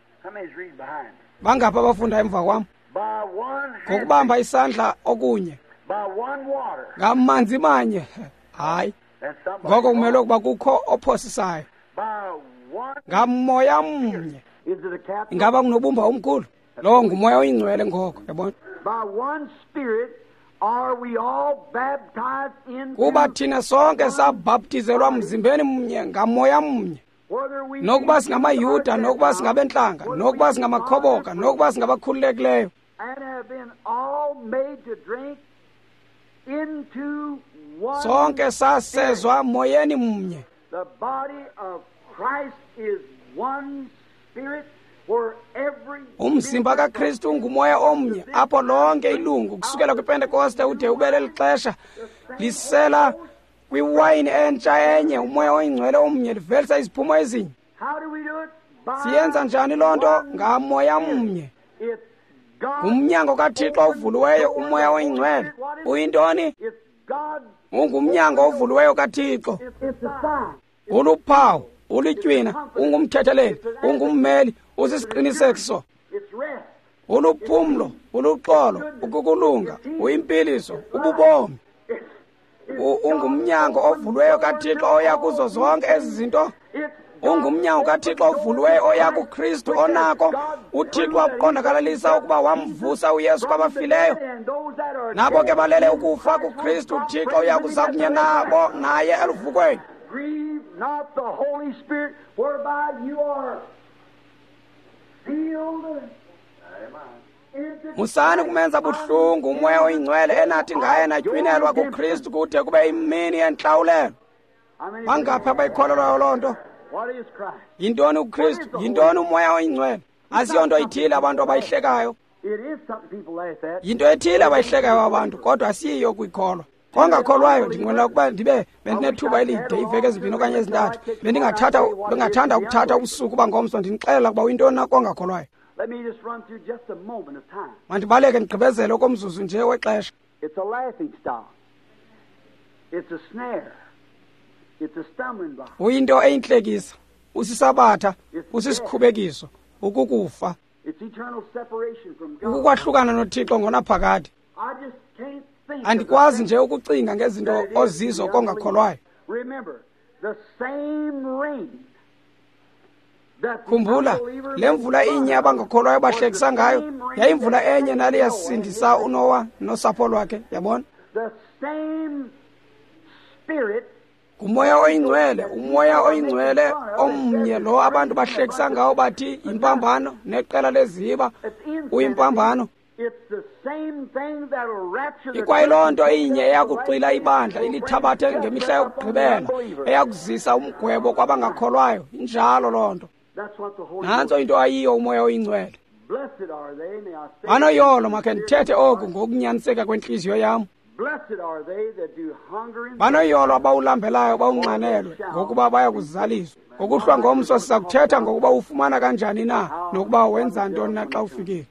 Bangaphi abafunda emva kwam? Ngokubamba isandla okunye, ngamanzi manye. Hayi, ngoko kumele ukuba kukho ophosisayo. Ngamoya mnye. Ingaba kunobumba omkhulu? Lowo nguMoya oyiNgcwele ngoko, yabona. Kuba thina sonke sabhaptizelwa mzimbeni mnye ngamoya mnye, nokuba singamaYuda, nokuba singabentlanga, nokuba singamakhoboka, nokuba singabakhululekileyo, sonke sasezwa moyeni mnye. Umzimba kaKristu ungumoya omnye apho lonke ilungu kusukela kwiPentekoste ude ube leli xesha lisela kwiwayini entsha enye, umoya oyingcwele omnye, livelisa iziphumo ezinye. Siyenza njani loo nto? Ngamoya mnye. Ngumnyango kaThixo ovuliweyo, umoya oyingcwele. Uyintoni? Ungumnyango ovuliweyo kaThixo. Uluphawu, ulitywina, ungumthetheleli, ungummeli, usisiqinisekiso. Uluphumlo, uluxolo, ukukulunga, uyimpiliso, ububomi. Ungumnyango ovuliweyo kaThixo oya kuzo zonke ezi zinto. Ungumnyango kaThixo ovuliweyo oya kuKristu onako uThixo wakuqondakalalisa ukuba wamvusa uYesu kwabafileyo. Nabo ke balele ukufa kuKristu, uThixo uya kuza kunye nabo naye eluvukweni. Grieve not the Holy Spirit, whereby you are sealed. Musani kumenza buhlungu umoya oyingcwele enathi ngaye natywinelwa kuKristu kude kube imini yentlawulelo. Bangaphi abayikholelwayo loo nto? Yintoni uKristu? Yintoni umoya oyingcwele? Asiyonto ithile abantu abayihlekayo. Yinto ethile abayihlekayo abantu, kodwa asiyiyo kuyikholwa. Kongakholwayo ndinqwenela ukuba ndibe bendinethuba elide, iiveki ezimbini okanye ezintathu, bengathanda ukuthatha ubusuku bangomso ndinixelela ukuba uyintoni na kongakholwayo. Mandibaleke ndigqibezele okomzuzu nje wexesha. Uyinto eyintlekisa, usisabatha, usisikhubekiso, ukukufa, ukukwahlukana noThixo ngonaphakade. Andikwazi nje ukucinga ngezinto ozizo kongakholwayo. Khumbula, le mvula inye abangakholwayo bahlekisa ngayo yayimvula enye nale yasindisa uNowa nosapho lwakhe, yabona? Ngumoya oyingcwele, umoya oyingcwele omnye lo abantu bahlekisa ngawo bathi yimpambano neqela leziba uyimpambano. Ikwayiloo nto inye eyakuxwila ibandla ilithabathe ngemihla yokugqibela, eyakuzisa umgwebo kwabangakholwayo. Injalo loo nto. Nantso into ayiyo umoya oyingcwele. Banoyolo, makhe ndithethe oku ngokunyaniseka kwentliziyo yam. Banoyolo abawulambelayo bawunxanelwe, ngokuba baya kuzaliswa. Ngokuhlwa ngomso siza kuthetha ngokuba ufumana kanjani na nokuba wenza ntoni na xa ufikile.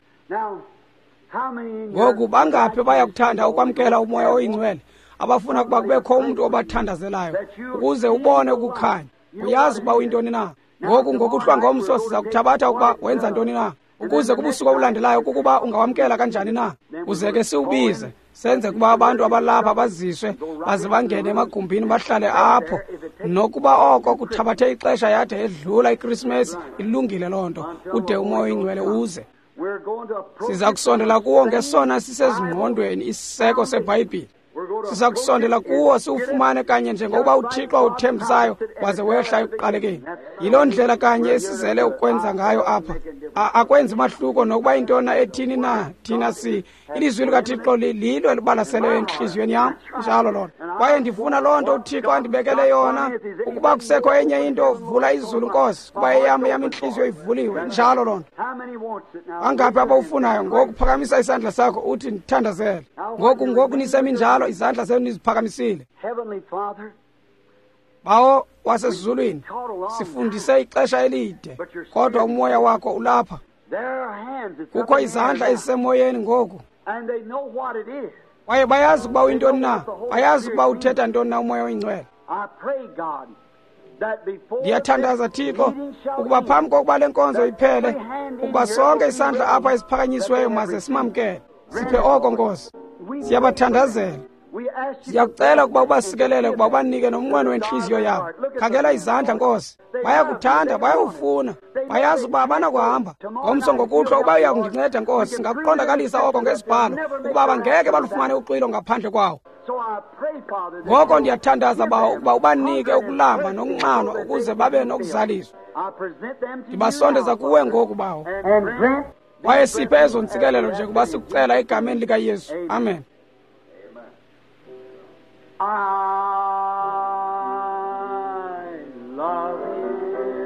Ngoku bangaphi bayakuthanda ukwamkela umoya oyingcwele, abafuna ukuba kubekho umntu obathandazelayo ukuze ubone ukukhanya, uyazi ukuba uyintoni na. Ngoku ngokuhlwa ngomso siza kuthabatha ukuba wenza ntoni na, ukuze kubusuku obulandelayo kukuba ungawamkela kanjani na, uze ke siwubize senze kuba abantu abalapha baziswe baze bangene emagumbini bahlale apho, nokuba oko kuthabathe ixesha yade edlula iKrisimesi. Ilungile loo nto, ude umoya oyingcwele uze. Siza kusondela kuwo ngesona sisezingqondweni isiseko seBhayibhile. Siza kusondela kuwo siwufumane kanye njengokuba uThixo awuthembisayo waze wehla ekuqalekeni. Yiloo ndlela kanye esizele ukwenza ngayo apha. Akwenzi mahluko nokuba intona ethini na, thina ilizwi likaThixo lilo elibalaseleyo entliziyweni yam. Njalo loo nto. Kwaye ndifuna loo nto uThixo andibekele yona. Ukuba kusekho enye into, vula izulu Nkosi, kuba eyam intliziyo ivuliwe. Njalo loo nto. Bangaphi abawufunayo? Ngoku phakamisa isandla sakho uthi ndithandazele. Ngoku niseminjalo, izandla zenu niziphakamisile. Bawo wasezulwini, sifundise ixesha elide, kodwa umoya wakho ulapha. Kukho izandla ezisemoyeni ngoku, kwaye bayazi ukuba uyintoni na, bayazi ukuba uthetha ntoni na umoya oyingcwele. Ndiyathandaza Thixo ukuba phambi kokuba le nkonzo iphele, ukuba sonke isandla apha esiphakanyisiweyo maze simamkele. Siphe oko Nkosi. Siyabathandazela. Siyakucela ukuba ubasikelele, ukuba ubanike nomnqweno wentliziyo yabo. Khangela izandla Nkosi, bayakuthanda, bayawufuna, bayazi ukuba abanakuhamba. Ngomso ngokuhlwa uba uya kundinceda Nkosi, singakuqondakalisa oko ngezibhalo, ukuba bangeke balufumane uxwilo ngaphandle kwawo. Ngoko ndiyathandaza Bawo ukuba ubanike ukulamba nokunxanwa ukuze babe nokuzaliswa. Ndibasondeza kuwe ngoku Bawo, kwaye siphe ezo ntsikelelo njengoba sikucela egameni likaYesu. Amen. I love you.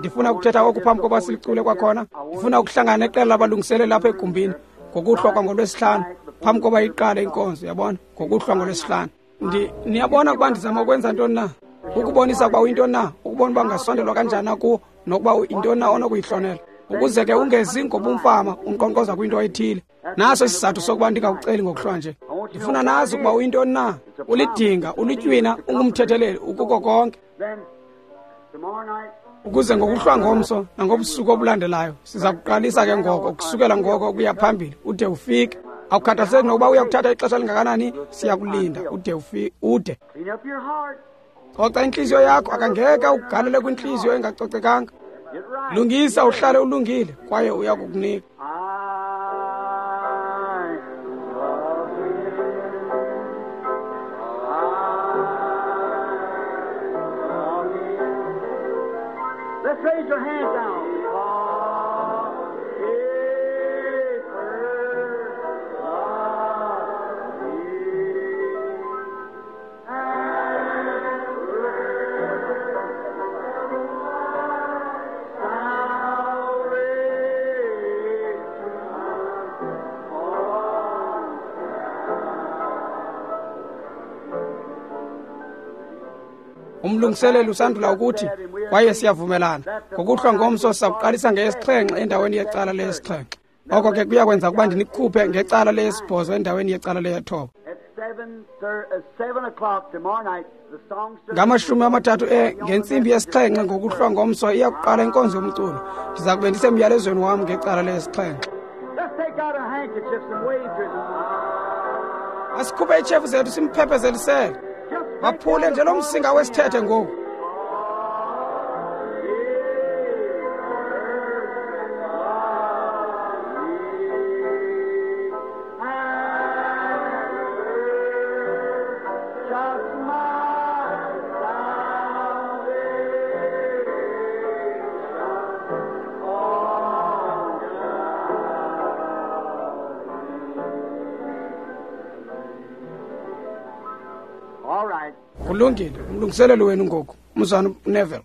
Ndifuna ukuthetha oku phambi koba silicule kwakhona. Ndifuna ukuhlangana neqela labalungiseleli lapha egumbini ngokuhlwa kwangolwesihlanu phambi koba iqale inkonzo, yabona, ngokuhlwa ngolwesihlanu. Niyabona ukuba ndizama ukwenza ntoni na? Ukubonisa ukuba uyintoni na, ukubona uba ungasondelwa kanjani na kuwo, nokuba yintoni na onokuyihlonela. Ukuze ke ungezi ngobumfama unkqonkqoza kwinto ethile. Naso isizathu sokuba ndingakuceli ngokuhlwa nje. Ndifuna nazi ukuba uyintoni na. Ulidinga, ulitywina, ungumthetheleli, ukuko konke. Ukuze ngokuhlwa ngomso nangobusuku obulandelayo siza kuqalisa ke ngoko, ukusukela ngoko ukuya phambili ude ufike. Awukhathaliseki nokuba uya kuthatha ixesha lingakanani, siyakulinda ude ufike, ude. Coca intliziyo yakho, akangeke ugalele kwintliziyo engacocekanga. Lungisa, uhlale ulungile, kwaye uya kukunika. Let's raise your hands now. Because he first loved me. Umlungiseleli usandula ukuthi, kwaye siyavumelana, ngokuhlwa ngomso sizakuqalisa ngeyesixhenxe endaweni yecala leyesixhenxe. Oko ke kuyakwenza ukuba ndinikhuphe ngecala leyesibhozo endaweni yecala leyethoba. At 7 o'clock tomorrow night, the song service. Ngama-30 ngentsimbi yesixhenxe ngokuhlwa ngomso iyakuqala inkonzo yomculo. Ndiza kube ndisemyalezweni wam ngecala leyesixhenxe. Let's take out our handkerchiefs and wave to them. Asikhuphe iitshefu zethu simphepezelisele. Just Baphule nje lo msinga wesithethe ngoku. Just my salvation on All right. Kulungile, umlungiseleli wenu ngoku, umzana Neville.